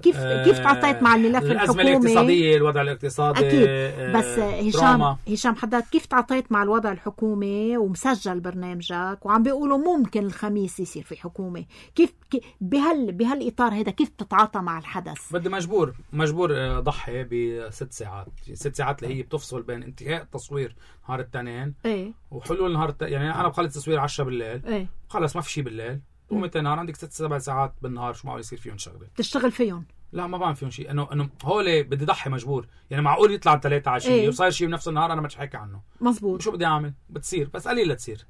كيف آه كيف تعاطيت مع الملف الحكومي؟ الأزمة الاقتصادية، الوضع الاقتصادي. أكيد. آه بس هشام هشام حضرتك كيف تعاطيت مع الوضع الحكومي ومسجل برنامجك وعم بيقولوا ممكن الخميس يصير في حكومة؟ كيف بهال بهالإطار هذا كيف تتعاطى مع الحدث؟ بدي مجبور مجبور ضحي بست ساعات ست ساعات اللي هي بتفصل بين انتهاء التصوير نهار التنين ايه وحلول نهار الت... يعني أنا بخلص تصوير عشرة بالليل. ايه خلص ما في شيء بالليل. ومتى نهار عندك ست سبع ساعات بالنهار شو معقول يصير فيهم شغله؟ تشتغل فيهم؟ لا ما بعمل فيهم شيء. انه انه هول بدي ضحي مجبور يعني. معقول يطلع ثلاثة عشرة ايه؟ وصاير شيء بنفس النهار انا ما حكي عنه. مزبوط. شو بدي اعمل؟ بتصير بس قليل تصير.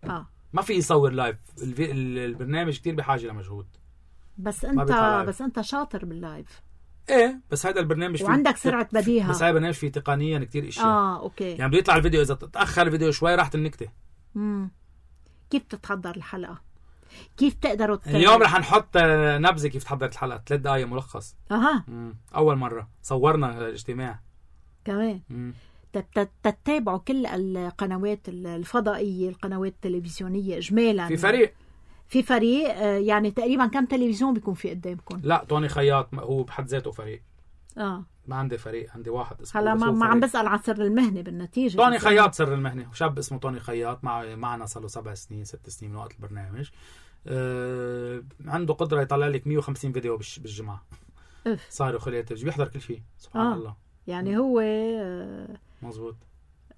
اه ما في يصور لايف. البرنامج كتير بحاجه لمجهود. بس انت بس انت شاطر باللايف. ايه بس هذا البرنامج وعندك سرعه بديهه. بس هذا البرنامج فيه تقنيا كتير اشياء. اه اوكي. يعني بده يطلع الفيديو اذا تاخر الفيديو شوي راحت النكته. امم كيف تتحضر الحلقه؟ كيف تقدروا ت... اليوم رح نحط نبذه كيف تحضرت الحلقه. ثلاث دقائق ملخص. اها مم. اول مره صورنا الاجتماع كمان. تتابعوا كل القنوات الفضائيه، القنوات التلفزيونيه اجمالا. في فريق في فريق يعني تقريبا كم تلفزيون بيكون في قدامكم؟ لا طوني خياط هو بحد ذاته فريق. اه ما عندي فريق، عندي واحد اسمه. هلا ما, ما عم بسأل عن سر المهنه بالنتيجه. طوني خياط سر المهنه، وشاب اسمه طوني خياط مع معنا صار له سبع سنين ست سنين من وقت البرنامج. آه عنده قدره يطلع لك مية وخمسين فيديو بالجمعه. صار خليه بيحضر كل شيء سبحان آه. الله. يعني هو آه مزبوط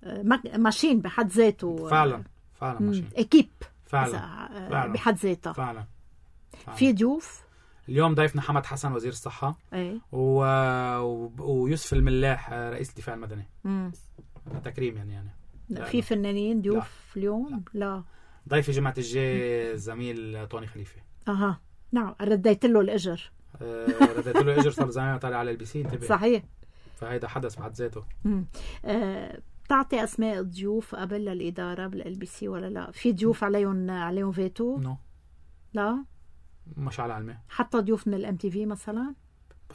آه ماشين بحد ذاته. فعلا فعلا ماشين اكيب فعلا. آه فعلا بحد ذاتها. فعلا. فعلا في ضيوف اليوم ضيفنا حمد حسن وزير الصحة. ايه و... و... ويوسف الملاح رئيس الدفاع المدني. امم تكريم يعني يعني لا في فنانين ضيوف اليوم؟ لا, لا. ضيفي جمعة الجاي زميل طوني خليفة. اها نعم رديت له الاجر. آه رديت له الاجر صار زمان طالع على البي سي. انتبه صحيح. فهيدا حدث بحد ذاته. امم آه بتعطي اسماء الضيوف قبل للاداره بالال بي سي ولا لا؟ في ضيوف عليهم عليهم فيتو؟ نو لا مش على علمي. حتى ضيوف من الام تي في مثلا؟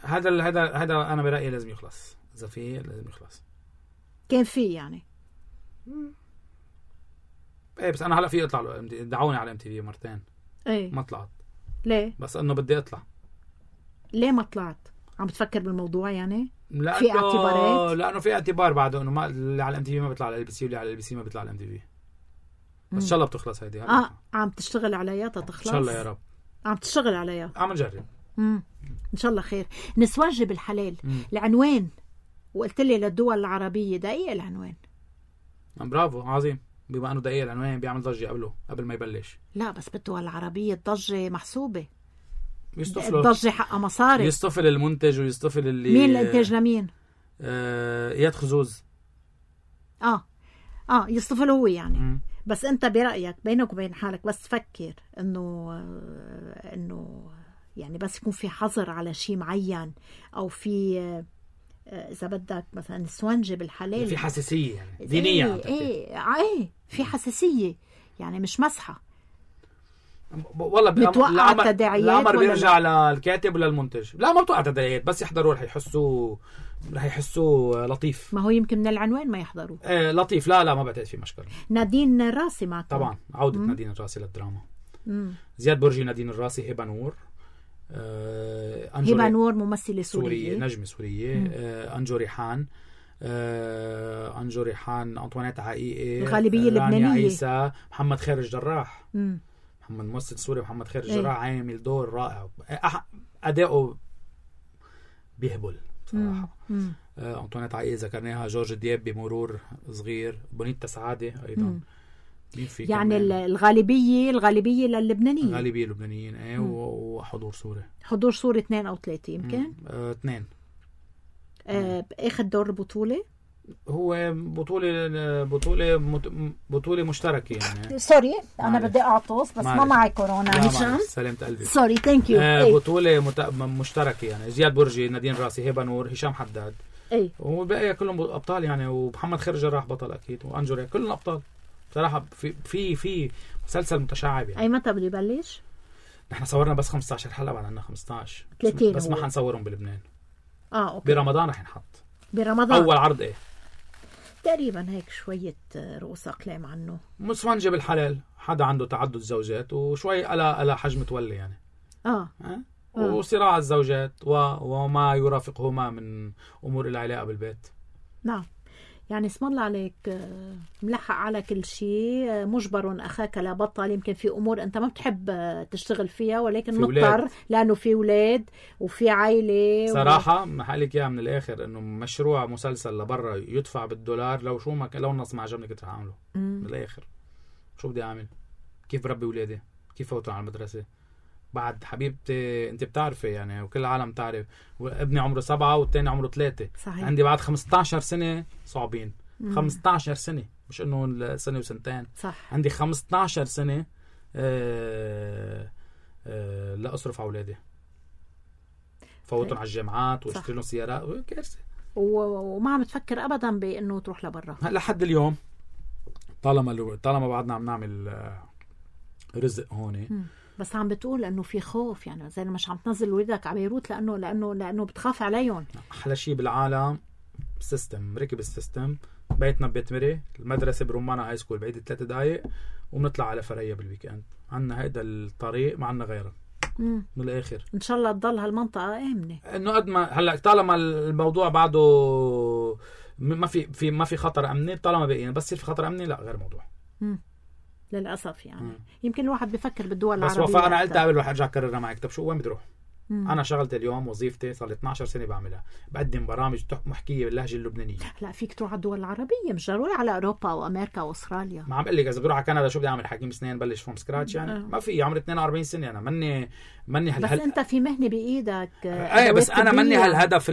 هذا هذا هذا انا برايي لازم يخلص. اذا في لازم يخلص. كان في يعني مم. ايه بس انا هلا في اطلع دعوني على ام تي في مرتين. ايه ما طلعت. ليه؟ بس انه بدي اطلع. ليه ما طلعت؟ عم بتفكر بالموضوع يعني؟ لا في اعتبارات؟ لانه في اعتبار بعده انه ما اللي على الام تي في ما بيطلع على ال بي سي واللي على ال بي سي ما بيطلع على الام تي في. بس ان شاء الله بتخلص هيدي. اه عم تشتغل عليها تتخلص؟ ان شاء الله يا رب. عم تشتغل عليها؟ عم نجرب. امم ان شاء الله خير. نسوان جبل الحلال. مم. العنوان وقلت لي للدول العربيه دقيق العنوان. برافو عظيم. بما انه دقيق العنوان بيعمل ضجه قبله قبل ما يبلش. لا بس بالدول العربيه الضجه محسوبه. يصطفلوا الضجة حقها مصاري. يصطفل المنتج ويصطفل اللي مين الانتاج لمين؟ آه اياد خزوز. اه اه يصطفل هو يعني. م. بس انت برأيك بينك وبين حالك بس تفكر انه انه يعني بس يكون في حظر على شيء معين او في اذا بدك مثلا السونجة بالحلال في حساسية يعني دينية. ايه ايه, ايه في حساسية يعني مش مسحة والله بتوقع التداعيات. الامر بيرجع للكاتب ولا المنتج. لا ما بتوقع تداعيات بس يحضروا رح يحسوا رح يحسوا لطيف. ما هو يمكن من العنوان ما يحضروا. ايه لطيف. لا لا ما بعتقد في مشكلة. نادين الراسي معكم طبعا عودة مم. نادين الراسي للدراما. مم. زياد برجي نادين الراسي هبة نور. آه هبة نور ممثلة سورية سورية نجمة سورية. آه أنجو ريحان. آه أنجو ريحان أنطوانيت عقيقي الغالبية اللبنانية. عيسى محمد خير الجراح. مم. محمد ممثل سوري محمد خير الجراح ايه. عامل دور رائع. أداؤه بيهبل صراحة. آه أنطوانيت عقيقي ذكرناها. جورج دياب بمرور صغير. بونيتا سعادة أيضا. يعني كمان. الغالبية الغالبية للبنانيين. الغالبية اللبنانيين ايه. وحضور سوري. حضور سوري اثنين أو ثلاثة يمكن. اه اثنين. آه اخذ دور البطولة. هو بطولة بطولة بطولة مشتركة يعني. سوري أنا بدي أعطس بس معلش. ما معي كورونا هشام. سلامت قلبي. سوري ثانك يو. آه بطولة مت... مشتركة يعني. زياد برجي نادين راسي هبة نور هشام حداد. اي وبقية كلهم أبطال يعني. ومحمد خير جراح بطل أكيد. وأنجوري كلهم أبطال صراحة. في في في مسلسل متشعب يعني. أي متى بده يبلش؟ نحن صورنا بس خمسة عشر حلقة بعد عنا خمسة عشر ثلاثين بس هو. ما حنصورهم بلبنان. اه اوكي. برمضان رح ينحط. برمضان أول عرض ايه تقريبا هيك شوية رؤوس أقلام عنه. مسفنجة بالحلال. حدا عنده تعدد زوجات وشوي ألا ألا حجم تولي يعني. اه, آه؟ وصراع الزوجات و... وما يرافقهما من أمور العلاقة بالبيت. نعم يعني اسم الله عليك ملحق على كل شيء. مجبر أخاك لا بطل. يمكن في أمور أنت ما بتحب تشتغل فيها ولكن مضطر لأنه في أولاد وفي عائلة. صراحة و... محلك إياها من الآخر إنه مشروع مسلسل لبرا يدفع بالدولار. لو شو ما لو النص ما عجبني كنت هعمله. من الآخر شو بدي أعمل؟ كيف بربي أولادي؟ كيف فوتوا على المدرسة؟ بعد حبيبتي انت بتعرفي يعني وكل العالم تعرف. ابني عمره سبعة والتاني عمره ثلاثة. صحيح. عندي بعد خمسة عشر سنة صعبين. مم. خمسة عشر سنة مش انه سنة وسنتين. صح. عندي خمسة عشر سنة آه آه لا اصرف على اولادي. فوتهم على الجامعات واشتري لهم سيارات. كارثة. وما عم تفكر ابدا بانه تروح لبرا لحد اليوم. طالما طالما بعدنا عم نعمل رزق هون. مم. بس عم بتقول انه في خوف يعني زي مش عم تنزل ولادك على بيروت لانه لانه لانه بتخاف عليهم. احلى شيء بالعالم سيستم. ركب السيستم. بيتنا ببيت مري. المدرسه برمانة هاي سكول بعيد ثلاث دقائق وبنطلع على فرية بالويكند. عنا هيدا الطريق ما عنا غيره. مم. من الاخر ان شاء الله تضل هالمنطقه امنه. انه قد ما هلا طالما الموضوع بعده ما في في ما في خطر امني. طالما بقينا بس في خطر امني لا غير موضوع. مم. للأسف يعني. مم. يمكن الواحد بفكر بالدول العربية. بس وفاء أنا قلت قبل رح أرجع أكررها معك. طب شو وين بدي أروح؟ مم. أنا شغلتي اليوم وظيفتي صار لي اثنعش سنة بعملها. بقدم برامج محكية باللهجة اللبنانية. لا فيك تروح على الدول العربية مش ضروري على أوروبا وأمريكا وأستراليا. ما عم بقول لك إذا بروح على كندا شو بدي أعمل حكيم سنين بلش فروم سكراتش يعني. أه. ما في عمري اثنين وأربعين سنة أنا مني مني هال... بس هل... أنت في مهنة بإيدك. ايه بس أنا مني هالهدف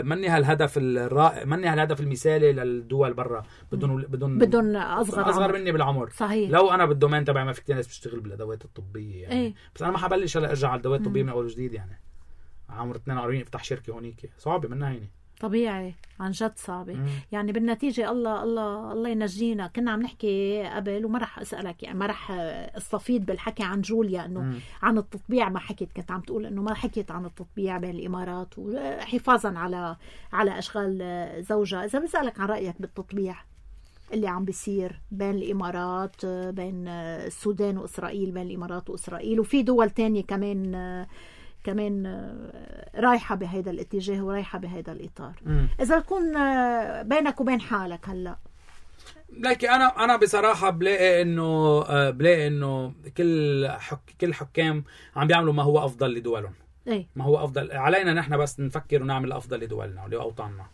مني هالهدف الرائع. مني هالهدف المثالي للدول برا. بدون بدون بدون أصغر أصغر عمر. مني بالعمر. صحيح. لو أنا بالدومين تبعي ما في كتير ناس بتشتغل بالأدوات الطبية يعني. ايه. بس أنا ما حبلش هلا أرجع على الأدوات الطبية من أول وجديد يعني. عمر اثنين وأربعين افتح شركة هونيك صعبة منها هيني. طبيعي عن جد صعبة. مم. يعني بالنتيجة الله الله الله ينجينا. كنا عم نحكي قبل وما رح أسألك يعني ما رح استفيد بالحكي عن جوليا إنه مم. عن التطبيع ما حكيت. كنت عم تقول إنه ما حكيت عن التطبيع بين الإمارات وحفاظا على على أشغال زوجها. إذا بسألك عن رأيك بالتطبيع اللي عم بيصير بين الإمارات بين السودان وإسرائيل بين الإمارات وإسرائيل وفي دول تانية كمان كمان رايحة بهذا الاتجاه ورايحة بهذا الإطار. مم. إذا تكون بينك وبين حالك هلأ. لكن أنا أنا بصراحة بلاقي إنه بلاقي إنه كل حك كل حكام عم بيعملوا ما هو أفضل لدولهم. إيه؟ ما هو أفضل علينا نحن بس نفكر ونعمل أفضل لدولنا ولأوطاننا.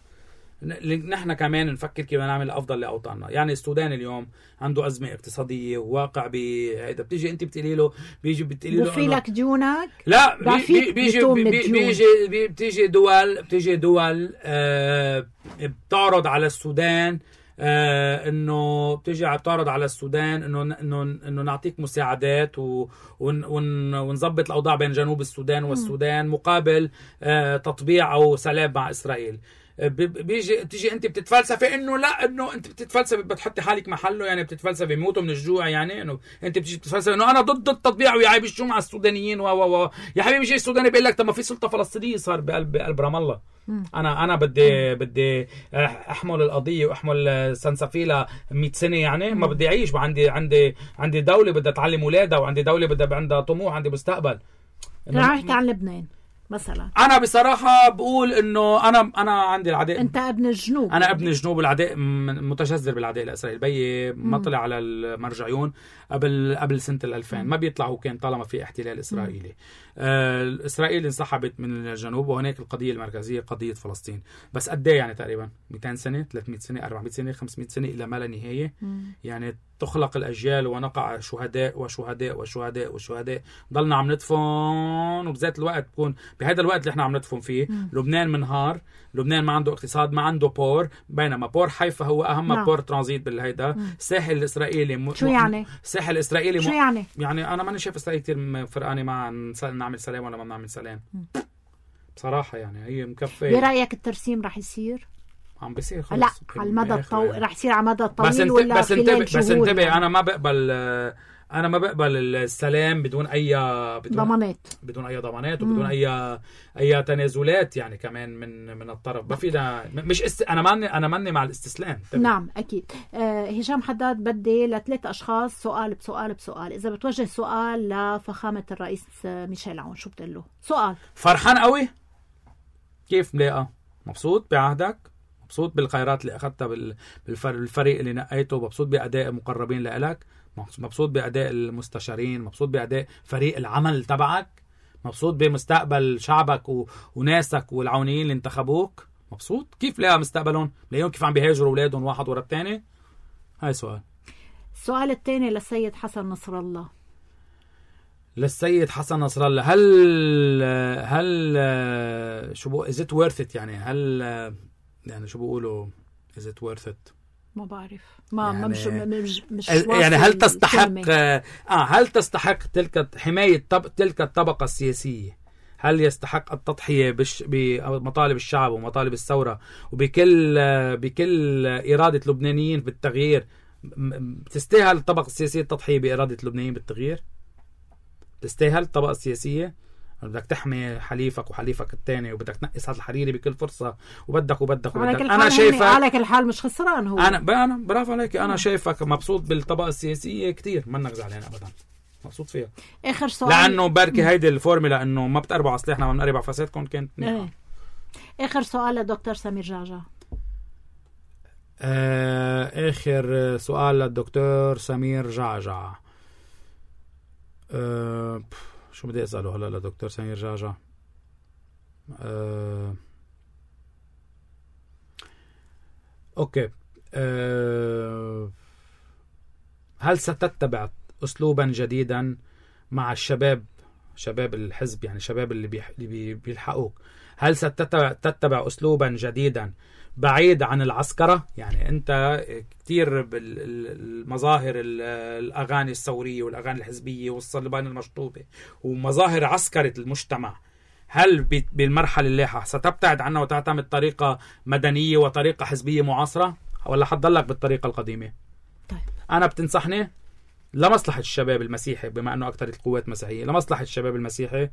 نحن كمان نفكر كيف نعمل افضل لاوطاننا. يعني السودان اليوم عنده ازمه اقتصاديه وواقع بهيدا، بتيجي انت بتقولي له بيجي بتقولي له وفي لك ديونك، لا بي بيجي بيجي, بيجي بتيجي دول بتيجي دول آه بتعرض على السودان آه انه بتيجي بتعرض على السودان انه انه انه نعطيك مساعدات و ون ون ونظبط الاوضاع بين جنوب السودان والسودان مقابل آه تطبيع او سلام مع اسرائيل. بيجي تيجي انت بتتفلسفي انه لا انه انت بتتفلسفي بتحطي حالك محله، يعني بتتفلسفي بيموتوا من الجوع، يعني انه انت بتيجي بتتفلسفي انه انا ضد التطبيع ويا عيب الشو مع السودانيين و و يا حبيبي جاي السوداني بيقول لك طب ما في سلطه فلسطينيه صار بقلب بقلب رام الله. انا انا بدي بدي احمل القضيه واحمل سنسفيلا مئة سنه، يعني ما بدي اعيش، عندي عندي عندي دوله بدها تعلم اولادها، وعندي دوله بدها عندها طموح، عندي مستقبل. رح احكي عن لبنان مثلا. انا بصراحه بقول انه انا انا عندي العداء، انت ابن الجنوب، انا ابن الجنوب، العداء متجذر بالعداء الاسرائيلي. بيي ما طلع على المرجعيون قبل قبل سنه الألفين، ما بيطلع هو كان طالما في احتلال اسرائيلي. آه اسرائيل انسحبت من الجنوب، وهناك القضيه المركزيه قضيه فلسطين. بس قد ايه يعني تقريبا مئتين سنه، ثلاثمئة سنه، أربعمئة سنه، خمسمئة سنه الى ما لا نهايه. يعني تخلق الاجيال ونقع شهداء وشهداء وشهداء وشهداء، ضلنا عم ندفن، وبذات الوقت بكون بهذا الوقت اللي احنا عم ندفن فيه مم. لبنان منهار، لبنان ما عنده اقتصاد، ما عنده بور، بينما بور حيفا هو اهم نعم. بور ترانزيت بالهيدا. الساحل الاسرائيلي م... شو يعني؟ الساحل الاسرائيلي شو يعني؟ يعني انا ماني شايف اسرائيل كثير فرقانه مع نعمل سلام ولا ما نعمل سلام مم. بصراحه. يعني هي مكفيه. برايك الترسيم رح يصير؟ عم بيصير خلص. لا على المدى الطويل رح يصير على المدى الطويل بس انت... ولا بس انتبه بس انتبه يعني. انا ما بقبل انا ما بقبل السلام بدون اي بدون ضمانات بدون اي ضمانات وبدون مم. اي اي تنازلات، يعني كمان من من الطرف. ما فينا مش است... انا ماني انا ماني مع الاستسلام. طبعا. نعم اكيد. آه هشام حداد، بدي لثلاث اشخاص سؤال بسؤال بسؤال. اذا بتوجه سؤال لفخامه الرئيس ميشيل عون شو بتقول له؟ سؤال. فرحان قوي؟ كيف ملاقه؟ مبسوط بعهدك؟ مبسوط بالخيرات اللي اخذتها بالفريق اللي نقيته؟ مبسوط باداء مقربين لك؟ مبسوط بأداء المستشارين؟ مبسوط بأداء فريق العمل تبعك؟ مبسوط بمستقبل شعبك و... وناسك والعونيين اللي انتخبوك؟ مبسوط؟ كيف لاقى مستقبلهم؟ لاقيهم كيف عم بيهاجروا أولادهم واحد ورا الثاني؟ هاي سؤال. السؤال الثاني للسيد حسن نصر الله. للسيد حسن نصر الله، هل هل شو بقول is it worth it؟ يعني هل يعني شو بيقولوا is it worth it؟ ما بعرف. ما يعني مش مش, مش يعني هل تستحق اه هل تستحق تلك حماية طب... تلك الطبقة السياسية؟ هل يستحق التضحية بش... بمطالب الشعب ومطالب الثورة وبكل بكل إرادة اللبنانيين بالتغيير؟ تستاهل الطبقة السياسية التضحية بإرادة اللبنانيين بالتغيير؟ تستاهل الطبقة السياسية؟ بدك تحمي حليفك وحليفك الثاني، وبدك تنقي سعد الحريري بكل فرصة، وبدك وبدك وبدك. انا شايفك على كل حال مش خسران هو. انا انا برافو عليك. انا شايفك مبسوط بالطبقة السياسية كتير، منك زعلان ابدا، مبسوط فيها. اخر سؤال، لانه بركي هيدي الفورمولا انه ما بتقربوا على سلاحنا وما بنقرب على فسادكم كانت منيحة. اخر سؤال لدكتور سمير جعجع. آه اخر سؤال للدكتور سمير جعجع. آه شو بدي اساله هلا لدكتور سمير جعجع؟ أه... اوكي. أه... هل ستتبع اسلوبا جديدا مع الشباب، شباب الحزب، يعني شباب اللي, بيح... اللي بيلحقوك؟ هل ستتبع تتبع اسلوبا جديدا بعيد عن العسكرة؟ يعني انت كتير بالمظاهر الاغاني الثورية والاغاني الحزبية والصلبان المشطوبة ومظاهر عسكرة المجتمع، هل بالمرحلة اللاحقة ستبتعد عنها وتعتمد طريقة مدنية وطريقة حزبية معاصرة، ولا حتضلك بالطريقة القديمة؟ طيب. انا بتنصحني لمصلحة الشباب المسيحي، بما انه اكثر القوات مسيحية، لمصلحة الشباب المسيحي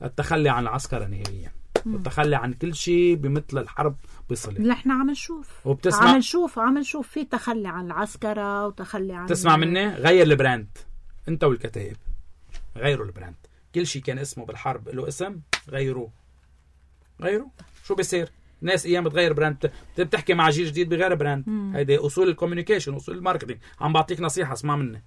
التخلي عن العسكرة نهائيا، والتخلي عن كل شيء بمثل الحرب بصلة. نحن عم نشوف وبتسمع عم نشوف عم نشوف في تخلي عن العسكرة وتخلي عن تسمع مني غير البراند، انت والكتائب غيروا البراند. كل شيء كان اسمه بالحرب له اسم، غيروه غيروا. شو بيصير؟ ناس ايام بتغير براند، بتحكي مع جيل جديد بغير براند. هيدي اصول الكوميونيكيشن، اصول الماركتينج. عم بعطيك نصيحة، اسمع مني.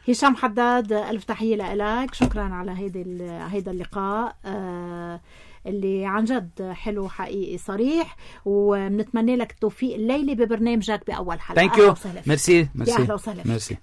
هشام حداد، ألف تحية لك، شكرا على هيدا هيدا اللقاء. آه اللي عن جد حلو حقيقي صريح، وبنتمنى لك التوفيق الليلة ببرنامجك بأول حلقة. ثانك يو. ميرسي. يا أهلا وسهلا. ميرسي.